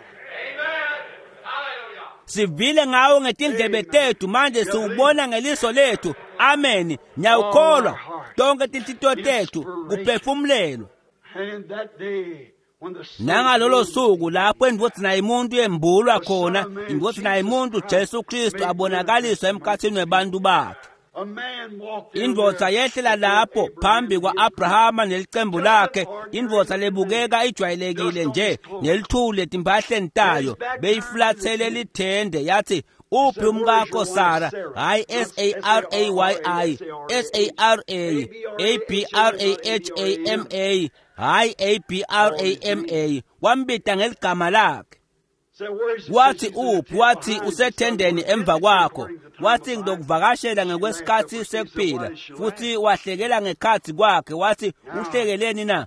Sivile ngawo ngetindlebe tethu, manje siwubona ngeliso lethu. Amen. Ngiyawukholwa tonke tinhlitiyo tethu kuphefumulelwa. And in that day, when the Son Nangalolo suku lapho indvodzana yemuntu yembulwa khona, indvodzana yemuntu Jesu Kristu abonakaliswa emkhathini webantu bakhe. a man walked in Indvodza there yehlela lapho phambi kwa-Abrahama nelicembu lakhe, indvodza lebukeka ijwayelekile nje nelithule etimpahleni tayo, beyifulathele lithende yathi, uphi umkakho Sara? Hhayi S A R A Y I, S A R A, A B R A H A M A, hhayi A B R A M A, wambita ngeligama lakhe. Said, "Where is he?" Wathi He said, "He's in the uphi? tent Wathi behind you." usethendeni emva kwakho. Wathi ngizokuvakashela ngekwesikhathi sekuphila. Futhi wahlekela ngekhathi kwakhe. Wathi uhlekeleni na?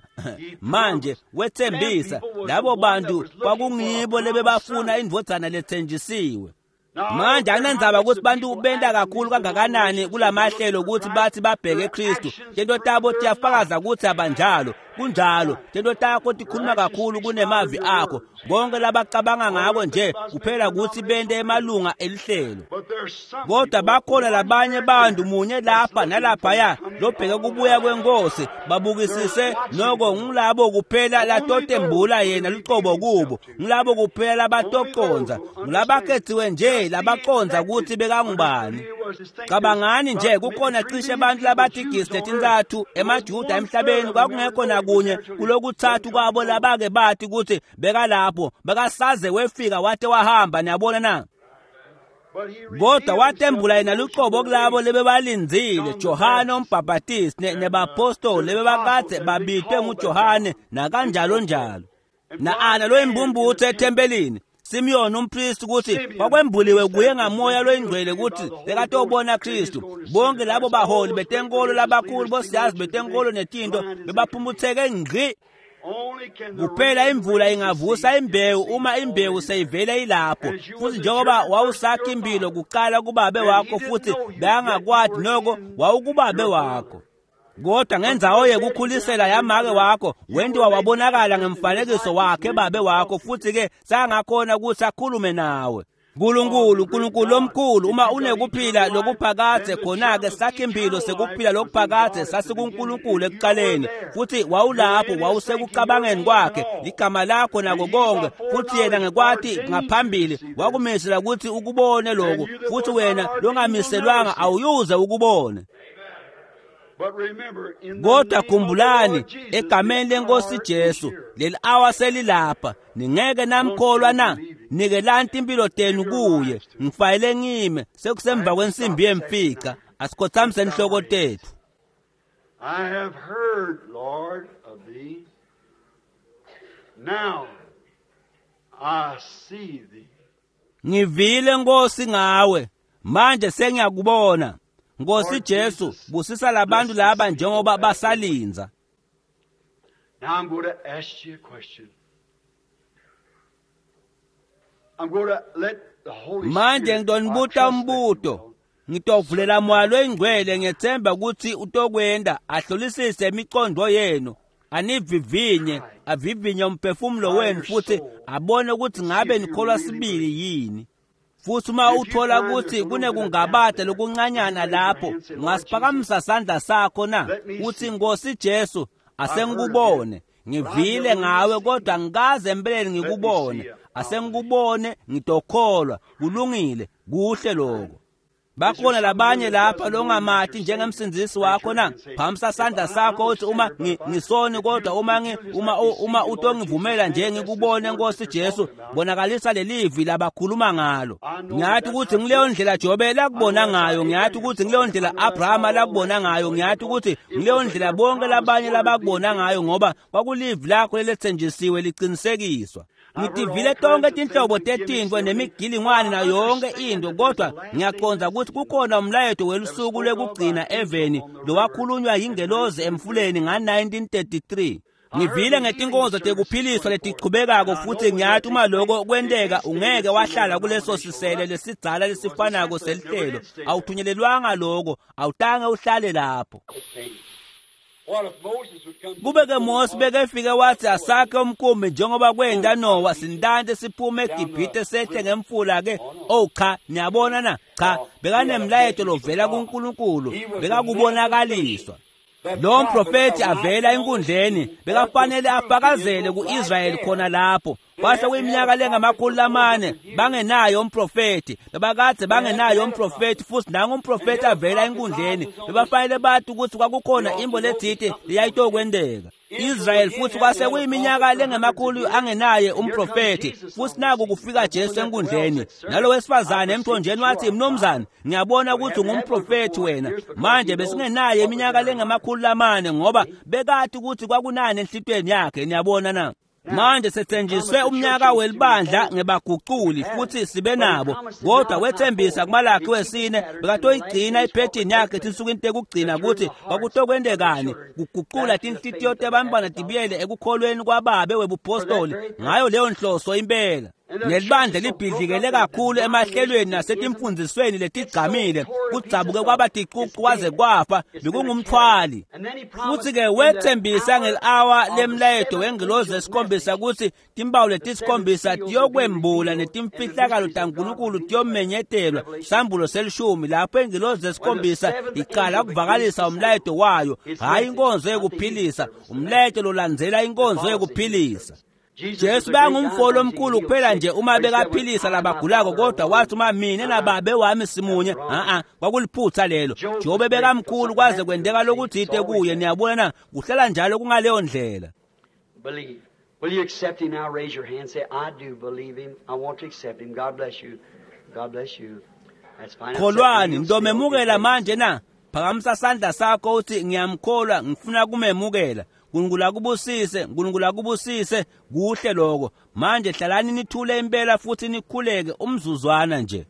Manje wethembisa labo bantu kwakungibo lebebafuna indvodzana lethenjisiwe. Manje akunandzaba ukuthi bantu benta kakhulu kangakanani kulamahlelo ukuthi bathi babheke Kristu. Tento tabo tiyafakaza ukuthi abanjalo. Kunjalo, tento takho tikhuluma kakhulu kunemavi akho. Bonke labacabanga ngako nje kuphela ukuthi bente emalunga elihlelo. But there's some Kodwa people, bakhona labanye bantu munye lapha that's nalaphaya looking for the lobheke kubuya kwenkosi babukisise noko ngilabo kuphela latotembula yena lucobo kubo, ngilabo kuphela labatoconza, ngilabakhethiwe nje labaconza ukuthi bekangubani. Cabangani nje kukhona cishe abantu labatigisi letintsatfu emaJuda emhlabeni, kwakungekho nakunye kulokuthathu kwabo labake bathi ukuthi bekalapho, bekasaze wefika wate wahamba. Niyabona na? But he Kodwa revealed watembula himself yena to those lucobo who were kulabo waiting. lebebalindzile, Johane umbhaphatisi ne- nebapostoli lebebakadze babitwe nguJohane nakanjalo njalo. Na-Ana loyimbumbutho ethempelini, Simiyoni umpristi ukuthi kwakwembuliwe kuye ngamoya loyingcwele ukuthi bekatobona Kristu. Bonke labo baholi betenkolo labakhulu bosiyazi betenkolo netinto bebaphumputheke ngqi. Only can the Kuphela rain imvula raise the ingavusa seed if the imbewu seed uma imbewu already seyivele ilapho. As you Futhi was a njengoba germ wawusakha first impilo your kuqala kubabe And he wakho didn't futhi know you, yet you bekangakwati were noko in wawukubabe your wakho. father. Kodwa ngendzawo yekukhulisela yamake wakho wentiwa wabonakala ngemfanekiso wakhe babe wakho, futhi ke sangakhona ukuthi akhulume nawe. Nkulunkulu, Nkulunkulu lomkhulu, uma unekuphila lokuphakadze khona-ke sakha impilo sekuphila lokuphakadze sasikuNkulunkulu ekuqaleni, futhi wawulapho, wawusekucabangeni kwakhe, igama lakho nako konke, futhi yena ngekwati ngaphambili wakumisela ukuthi ukubone lokhu, futhi wena longamiselwanga awuyuze ukubone. But remember, in the Kodwa name of the khumbulani, Lord Jesus, egameni the lenkosi hour is Jesu, here. leli awa selilapha. Ningeke namkholwa na? Nikelani timpilo tenu kuye. Ngifayele ngime sekusemva kwensimbi yemfica. Asikhothamise inhloko tethu. I have heard, Lord, of thee. Now I see thee. Ngivile Nkosi ngawe, manje sengiyakubona. Nkosi Lord Jesu, Jesus, busisa labantu bless laba these njengoba people as they wait. basalindza. Now I'm going to ask you a question. I'm going to let the Holy Manje Spirit, I ngidonibuta trust that you umbuto. will, Ngitovulela moya loyingcwele ngethemba ukuthi utokwenda ahlolisise imiqondo yenu, anivivinye, avivinye umphefumulo wenu futhi abone ukuthi ngabe nikholwa sibili yini. Futhi uma uthola ukuthi kunekungabada lokuncanyana lapho, ungasiphakamisa sandla sakho na? Uthi Nkosi Jesu, asengikubone. Ngivile ngawe kodwa ngikaze empeleni ngikubone. Asengikubone ngitokholwa. Kulungile, kuhle lokho. Bakhona labanye lapha longamati njengemsindzisi wakho na? Phamisa sandla sakho uthi uma ngi- ngisoni kodwa uma ngi, uma uma utongivumela nje ngikubone Nkosi Jesu, bonakalisa lelivi labakhuluma ngalo. Ngiyathi ukuthi ngileyo ndlela Jobe lakubona ngayo, ngiyathi ukuthi ngileyo ndlela Abrahama lakubona ngayo, ngiyathi ukuthi ngileyo ndlela bonke labanye labakubona ngayo, ngoba kwakulivi lakho lelethenjisiwe liqinisekiswa. Ngitivile tonke tinhlobo tetintfo nemigilingwane nayo yonke into, kodwa ngiyaqonda ukuthi kukhona umlayeto welusuku lwekugcina eveni lowakhulunywa yingelozi emfuleni nga nineteen thirty-three. Ngivile ngetinkonzo tekuphiliswa letichubekako futhi ngiyati uma lokho kwenteka ungeke wahlala kuleso sisele lesidzala lesifanako selihlelo. Awuthunyelelwanga lokho, awutange uhlale lapho. Kube-ke Mose bekefike wathi asakhe umkhumbi njengoba kwenta Nowa, sintante siphume eGibhithe sehle ngemfula-ke. Oh cha, niyabona na? Cha, bekanemlayeto lovela kuNkulunkulu, bekakubonakaliswa. Lo mprofethi avela enkundleni bekafanele afakazele ku-Israyeli khona lapho. Kwase kuyiminyaka lengamakhulu lamane bangenayo umprofethi, bebakade bangenayo umprofethi, futhi nangu umprofethi avela enkundleni, bebafanele bathi ukuthi kwakukhona imbo letsite leyayitokwenteka. Israel futhi kwase kuyiminyaka lengemakhulu angenaye umprofethi, futhi naku kufika Jesu enkundleni. Nalo wesifazane emthonjeni wathi, mnumzane, ngiyabona ukuthi ungumprofethi wena. Manje besingenaye iminyaka lengemakhulu lamane ngoba bekati ukuthi kwakunani enhlitweni yakhe, niyabona na? Manje sethenjiswe umnyaka welibandla ngebaguculi futhi sibe nabo, kodwa wethembisa kuMalakhi wesine bekatoyigcina iphethini yakhe etinsukwini tekugcina ukuthi kwakutokwentekani kuguqula tinhlitiyo tebantfwana tibuyele ekukholweni kwababe webupostoli ngayo leyo nhloso impela. Nelibandla libhidlikele kakhulu emahlelweni nasetimfundzisweni letigcamile, kudzabuke kwaba ticucu kwaze kwafa, bekungumthwali. Futhi-ke wethembisa ngeli-awa lemlayeto wengilozi esikhombisa ukuthi timpawu letisikhombisa tiyokwembula netimfihlakalo taNkulunkulu tiyomenyetelwa, sambulo selishumi, lapho ingilozi esikhombisa iqala ukuvakalisa umlayeto wayo, hhayi inkonzo yekuphilisa, umlayeto lolandzela inkonzo yekuphilisa. Jesu bangumfolo omkhulu kuphela nje uma bekaphilisa labagulako, kodwa wathi uma mina nababe wami simunye, a-a kwakuliphutha lelo. Jobe bekamkhulu kwaze kwenteka lokutsite kuye, niyabona na? Kuhlala njalo kungaleyo ndlela. Believe. Will you accept him now? Raise your hand. Say, I do believe him. I want to accept him. God bless you. God bless you. That's fine. Kholwani, ngitomemukela manje na? Phakamisa sandla sakho uthi ngiyamkholwa, ngifuna kumemukela. Nkulunkulu akubusise, Nkulunkulu akubusise, kuhle lokho. Manje hlalani nithule impela futhi nikhuleke umzuzwana nje.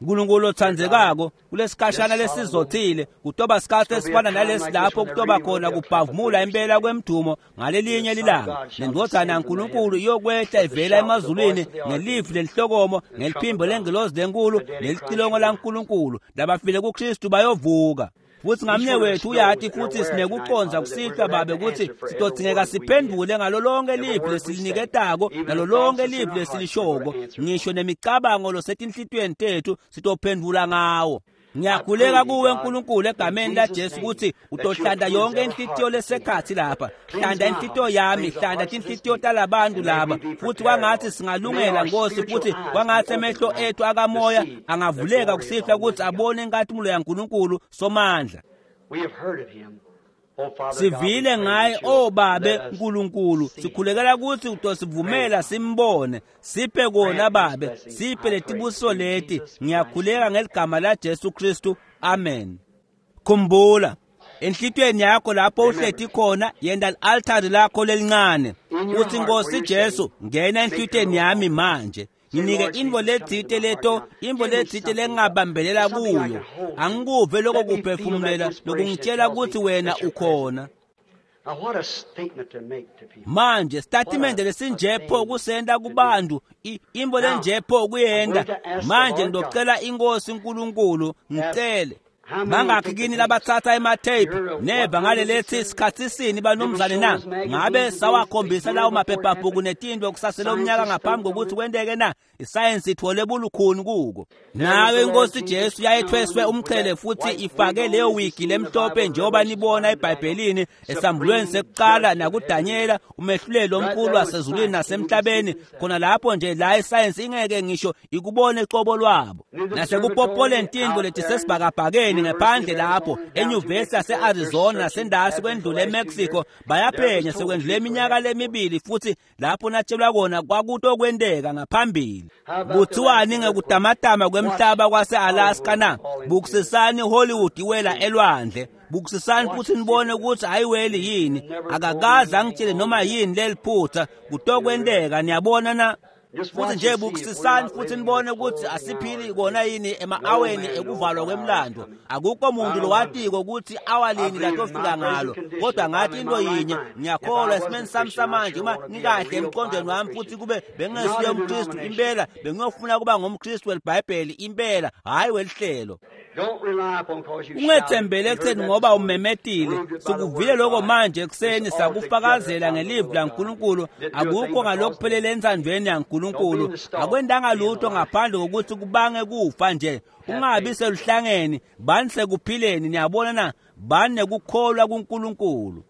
Nkulunkulu othandekako, kulesikhashana lesizothile, kutoba sikhathi esifana nalesi lapho kutoba khona kubhavumula impela kwemdumo ngalelinye lilanga. Nendvodzana yaNkulunkulu iyokwehla ivela emazulwini ngelivi lelihlokomo, ngeliphimbo lengilozi lenkulu, nelicilongo laNkulunkulu. Labafile kuKristu bayovuka. Futhi ngamnye wethu uyati futhi sinekucondza kusihlwa babe ukuthi sitodzingeka siphendvule ngalo lonke livi lesiliniketako nalo lonke livi lesilishoko, ngisho nemicabango losetinhlitiyweni tethu sitophendvula ngawo. Ngiyakhuleka kuwe Nkulunkulu egameni laJesu ukuthi utohlanda yonke inhlitiyo lesekhathi lapha. Hlanda inhlitiyo yami, hlanda tinhlitiyo talabantu laba, futhi kwangathi singalungela Nkosi, futhi kwangathi emehlo ethu akamoya angavuleka kusihlwa ukuthi abone inkathimulo yaNkulunkulu Somandla. We have heard of him. Oh, Father Sivile God, we pray ngaye, that you'll o Babe let us Nkulunkulu, see him. sikhulekela ukuthi utosivumela simbone. Siphe kona Babe, siphe letibusiso leti. Ngiyakhuleka ngeligama laJesu Kristu, amen. Khumbula enhlitiyweni yakho lapho uhleti khona, yenta li-altari lakho lelincane, uthi Nkosi Jesu, ngena enhlitiyweni yami manje. Nginike intfo letsite leto, intfo letsite lengingabambelela kuyo. Angikuve lokho kuphefumulela lokungitshela ukuthi wena ukhona. Now, what a statement to make to people. Manje sitatimende lesinjepho kusenta kubantu, i- intfo lenjepho kuyenta. Manje ngitocela inkosi uNkulunkulu, ngicele bangakhi kini labatsatsa ematheyiphu neva ngalelethi sikhatsi sini banumzane na? Ngabe sawakhombisa lawo maphephabhuku netintfo kusasele umnyaka ngaphambi kokuthi kwenteke na? Isayensi itfole bulukhuni kuko. Nayo inkosi Jesu yayethweswe umqhele futhi ifake leyo wigi lemhlophe njengoba nibona eBhayibhelini esambulweni sekuqala nakuDanyela, umehluleli omkhulu wasezulwini nasemhlabeni, khona lapho nje la isayensi ingeke ngisho ikubone cobo lwabo. Nasekupopoleni tintfo letisesibhakabhakeni ngephandle lapho enyuvesi yase-Arizona nasendasi kwendlule eMexico, bayaphenya sekwendlule iminyaka lemibili futhi lapho natshelwa kona kwakutokwenteka ngaphambili. Kuthiwani ngekutamatama kwemhlaba kwase-Alaska na? Bukusisani Hollywood iwela elwandle. Bukusisani futhi nibone ukuthi ayiweli yini. Akakaze angitshele noma yini leliphutha, kutokwenteka, niyabona na? Futhi nje bukisisani futhi nibone ukuthi asiphili kona yini ema-aweni ekuvalwa kwemlando. Akukho muntu lowatiko ukuthi awalini latofika ngalo, kodwa ngathi into yinye, ngiyakholwa esimeni sami samanje, uma ngikahle emqondweni wami futhi kube bengingesiye umKristu impela, bengiyofuna kuba ngumKristu welibhayibheli impela, hhayi welihlelo. Ungethembele ekutheni ngoba umemetile. Sikuvile lokho manje ekuseni, sakufakazela ngelivi laNkulunkulu. Akukho ngalokuphelele entsandvweni yaNkulunkulu. Akwendanga lutho ngaphandle kokuthi kubange kufa nje. Ungabi seluhlangeni, bani sekuphileni. Niyabona na? Bani nekukholwa kuNkulunkulu.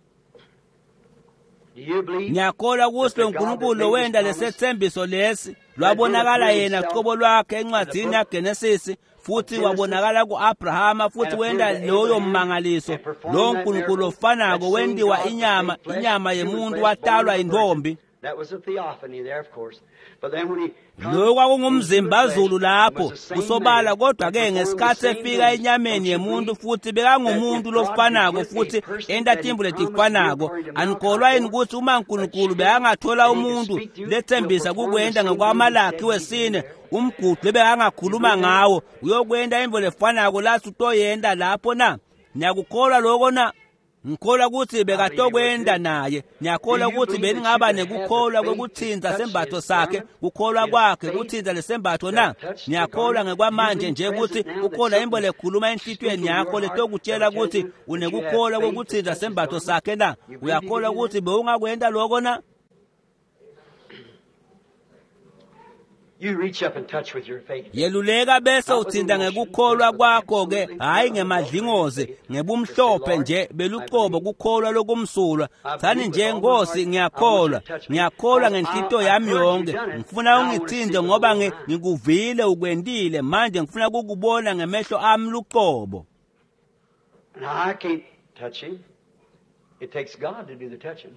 Ngiyakholwa ukuthi lo Nkulunkulu lowenda lesethembiso lesi lwabonakala yena qobo lwakhe encwadini yaGenesis, futhi wabonakala ku-Abrahama, futhi wenda loyo mmangaliso. Lo Nkulunkulu ofanako wendiwa inyama, inyama yemuntu, watalwa intombi. Lo kwakungumzimbazulu lapho kusobala, kodwa-ke ngesikhathi efika enyameni yemuntu futhi bekangumuntu lofanako futhi enta tintfo letifanako. Anikholwa yini ukuthi uma uNkulunkulu bekangathola umuntu lethembisa kukwenta ngekwaMalakhi wesine, umgudu lebekangakhuluma ngawo, uyokwenta intfo lefanako lathi utoyenta lapho na? Niyakukholwa loko na? Ngikholwa ukuthi bekatokwenda naye. Ngiyakholwa ukuthi beningaba nekukholwa kwekuthinta sembatho sakhe, kukholwa kwakhe kuthinta lesembatho na? Ngiyakholwa ngekwamanje nje ukuthi kukhona into lekhuluma enhlitiyweni yakho letokutshela ukuthi unekukholwa kwekuthinta sembatho sakhe na? Uyakholwa ukuthi bewungakwenta lokho na? Yeluleka bese uthinta ngekukholwa kwakho-ke, hhayi ngemadlingozi, ngebumhlophe nje belucobo kukholwa lokumsulwa. Thani nje, Nkosi, ngiyakholwa, ngiyakholwa ngenhlitiyo yami yonke. Ngifuna ungithinte ngoba ngikuvile ukwentile, manje ngifuna kukubona ngemehlo ami lucobo. Now, I can't touch him. It takes God to do the touching.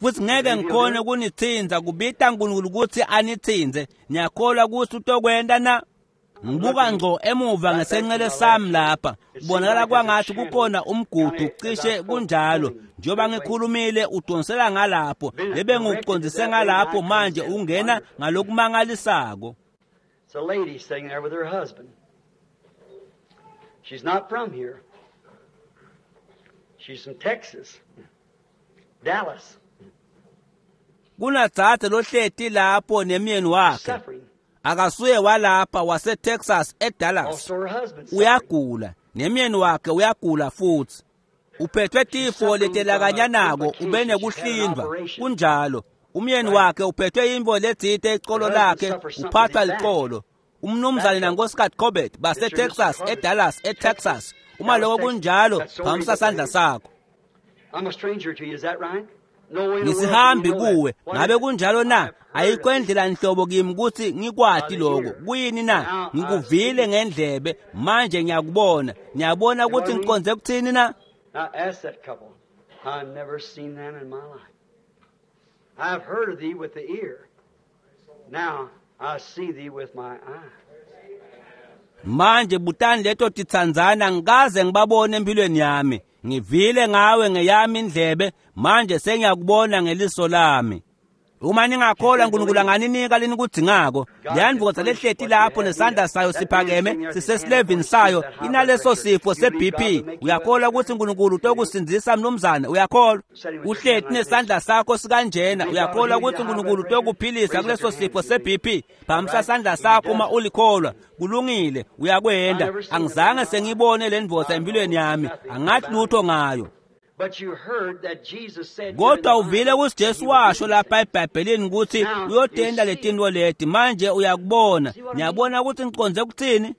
Futhi ngeke ngikhone kunithinza, kubita uNkulunkulu ukuthi anithinze. Ngiyakholwa ukuthi utokwenta na? Ngibuka ngqo emuva ngesenxele sami lapha, kubonakala kwangathi kukhona umgudu, cishe kunjalo. Njengoba ngikhulumile udonsela ngalapho, lebe ngikuqondise ngalapho, manje ungena ngalokumangalisako. It's a lady sitting there with her husband. She's not from here. She's from Texas, Dallas. Kunadzadze lohleti lapho nemyeni wakhe. Akasuye walapha, waseTexas eDallas. Uyagula, nemyeni wakhe uyagula futhi. Uphethwe tifo letelakanyanako, ube nekuhlindwa. Kunjalo. Umyeni wakhe uphethwe intfo letsite ecolo lakhe, uphathwa licolo. Umnumzane nankosikazi Corbett baseTexas eDallas eTexas. Uma lokho kunjalo, phakamisa sandla sakho. I'm a stranger to you, is that right? Ngisihambi kuwe, ngabe kunjalo na? Ayikho indlela nhlobo kimi ukuthi ngikwati lokho. Kuyini na? Ngikuvile ngendlebe, manje ngiyakubona. Ngiyabona ukuthi ngiqonze kuthini na? Now ask that couple. I've never seen them in my life. I've heard of thee with the ear. Now I see thee with my eye. Manje butani leto titsandzana, ngikaze ngibabone empilweni yami. Ngivile ngawe ngeyami indlebe, manje sengiyakubona ngeliso lami. Uma ningakholwa uNkulunkulu anganinika lenikudzingako. Leyandvodza lehleti lapho nesandla sayo siphakeme sisesilevini sayo, inaleso sifo se-B P. Uyakholwa ukuthi uNkulunkulu utokusindzisa mnumzane? Uyakholwa? Uhleti nesandla sakho sikanjena, uyakholwa ukuthi uNkulunkulu utokuphilisa kuleso sifo se-B P? Phakamisa sandla sakho uma ulikholwa. Kulungile, uyakwenda. Angizange sengibone le ndvodza empilweni yami, angathi lutho ngayo. Kodwa uvile ukuthi Jesu washo lapha eBhayibhelini ukuthi uyotenda letintfo leti. Manje uyakubona. Ngiyabona ukuthi ngiqonze ukuthini.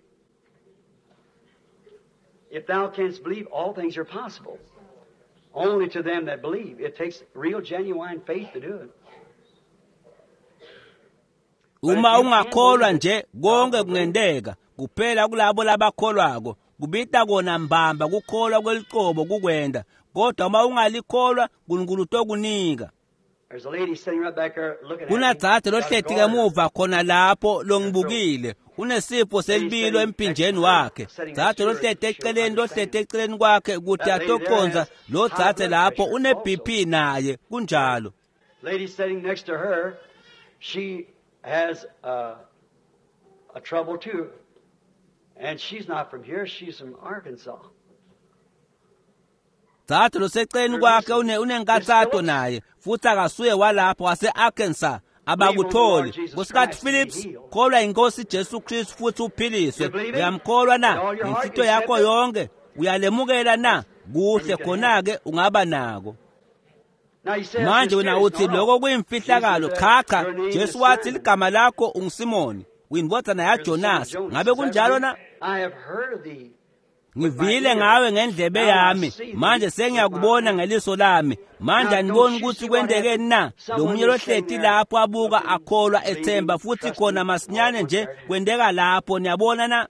If thou canst believe, all things are possible. Only to them that believe. It takes real genuine faith to do it. Uma ungakholwa nje konke kungenteka, kuphela kulabo labakholwako. Kubita kona mbamba kukholwa kwelicobo kukwenda. Kodwa uma ungalikholwa uNkulunkulu utokunika. Kunadzadze lohleti ngemuva khona lapho longibukile, unesifo selibilo emphinjeni wakhe. Dzadze lohleti eceleni, lohleti eceleni kwakhe ukuthi atokonza lo dzadze lapho une B P naye, kunjalo. Lady sitting next to her She has a, a trouble too. And she's not from here, she's from Arkansas. Dzadze loseceleni kwakhe une unenkatsato naye futhi akasuye walapho wase-Arkansas abakutholi. Nkosikati Phillips, kholwa inkosi Jesu Kristu futhi uphiliswe. Uyamkholwa na ngenhlito yakho yonke? Uyalemukela na? Kuhle khona-ke ungaba nako. Manje wena uthi lokho kuyimfihlakalo. Cha cha, Jesu wathi ligama lakho unguSimoni, uyindvodzana yaJonasi. Ngabe kunjalo na? Ngivile ngawe ngendlebe yami, manje sengiyakubona ngeliso lami. Manje aniboni ukuthi kwendekeni na? Lo munye lohleti lapho abuka akholwa ethemba futhi khona masinyane nje kwendeka lapho. Niyabona na?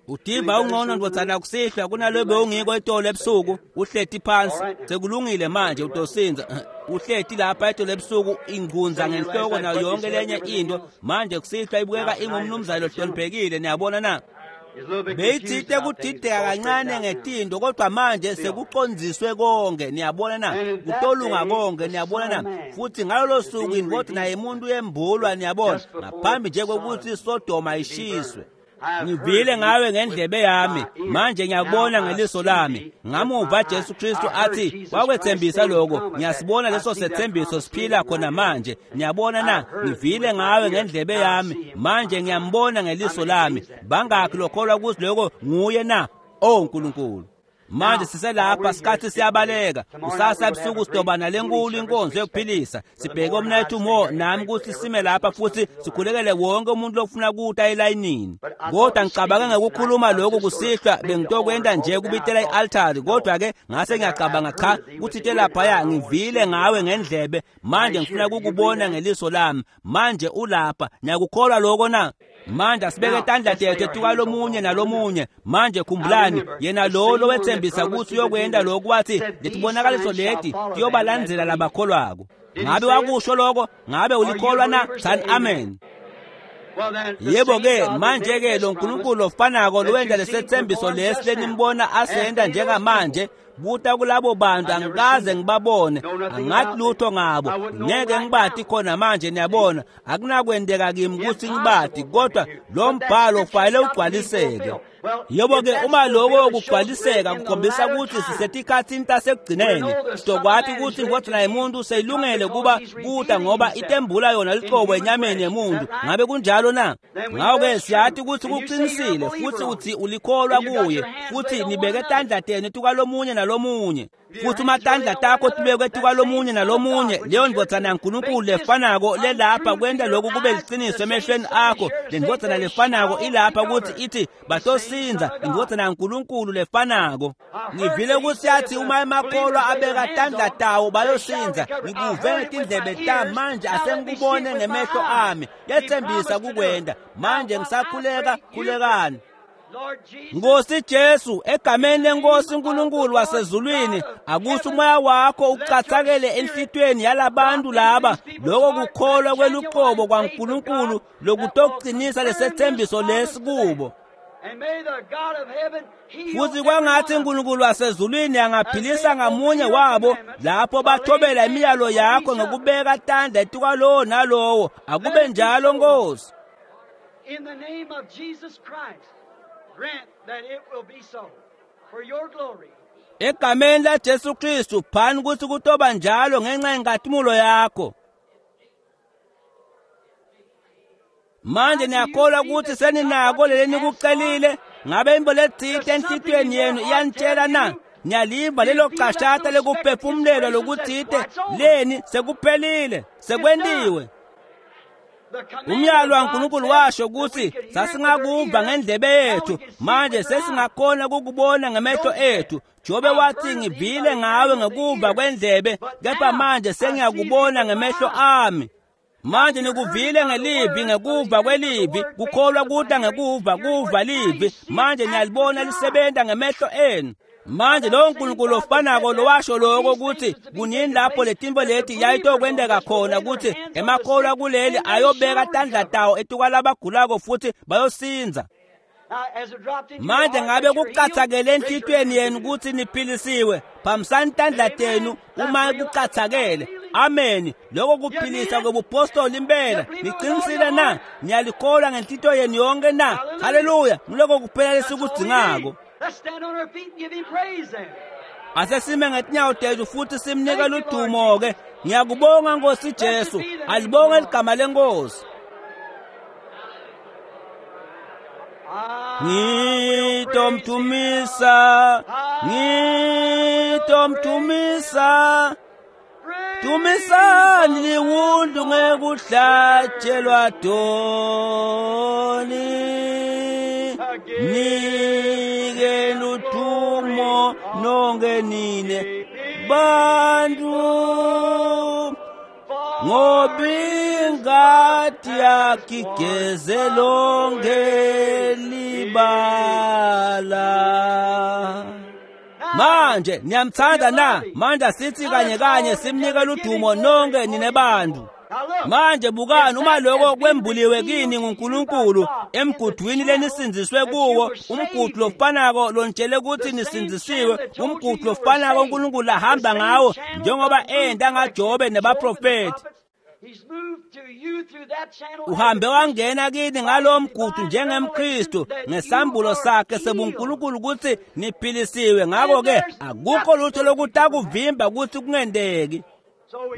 Udiva ungcono ndvodzana kusihlwa kunalo bewungiko itolo ebusuku uhleti phansi. Sekulungile manje utosinza. Uhleti lapha itolo ebusuku ingunza ngenhloko nayo yonke lenye into. Manje kusihlwa ibukeka ingumnumzane lohloniphekile. Niyabona na? Beyithite kudideka kancane ngetinto kodwa manje sekucondziswe konke. Niyabona na? Kutolunga konke. Niyabona na? Futhi ngalolo suku indvodzana yemuntu yembulwa. Niyabona, ngaphambi nje kokuthi iSodoma ishiswe. Ngivile ngawe ngendlebe yami, manje ngiyakubona ngeliso lami. Ngamuva Jesu Kristu athi wakwethembisa lokho, ngiyasibona leso sethembiso siphila khona manje. Niyabona na? Ngivile ngawe ngendlebe yami, manje ngiyambona ngeliso lami. Bangakhi lokholwa ukuthi lokho nguye na? Oh Nkulunkulu. Manje siselapha, sikhathi siyabaleka. Kusasa ebusuku sidoba nalenkulu inkonzo yokuphilisa. Sibheke umnethu Mo nami ukuthi sime lapha futhi sikhulekele wonke umuntu lofuna kuta elayinini. Kodwa ngicabange ngekukhuluma lokhu kusihlwa, bengitokwenta nje kubitela i-altari, kodwa ke ngase ngiyacabanga cha kuthite laphaya ngivile ngawe ngendlebe, manje ngifuna ukukubona ngeliso lami. Manje ulapha, niyakukholwa lokho na? Manje asibeke tandla tethu etukalomunye nalomunye. Manje khumbulani, yena lo lowethembisa ukuthi uyokwenda lokhu wathi letibonakaliso leti tiyobalandzela labakholwako. Ngabe wakusho lokho? Ngabe ulikholwa na? Thani amen. Yebo ke, manje ke lo Nkulunkulu ofanako lowenda lesethembiso lesi lenimbona asenda njengamanje buta kulabo bantu angikaze ngibabone, angathi lutho ngabo, ngeke ngibati khona manje. Niyabona, akunakwendeka kimi ukuthi ngibati, kodwa lo mbhalo ufanele ugcwaliseke. Yebo ke, uma lokho kugcwaliseka kukhombisa ukuthi sisetikhathini tasekugcineni, sizokwati ukuthi indvodzana yemuntu seyilungele kuba kuta ngoba itembula yona liqobo enyameni yemuntu. Ngabe kunjalo na? Ngakho-ke siyathi ukuthi kuqinisile futhi uthi ulikholwa kuye futhi nibeke tandla tenu etukalomunye nalomunye. Futhi uma tandla takho tibekwe etukalomunye nalomunye, leyo ndvodzana yaNkulunkulu lefanako lelapha kwenta lokhu kube liciniso emehlweni akho. Le ndvodzana lefanako ilapha ukuthi ithi batosinza, indvodzana yaNkulunkulu lefanako. Ngivile ukuthi yathi uma emakholwa abeka tandla tawo bayosinza. Ngikuve ngetindlebe tami, manje asengikubone ngemehlo ami. Yethembisa kukwenda. Manje ngisakhuleka, khulekani. Nkosi Jesu, egameni lenkosi uNkulunkulu wasezulwini, akuthi umoya wakho ucathakele enhlitweni yalabantu laba, lokho kukholwa kweluqobo kwaNkulunkulu lokutoqinisa lesethembiso lesi kubo. Futhi kwangathi uNkulunkulu wasezulwini angaphilisa ngamunye wabo lapho bathobela imiyalo yakho ngokubeka tandla etukwalowo nalowo. Akube njalo Nkosi. In the name of Jesus Christ, grant that it will be so for your glory. Egameni la Jesu Kristu, phani ukuthi kutoba njalo ngenxa yenkatimulo yakho. Manje niyakholwa ukuthi seninako leli nikucelile? Ngabe imbo letsite enhlitiyweni yenu iyanitshela na? Niyaliva lelo cashata lekuphefumulelwa lokutsite leni sekuphelile, sekwentiwe. Umyalo waNkulunkulu washo ukuthi sasingakuva ngendlebe yethu, manje sesingakhona ukukubona ngemehlo ethu. Jobe wathi ngivile ngawe ngekuva kwendlebe, kepha manje sengiyakubona ngemehlo ami. Manje nikuvile ngelivi, ngekuva kwelivi, kukholwa kuta ngekuva, kuva livi. Manje niyalibona lisebenta ngemehlo enu. Manje lo Nkulunkulu ofanako lowasho lokho ukuthi kunini lapho letinto leti yayitokwenteka khona, ukuthi emakholwa kuleli ayobeka tandla tawo etukwalabagulako futhi bayosinza. Manje ngabe kucathakele enhlitiyweni yenu ukuthi niphilisiwe? Phamisani tandla tenu uma kucathakele. Amen. Lokho kuphilisa kwebupostoli impela. Niqinisile na? Niyalikholwa ngenhlito yenu yonke na? Haleluya. Ngiloko kuphela lesikudzingako. Let's stand on our feet and give him praise then. Asesime ngetinyawo tethu futhi simnike ludumo ke. Ngiyakubonga Nkosi Jesu. Alibonge ligama lenkosi. Ngitomtumisa, ngitomtumisa, tumisani liwundlu ngekuhlatshelwa doni. Nike luthumo nonke nine bantu, ngoba ingadi yakhe igeze lonke libala. Manje niyamthanda na? Manje sithi kanye kanye simnike ludumo nonke nine bantu. Manje bukani, uma lokho kwembuliwe kini nguNkulunkulu emgudwini lenisindziswe kuwo, umgudu lofanako lonitshele ukuthi nisindzisiwe, umgudu lofanako uNkulunkulu ahamba ngawo njengoba enda ngaJobe nebaprofeti. Uhambe wangena kini ngalo mgudu njengemKristu ngesambulo sakhe sebuNkulunkulu ukuthi niphilisiwe. Ngakho-ke akukho lutho lokutakuvimba ukuthi kungendeki.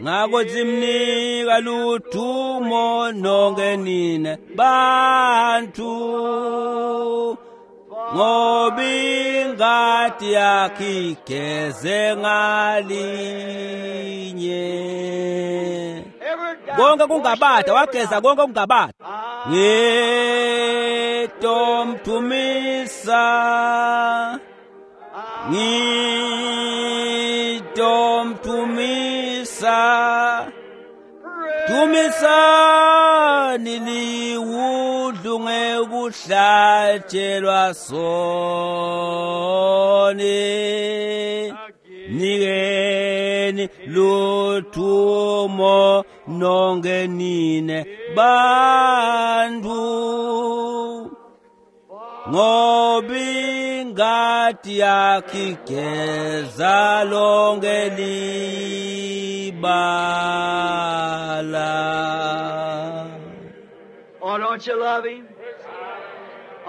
Ngakho simnika ludumo nonke nine bantu, ngoba ingadi yakhe igeze ngalinye. Konke kungabada, wageza konke kungabada. Ngitomtumisa, ngitomtumisa, tumisani liwundlu ngekuhlatshelwa soni. Nikeni luthumo nonke nine bantu, ngoba ingadi yakhe igeza lonke libala. Oh, don't you love him?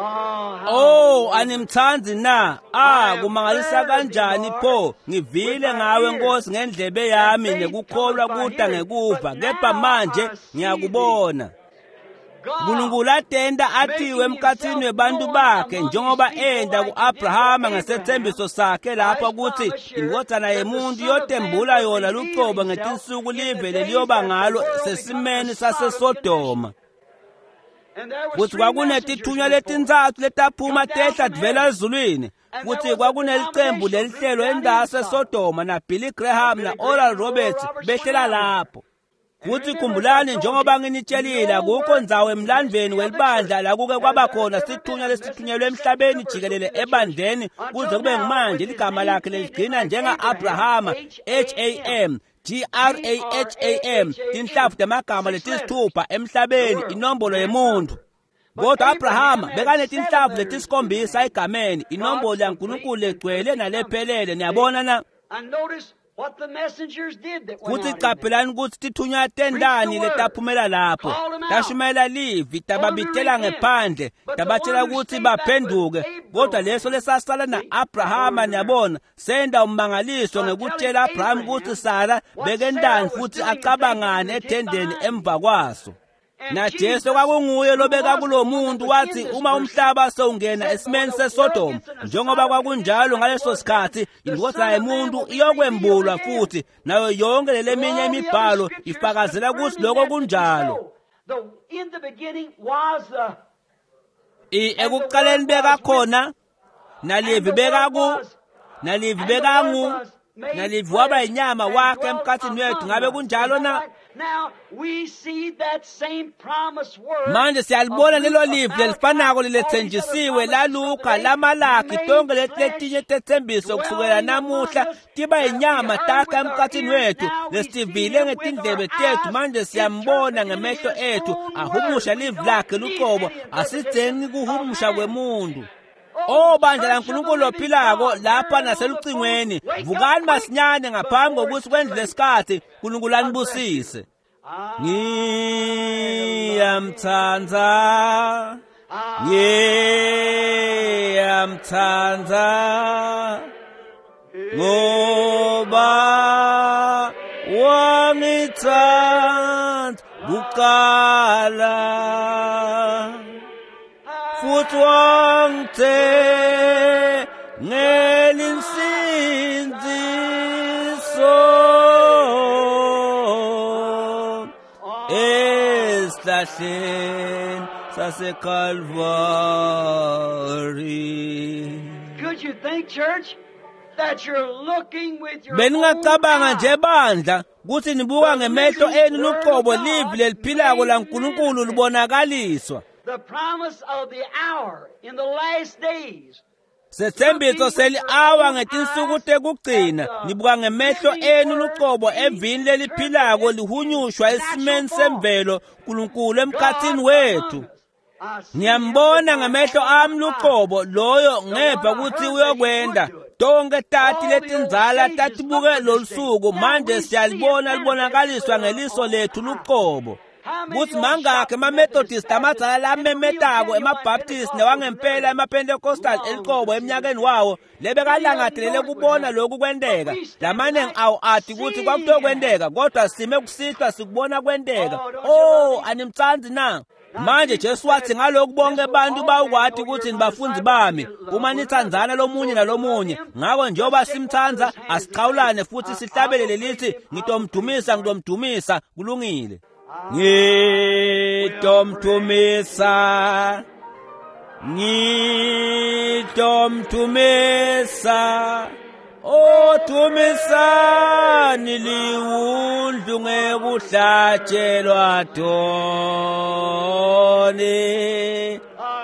Oh, how Oh, animthandi na? Ah, kumangalisa kanjani pho? Ngivile ngawe Nkosi ngendlebe yami nekukholwa kuta ngekuva, kepha manje ngiyakubona. uNkulunkulu atenda athiwe emkhathini webantu bakhe njengoba enda ku-Abrahama ngesethembiso sakhe lapha ukuthi indodana yemuntu iyotembula yona lucobo ngetinsuku live leliyoba ngalo sesimeni saseSodoma. Futhi kwakunetithunywa letintsatfu letaphuma tehla tivela ezulwini, futhi kwakunelicembu lelihlelo endase Sodoma na Billy Graham na Oral Roberts behlela lapho. Futhi khumbulani njengoba nginitshelile, akukho ndzawo emlandvweni welibandla la kuke kwaba khona sithunywa lesithunyelwe emhlabeni jikelele ebandleni kuze kube ngumanje ligama lakhe leligcina njenga-Abrahama, H A M G R A H A M, tinhlavu temagama letisithupha emhlabeni, inombolo yemuntu. Kodwa Abrahama bekanetinhlavu letisikhombisa egameni, inombolo yaNkulunkulu legcwele nalephelele. Niyabona na? And notice what the messengers did that went Futhi out in there. qaphelani ukuthi tithunywa tendani letaphumela lapho, tashumayela livi, tababitela ngephandle, tabatshela ukuthi baphenduke. Kodwa leso lesasala na-Abrahama, niyabona, senda ummangaliso ngekutshela Abraham ukuthi Sara bekendani futhi acabangani ethendeni emva kwaso. Na Jesu kwakunguye lobeka kulo muntu wathi uma umhlaba sewungena esimeni seSodom, njengoba kwakunjalo ngaleso sikhathi, indodana yemuntu iyokwembulwa futhi, nayo yonke leminye imibhalo ifakazela ukuthi lokho kunjalo. The, in the beginning was the I ekuqaleni bekakhona, nalivi bekaku, nalivi bekangu, nalivi waba inyama wakhe emkhathini wethu. Ngabe kunjalo na? Now we see that same promise word. Manje siyalibona lelo livi lelifanako lelethenjisiwe laLuka, laMalaki, tonke leti letinye tetsembiso kusukela namuhla tiba inyama takha emkhathini wethu lesivile ngetindlebe tethu. Manje siyambona ngemehlo ethu ahumusha livi lakhe luqobo, asidzengi kuhumusha kwemuntu. O bandla laNkulunkulu lophilako lapha naselucingweni, vukani masinyane ngaphambi kokuthi kwendlule isikhathi. Nkulunkulu anibusise. Ngiyamthanda, ngiyamthanda, ngoba wangithanda kuqala futhi wangithengela insindiso esihlahleni saseKalvari. Could you think, church, that you're looking with your Beningacabanga own nje bandla kuthi nibuka ngemehlo enu luqobo livi leliphilako laNkulunkulu libonakaliswa. The promise of the hour in the last days. Sethembiso seli-awa ngetinsuku tekugcina nibuka ngemehlo enu luqobo evini leliphilako lihunyushwa esimeni semvelo Nkulunkulu emkhathini wethu. Ngiyambona ngamehlo ami luqobo loyo ngeva ukuthi uyokwenda. Tonke tati letindzala tatibuke lolusuku, manje siyalibona libonakaliswa ngeliso lethu luqobo. Kuthi mangakhi emaMethodist amadzala lamemetako, emaBaptist newangempela emaPentecostal eliqobo eminyakeni wawo lebekalangadelele kubona lokhu kwenteka. Lamaningi awo ati ukuthi kwakutokwenteka, kodwa sime kusihlwa sikubona kwenteka. Oh, animtsandzi na? Manje Jesu wathi ngalokhu bonke abantu bawukwati ukuthi nibafundzi bami uma nithandzana lomunye nalomunye. Ngako njengoba simthandza asichawulane futhi sihlabelele lithi ngitomdumisa, ngitomdumisa. Kulungile. Ngitomdumisa, ngitomdumisa, odumisani liwundlu ngekuhlatshelwa doni,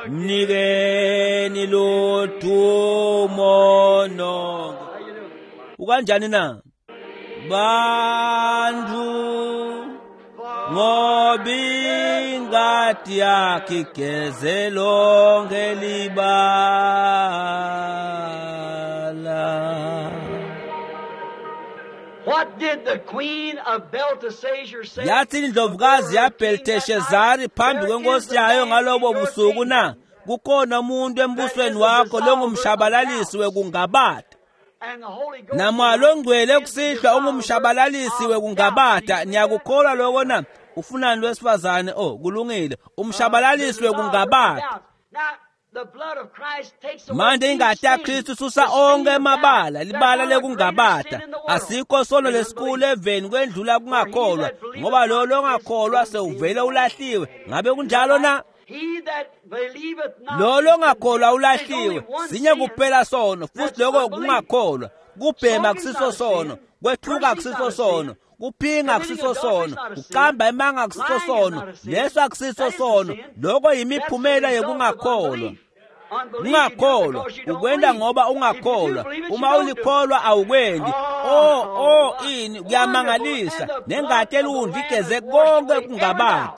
mnikeni ludumo nonke. Ukanjani na bantu, ngoba ingadi yakhe igeze lonke libala. What did the queen of Belteshazzar say? Yathi indlovukazi yaBelteshazari phambi kwenkosi yayo ngalobo busuku na, kukhona umuntu embusweni wakho longumshabalalisi wekungabata. And the Holy Ghost Namoya longcwele kusihlwa ungumshabalalisi wekungabata. Niyakukholwa lokho na? Ufunani lwesifazane? Oh, kulungile. Umshabalalisi wekungabata. Now, the blood of Christ takes away Manje ingati yaKristu isusa onke emabala, libala lekungabata. Asikho sono lesikhulu eveni kwendlula kungakholwa, ngoba lo longakholwa sewuvele ulahliwe. Ngabe kunjalo na? He that believeth not Lo longakholwa ulahliwe. There's only one Sinye sin. kuphela sono, futhi lokho kungakholwa. Kubhema kusiso sono, kwethuka kusiso sono, kuphinga kusiso sono, kuqamba emanga kusiso sono, leso akusiso sono. Lokho yimiphumela yokungakholwa. Ungakholwa ukwenda ngoba ungakholwa. Uma ulikholwa awukwendi. Oh, oh, ini kuyamangalisa. Nengati eliwundlu igeze konke kungabata.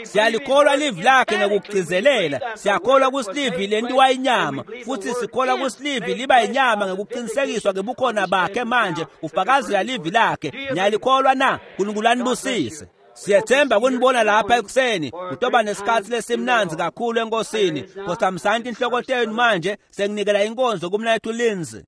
Siyalikholwa livi lakhe ngekugcizelela. Siyakholwa kusilivi lentiwa inyama, futhi sikholwa kusilivi liba inyama ngekuqinisekiswa ngebukhona bakhe manje ufakazela livi lakhe. Niyalikholwa na? Nkulunkulu anibusise. Siyethemba kunibona lapha ekuseni. Kutoba nesikhathi lesimnandzi kakhulu enkosini. Khothamsani inhloko tenu manje, senginikela inkonzo kumnaketfu Lindsay.